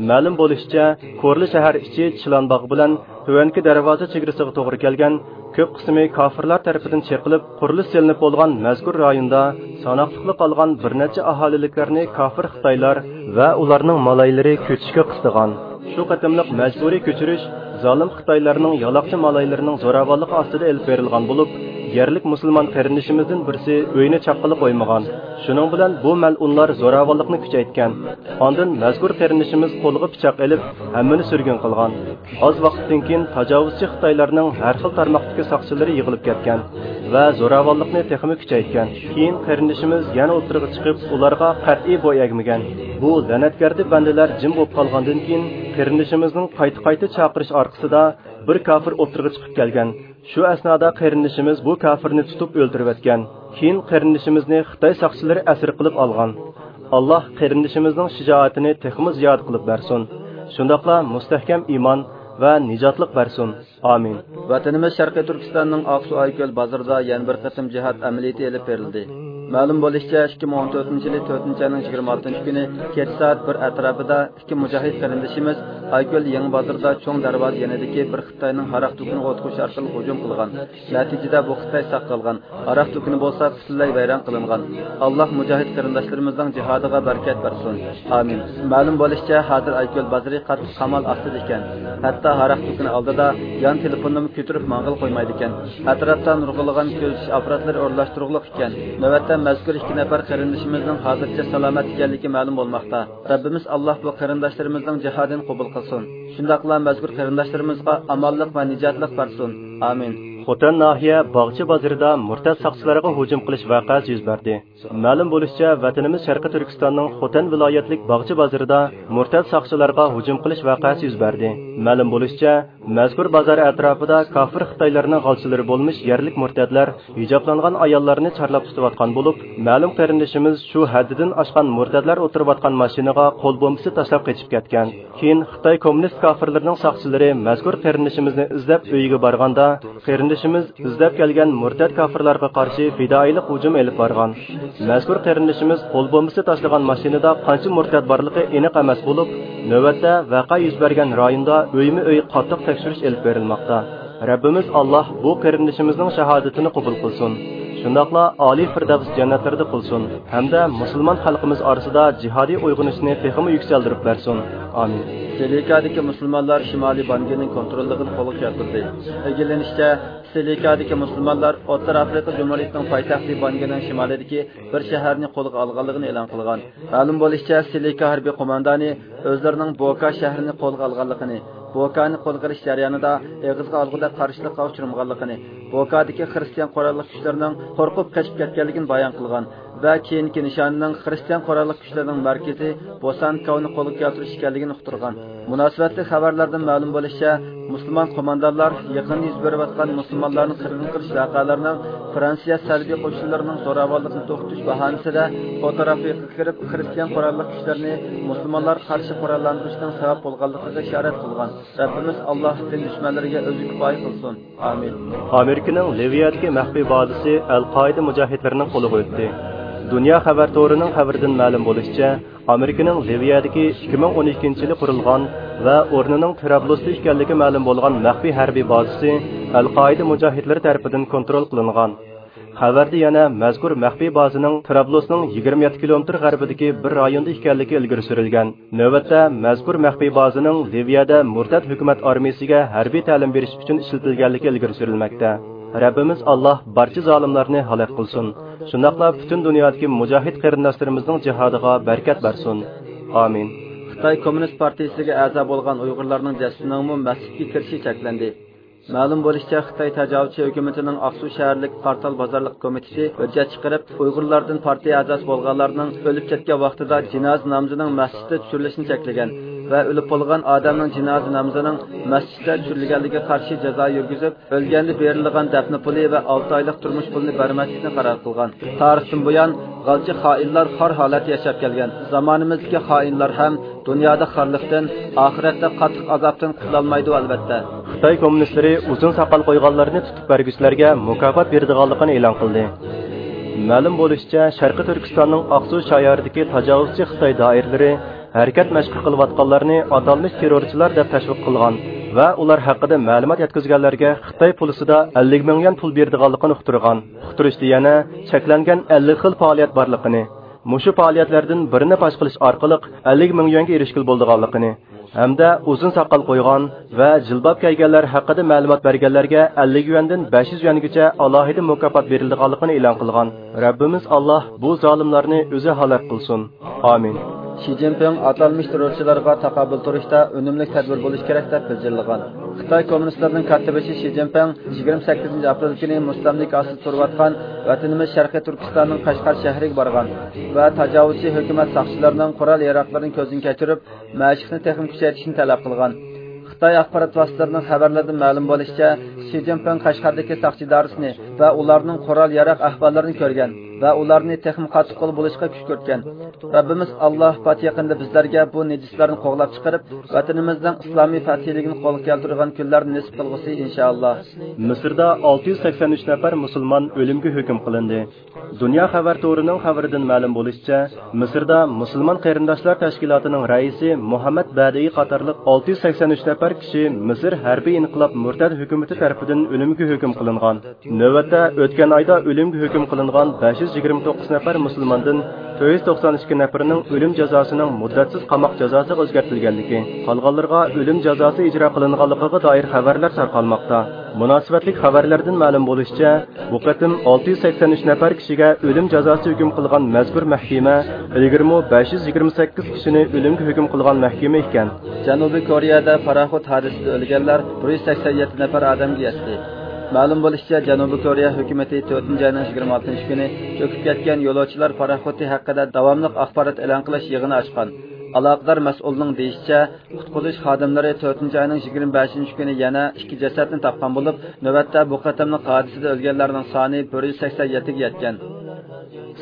مەلۇم بولۇشىچە، كورلا شەھەر ئىچى چىلانباغ بىلەن تۆۋەنكى دەرۋازا چېگرىسىغا توغرا كەلگەن كۆپ قىسمى كاپىرلار تەرىپىدىن چېقىلىپ، قۇرۇلۇش سېلىنىپ بولغان مەزكۇر رايوندا ساناقلىقلا قالغان بىر نەچچە ئاھالىلىكلەرنى كاپىر خىتايلار ۋە ئۇلارنىڭ مالايلىرى كۆچۈشكە قىستىغان. شۇ قېتىملىق مەجبۇرىي كۆچۈرۈش زالىم خىتايلارنىڭ يالاقچى مالايلىرىنىڭ زوراۋانلىقى ئاستىدا ئېلىپ بېرىلغان بولۇپ، يەرلىك مۇسۇلمان قېرىندىشىمىزدىن بىرسى ئۆيىنى چاققىلى قويمىغان. شۇنىڭ بىلەن بۇ مەلئۇنلار زوراۋانلىقنى كۈچەيتكەن. ئاندىن مەزكۇر قېرىندىشىمىز قولىغا پىچاق ئېلىپ، ھەممىنى سۈرگۈن قىلغان. ئاز ۋاقىتتىن كېيىن تاجاۋۇزچى خىتايلارنىڭ ھەر خىل تارماقتىكى ساقچىلىرى يىغىلىپ كەتكەن ۋە زوراۋانلىقنى تېخىمۇ كۈچەيتكەن. كېيىن قېرىندىشىمىز يەنە ئوتتۇرىغا چىقىپ، ئۇلارغا قەتئىي بوي ئەگمىگەن. بۇ لەنەتگەردە بەندىلەر جىم بولۇپ قالغاندىن كېيىن، قېرىندىشىمىزنىڭ قايتا-قايتا چاقىرىش ئارقىسىدا بىر كاپىر ئوتتۇرىغا چىقىپ كەلگەن. شۇ ئەسنادا قېرىندىشىمىز بۇ كاپىرنى تۇتۇپ ئۆلتۈرۈۋەتكەن. كېيىن قېرىندىشىمىزنى خىتاي ساقچىلىرى ئەسىر قىلىپ ئالغان. ئاللاھ قېرىندىشىمىزنىڭ شىجائىتىنى تېخىمۇ زىيادە قىلىپ بەرسۇن. شۇنداقلا مۇستەھكەم ئىمان ۋە نىجاتلىق بەرسۇن. ئامىن. ۋەتىنىمىز شەرقىي تۈركىستاننىڭ ئاقسۇ ئايكۆل بازىرىدا يەنە بىر قېتىم جىھاد ئەمەلىيىتى ئېلىپ بېرىلدى. مەلۇم بولۇشىچە، ئىككى مىڭ ئون تۆتىنچى يىلى تۆتىنچى ئاينىڭ يىگىرمە ئالتىنچى كۈنى كەچ سائەت بىر ئەتراپىدا ئىككى مۇجاھىد قېرىندىشىمىز ئايكۆل يېڭى بازىرىدا چوڭ دەرۋازا يېنىدىكى بىر خىتاينىڭ ھاراق دۇكىنىغا ئوت قويۇش ئارقىلىق ھۇجۇم قىلغان. نەتىجىدە بۇ خىتاي ساق قالغان. ھاراق دۇكىنى بولسا پۈتۈنلەي ۋەيران قىلىنغان. ئاللاھ مۇجاھىد قېرىنداشلىرىمىزنىڭ جىھادىغا بەرىكەت بەرسۇن. ئامىن. مەلۇم بولۇشىچە، ھازىر ئايكۆل بازىرى قاتتىق قامال ئاستىدا ئىكەن. ھەتتا ھاراق دۇكىنى ئالدىدا يان تېلېفوننىمۇ كۆتۈرۈپ ماڭغىلى قويمايدىكەن. ئەتراپتا نۇرغۇنلىغان كۆزىتىش ئاپپاراتلىرى ئورۇنلاشتۇرۇقلۇق ئىكەن. نۆۋەتتە مەزكۇر ئىككى نەپەر قېرىندىشىمىزنىڭ ھازىرچە سالامەت ئىكەنلىكى مەلۇم بولماقتا. رەببىمىز ئاللاھ بۇ قېرىنداشلىرىمىزنىڭ جىھادىنى قوبۇل قىلسۇن. شۇنداقلا مەزكۇر قېرىنداشلىرىمىزغا ئامانلىق ۋە نىجاتلىق بەرسۇن. ئامىن. خوتەن ناھىيە باغچە بازىرىدا مۇرتەت ساقچىلارغا ھۇجۇم قىلىش ۋەقەسى يۈز بەردى. مەلۇم بولۇشىچە، ۋەتىنىمىز شەرقىي تۈركىستاننىڭ خوتەن ۋىلايەتلىك باغچە بازىرىدا مۇرتەت ساقچىلارغا ھۇجۇم قىلىش ۋەقەسى يۈز بەردى. مەلۇم بولۇشىچە، مەزكۇر بازار ئەتراپىدا كاپىر خىتايلارنىڭ غالچىلىرى بولمىش يەرلىك مۇرتەتلەر ھىجابلانغان ئاياللارنى چارلاپ تۇتۇۋاتقان بولۇپ، مەلۇم قېرىندىشىمىز شۇ ھەددىدىن ئاشقان مۇرتەتلەر ئولتۇرۇۋاتقان ماشىنىغا قول بومبىسى تاشلاپ قېچىپ كەتكەن. كېيىن خىتاي كوممۇنىست كاپىرلىرىنىڭ ساقچىلىرى مەزكۇر قېرىندىشىمىزنى ئىزدەپ ئۆيىگە بارغاندا، قېرىندىشىمىز ئىزدەپ كەلگەن مۇرتەت كاپىرلارغا قارشى پىدائىيلىق ھۇجۇمى ئېلىپ بارغان. مەزكۇر قېرىندىشىمىز قول بومبىسى تاشلىغان ماشىنىدا قانچە مۇرتەت بارلىقى ئېنىق ئەمەس بولۇپ، نۆۋەتتە ۋەقە يۈز بەرگەن رايوندا ئۆيمۇ ئۆي قاتتىق تەكشۈرۈش ئېلىپ بېرىلماقتا. رەببىمىز ئاللاھ بۇ قېرىندىشىمىزنىڭ شاھادىتىنى قوبۇل قىلسۇن. شۇنداقلا ئالىي فىردەۋس جەننەتلىرىدە قىلسۇن ھەمدە مۇسۇلمان خەلقىمىز ئارىسىدا جىھادىي ئويغىنىشنى تېخىمۇ يۈكسەلدۈرۈپ بەرسۇن. ئامىن. سېلىكادىكى مۇسۇلمانلار شىمالىي بانگىنىڭ كونتروللۇقىنى قولغا كەلتۈردى. ئىگىلىنىشىچە، سېلىكادىكى مۇسۇلمانلار ئوتتۇرا ئافرىقا جۇمھۇرىيىتىنىڭ پايتەختى بانگىنىڭ شىمالىدىكى بىر شەھەرنى قولغا ئالغانلىقىنى ئېلان قىلغان. مەلۇم بولۇشىچە، سېلىكا ھەربىي قوماندانى ئۆزلىرىنىڭ بوكا شەھىرىنى قولغا ئالغانلىقىنى، بوكانى قولغا ئېلىش جەريانىدا ئېغىزغا ئالغۇدەك قارشىلىققا ئۇچرىمىغانلىقىنى، بوكادىكى خىرىستىيان قوراللىق كۈچلىرىنىڭ قورقۇپ قېچىپ كەتكەنلىكىنى بايان قىلغان ۋە كېيىنكى نىشانىنىڭ خىرىستىيان قوراللىق كۈچلىرىنىڭ مەركىزى بوسانكاۋنى قولغا كەلتۈرۈش ئىكەنلىكىنى ئۇقتۇرغان. مۇناسىۋەتلىك خەۋەرلەردىن مەلۇم بولۇشىچە، مۇسۇلمان قوماندانلار يېقىندا يۈز بېرىۋاتقان مۇسۇلمانلارنى قىرغىن قىلىش ۋەقەلىرىنىڭ فرانسىيە سەلبىي قوشۇنلىرىنىڭ زوراۋانلىقنى توختىتىش باھانىسىدە ئوتتۇرا ئافرىقىغا كىرىپ، خىرىستىيان قوراللىق كۈچلىرىنى مۇسۇلمانلارغا قارشى قوراللاندۇرۇشنىڭ سەۋەب بولغانلىقىغا ئىشارەت قىلغان. رەببىمىز ئاللاھ دىن دۈشمەنلىرىگە ئۆزى كۇپايە قىلسۇن. ئامىن. ئامېرىكىنىڭ لىۋىيەدىكى مەخپىي بازىسى ئەل-قائىدە مۇجاھىدلىرىنىڭ قولىغا ئۆتتى. دۇنيا خەۋەر تورىنىڭ خەۋىرىدىن مەلۇم بولۇشىچە، ئامېرىكىنىڭ لىۋىيەدىكى ئىككى مىڭ ئون ئىككىنچى يىلى قۇرۇلغان ۋە ئورنىنىڭ تىرابلۇستا ئىكەنلىكى مەلۇم بولغان مەخپىي ھەربىي بازىسى ئەل-قائىدە مۇجاھىدلىرى تەرىپىدىن كونترول قىلىنغان. خەۋەردە يەنە مەزكۇر مەخپىي بازىنىڭ تىرابلۇسنىڭ يىگىرمە يەتتە كىلومېتىر غەربىدىكى بىر رايوندا ئىكەنلىكى ئىلگىرى سۈرۈلگەن. نۆۋەتتە مەزكۇر مەخپىي بازىنىڭ لىۋىيەدە مۇرتەت ھۆكۈمەت ئارمىيىسىگە ھەربىي تەلىم بېرىش ئۈچۈن ئىشلىتىلگەنلىكى ئىلگىرى سۈرۈلمەكتە. رەببىمىز ئاللاھ بارچە زالىملارنى ھالاك قىلسۇن. شۇنداقلا پۈتۈن دۇنيادىكى مۇجاھىد قېرىنداشلىرىمىزنىڭ جىھادىغا بەرىكەت بەرسۇن. ئامىن. خىتاي كوممۇنىست پارتىيىسىگە ئەزا بولغان ئۇيغۇرلارنىڭ جەسىتىنىڭمۇ مەسچىتكە كىرىشى چەكلەندى. مەلۇم بولۇشىچە، خىتاي تاجاۋۇزچى ھۆكۈمىتىنىڭ ئاقسۇ شەھەرلىك قارتال بازارلىق كومىتېتى ھۆججەت چىقىرىپ، ئۇيغۇرلاردىن پارتىيە ئەزاسى بولغانلارنىڭ ئۆلۈپ كەتكەن ۋاقتىدا جىنازا نامىزىنىڭ مەسچىتتە چۈشۈرۈلۈشىنى چەكلىگەن ۋە ئۆلۈپ بولغان ئادەمنىڭ جىنازا نامىزىنىڭ مەسچىتتە چۈشۈرۈلگەنلىكىگە قارشى جازا يۈرگۈزۈپ، ئۆلگەندە بېرىلىدىغان دەپنە پۇلى ۋە ئالتە ئايلىق تۇرمۇش پۇلىنى بەرمەسلىكنى قارار قىلغان. تارىختىن بۇيان، غالچى خائىنلار خار ھالەتتە ياشاپ كەلگەن. زامانىمىزدىكى خائىنلار ھەم دۇنيادا خارلىقتىن، ئاخىرەتتە قاتتىق ئازابتىن قۇتۇلالمايدۇ، ئەلۋەتتە. خىتاي كوممۇنىستلىرى ئۇزۇن ساقال قويغانلارنى تۇتۇپ بەرگۈچىلەرگە مۇكاپات بېرىدىغانلىقىنى ئېلان قىلدى. مەلۇم بولۇشىچە، شەرقىي تۈركىستاننىڭ ئاقسۇ شايارىدىكى تاجاۋۇزچى خىتاي دائىرىلىرى ھەرىكەت مەشقى قىلىۋاتقانلارنى ئاتالمىش تېررورچىلار دەپ تەشۋىق قىلغان ۋە ئۇلار ھەققىدە مەلۇمات يەتكۈزگەنلەرگە خىتاي پۇلىسىدا ئەللىك مىڭ يۈەن پۇل بېرىدىغانلىقىنى ئۇقتۇرغان. ئۇقتۇرۇشتا يەنە چەكلەنگەن ئەللىك خىل پائالىيەت بارلىقىنى، مۇشۇ پائالىيەتلەردىن بىرىنى پاش قىلىش ئارقىلىق ئەللىك مىڭ يۈەنگە ئېرىشكىلى بولىدىغانلىقىنى ھەمدە ئۇزۇن ساقال قويغان ۋە جىلباب كىيگەنلەر ھەققىدە مەلۇمات بەرگەنلەرگە ئەللىك يۈەندىن بەش يۈز يۈەنگىچە ئالاھىدە مۇكاپات بېرىلىدىغانلىقىنى ئېلان قىلغان. رەببىمىز ئاللاھ بۇ زالىملارنى ئۆزى ھالاك قىلسۇن. ئامىن. شى جىنپىڭ ئاتالمىش تېررورچىلارغا تاقابىل تۇرۇشتا ئۈنۈملۈك تەدبىر بولۇشى كېرەك دەپ غىجىللىغان. خىتاي كوممۇنىستلىرىنىڭ كاتتىبېشى شى جىنپىڭ يىگىرمە سەككىزىنچى ئاپرېل كۈنى مۇستەملىكە ئاستىدا تۇرۇۋاتقان ۋەتىنىمىز شەرقىي تۈركىستاننىڭ قەشقەر شەھىرىگە بارغان ۋە تاجاۋۇزچى ھۆكۈمەت ساقچىلىرىنىڭ قورال-ياراغلىرىنى كۆزدىن كەچۈرۈپ، مەشىقنى تېخىمۇ كۈچەيتىشنى تەلەپ قىلغان. خىتاي ئاخبارات ۋاسىتىلىرىنىڭ خەۋەرلىرىدىن مەلۇم بولۇشىچە، شى جىنپىڭ قەشقەردىكى ساقچى ئىدارىسىنى ۋە ئۇلارنىڭ قورال-ياراغ ئەھۋاللىرىنى كۆرگەن ۋە ئۇلارنى تېخىمۇ قاتتىق قول بولۇشقا كۈشكۈرتكەن. رەببىمىز ئاللاھ پات يېقىندا بىزلەرگە بۇ نىجىسلارنى قوغلاپ چىقىرىپ، ۋەتىنىمىزنىڭ ئىسلامىي پەتھىيلىكىنى قولغا كەلتۈرىدىغان كۈنلەرنى نېسىپ قىلغۇسى، ئىنشائاللاھ. مىسىردا ئالتە يۈز سەكسەن ئۈچ نەپەر مۇسۇلمان ئۆلۈمگە ھۆكۈم قىلىندى. دۇنيا خەۋەر تورىنىڭ خەۋىرىدىن مەلۇم بولۇشىچە، مىسىردا مۇسۇلمان قېرىنداشلار تەشكىلاتىنىڭ رەئىسى مۇھەممەد بەدىئى قاتارلىق ئالتە يۈز سەكسەن ئۈچ نەپەر كىشى مىسىر ھەربىي ئىنقىلاب مۇرتەت ھۆكۈمىتى تەرىپىدىن ئۆلۈمگە ھۆكۈم قىلىنغان. نۆۋەتتە ئۆتكەن ئايدا ئۆلۈمگە ھۆكۈم قىلىنغان بەش يۈز يىگىرمە توققۇز نەپەر مۇسۇلماندىن تۆت يۈز توقسان ئىككى نەپىرىنىڭ ئۆلۈم جازاسىنىڭ مۇددەتسىز قاماق جازاسىغا ئۆزگەرتىلگەنلىكى، قالغانلىرىغا ئۆلۈم جازاسى ئىجرا قىلىنغانلىقىغا دائىر خەۋەرلەر تارقالماقتا. مۇناسىۋەتلىك خەۋەرلەردىن مەلۇم بولۇشىچە، بۇ قېتىم ئالتە يۈز سەكسەن ئۈچ نەپەر كىشىگە ئۆلۈم جازاسى ھۆكۈم قىلغان مەزكۇر مەھكىمە ئىلگىرىمۇ بەش يۈز يىگىرمە سەككىز كىشىنى ئۆلۈمگە ھۆكۈم قىلغان مەھكىمە ئىكەن. جەنۇبىي كورېيەدە پاراخوت ھادىسىسىدە ئۆلگەنلەر بىر يۈز سەكسەن يەتتە نەپەر ئادەمگە يەتتى. مەلۇم بولۇشىچە، جەنۇبىي كورېيە ھۆكۈمىتى تۆتىنچى ئاينىڭ يىگىرمە ئالتىنچى كۈنى چۆكۈپ كەتكەن يولۇچىلار پاراخوتى ھەققىدە داۋاملىق ئاخبارات ئېلان قىلىش يىغىنى ئاچقان. ئالاقىدار مەسئۇلنىڭ دېيىشىچە، قۇتقۇزۇش خادىملىرى تۆتىنچى ئاينىڭ يىگىرمە بەشىنچى كۈنى يەنە ئىككى جەسەتنى تاپقان بولۇپ، نۆۋەتتە بۇ قېتىملىق ھادىسىدە ئۆلگەنلەرنىڭ سانى بىر يۈز سەكسەن يەتتىگە يەتكەن.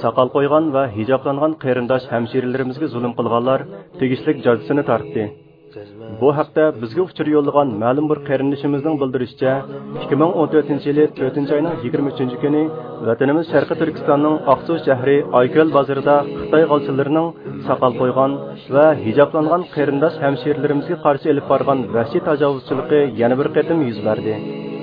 ساقال قويغان ۋە ھىجابلانغان قېرىنداش ھەمشىرىلىرىمىزگە زۇلۇم قىلغانلار تېگىشلىك جازىسىنى تارتتى. بۇ ھەقتە بىزگە ئۇچۇر يوللىغان مەلۇم بىر قېرىندىشىمىزنىڭ بىلدۈرۈشىچە، ئىككى مىڭ ئون تۆتىنچى يىلى تۆتىنچى ئاينىڭ يىگىرمە ئۈچىنچى كۈنى ۋەتىنىمىز شەرقىي تۈركىستاننىڭ ئاقسۇ شەھىرى ئايكۆل بازىرىدا خىتاي غالچىلىرىنىڭ ساقال قويغان ۋە ھىجابلانغان قېرىنداش ھەمشىرىلىرىمىزگە قارشى ئېلىپ بارغان ۋەھشىي تاجاۋۇزچىلىقى يەنە بىر قېتىم يۈز بەردى.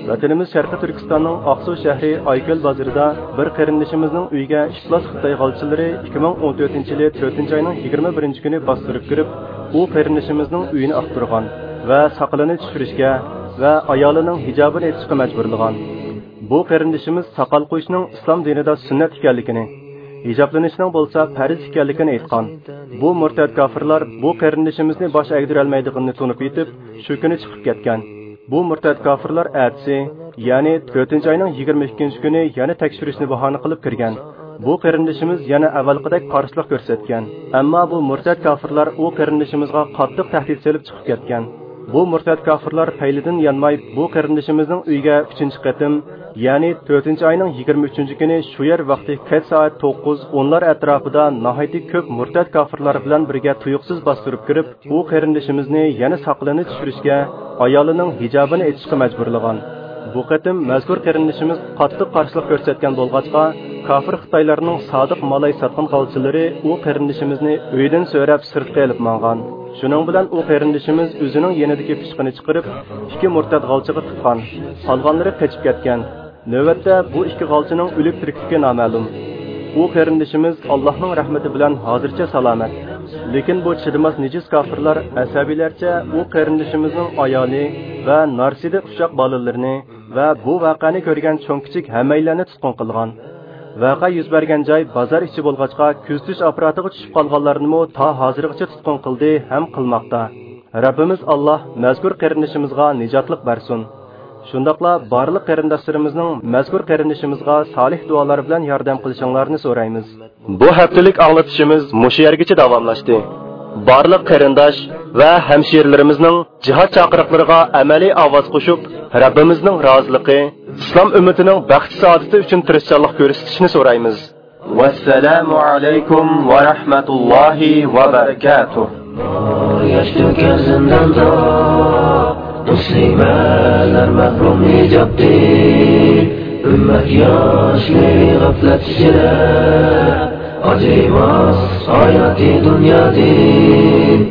ۋەتىنىمىز شەرقىي تۈركىستاننىڭ ئاقسۇ شەھىرى ئايكۆل بازىرىدا بىر قېرىندىشىمىزنىڭ ئۆيىگە ئىپلاس خىتاي غالچىلىرى ئىككى مىڭ ئون تۆتىنچى يىلى تۆتىنچى ئاينىڭ يىگىرمە بىرىنچى كۈنى باستۇرۇپ كىرىپ، ئۇ قېرىندىشىمىزنىڭ ئۆيىنى ئاختۇرغان ۋە ساقىلىنى چۈشۈرۈشكە ۋە ئايالىنىڭ ھىجابىنى ئېچىشقا مەجبۇرلىغان. بۇ قېرىندىشىمىز ساقال قويۇشنىڭ ئىسلام دىنىدا سۈننەت ئىكەنلىكىنى، ھىجابلىنىشنىڭ بولسا پەرز ئىكەنلىكىنى ئېيتقان. بۇ مۇرتەت كاپىرلار بۇ قېرىندىشىمىزنى باش ئەگدۈرەلمەيدىغىنىنى تونۇپ يېتىپ، شۇ كۈنى چىقىپ كەتكەن. بۇ مۇرتەت كاپىرلار ئەتىسى، يەنى تۆتىنچى ئاينىڭ يىگىرمە ئىككىنچى كۈنى يەنە تەكشۈرۈشنى باھانە قىلىپ كىرگەن. بۇ قېرىندىشىمىز يەنە ئەۋۋەلقىدەك قارشىلىق كۆرسەتكەن. ئەمما بۇ مۇرتەت كاپىرلار ئۇ قېرىندىشىمىزغا قاتتىق تەھدىت سېلىپ چىقىپ كەتكەن. بۇ مۇرتەت كاپىرلار پەيلىدىن يانماي بۇ قېرىندىشىمىزنىڭ ئۆيىگە ئۈچىنچى قېتىم، يەنى تۆتىنچى ئاينىڭ يىگىرمە ئۈچىنچى كۈنى شۇ يەر ۋاقتى كەچ سائەت توققۇز، ئونلار ئەتراپىدا ناھايىتى كۆپ مۇرتەت كاپىرلار بىلەن بىرگە تۇيۇقسىز باستۇرۇپ كىرىپ، ئۇ قېرىندىشىمىزنى يەنە ساقىلىنى چۈشۈرۈشكە، ئايالىنىڭ ھىجابىنى ئېچىشقا مەجبۇرلىغان. بۇ قېتىم مەزكۇر قېرىندىشىمىز قاتتىق قارشىلىق كۆرسەتكەن بولغاچقا، كاپىر خىتايلارنىڭ سادىق مالاي ساتقىن غالچىلىرى ئۇ قېرىندىشىمىزنى ئۆيىدىن سۆرەپ سىرتقا ئېلىپ ماڭغان. شۇنىڭ بىلەن ئۇ قېرىندىشىمىز ئۆزىنىڭ يېنىدىكى پىچىقىنى چىقىرىپ، ئىككى مۇرتەت غالچىغا تىققان. قالغانلىرى قېچىپ كەتكەن. نۆۋەتتە بۇ ئىككى غالچىنىڭ ئۆلۈك تىرىكلىكى نامەلۇم. ئۇ قېرىندىشىمىز ئاللاھنىڭ رەھمىتى بىلەن ھازىرچە سالامەت. لېكىن بۇ چىدىماس نىجىس كاپىرلار ئەسەبىيلەرچە ئۇ قېرىندىشىمىزنىڭ ئايالى ۋە نارسىدە ئۇششاق بالىلىرىنى ۋە بۇ ۋەقەنى كۆرگەن چوڭ-كىچىك ھەممەيلەننى تۇتقۇن قىلغان. ۋەقە يۈز بەرگەن جاي بازار ئىچى بولغاچقا، كۆزىتىش ئاپپاراتىغا چۈشۈپ قالغانلارنىمۇ تا ھازىرغىچە تۇتقۇن قىلدى ھەم قىلماقتا. رەببىمىز ئاللاھ مەزكۇر قېرىندىشىمىزغا نىجاتلىق بەرسۇن. شۇنداقلا بارلىق قېرىنداشلىرىمىزنىڭ مەزكۇر قېرىندىشىمىزغا سالىھ دۇئالار بىلەن ياردەم قىلىشىڭلارنى سورايمىز. بۇ ھەپتىلىك ئاڭلىتىشىمىز مۇشۇ يەرگىچە داۋاملاشتى. بارلىق قېرىنداش ۋە ھەمشىرىلىرىمىزنىڭ جىھاد چاقىرىقلىرىغا ئەمەلىي ئاۋاز قوشۇپ، رەببىمىزنىڭ رازىلىقى، ئىسلام ئۈممىتىنىڭ بەخت-سائادىتى ئۈچۈن تىرىشچانلىق كۆرسىتىشىنى سورايمىز. ۋەسسالامۇ ئەلەيكۇم ۋە رەھمەتۇللاھى ۋە بەرىكاتۇھ. ياش تۆكەر زىنداندا، مۇسلىمەلەر مەھرۇم ھىجابتىن. ئۈممەت ياشلىرى غەپلەت ئىچىدە، ئاجرىماس ھاياتى دۇنيادىن.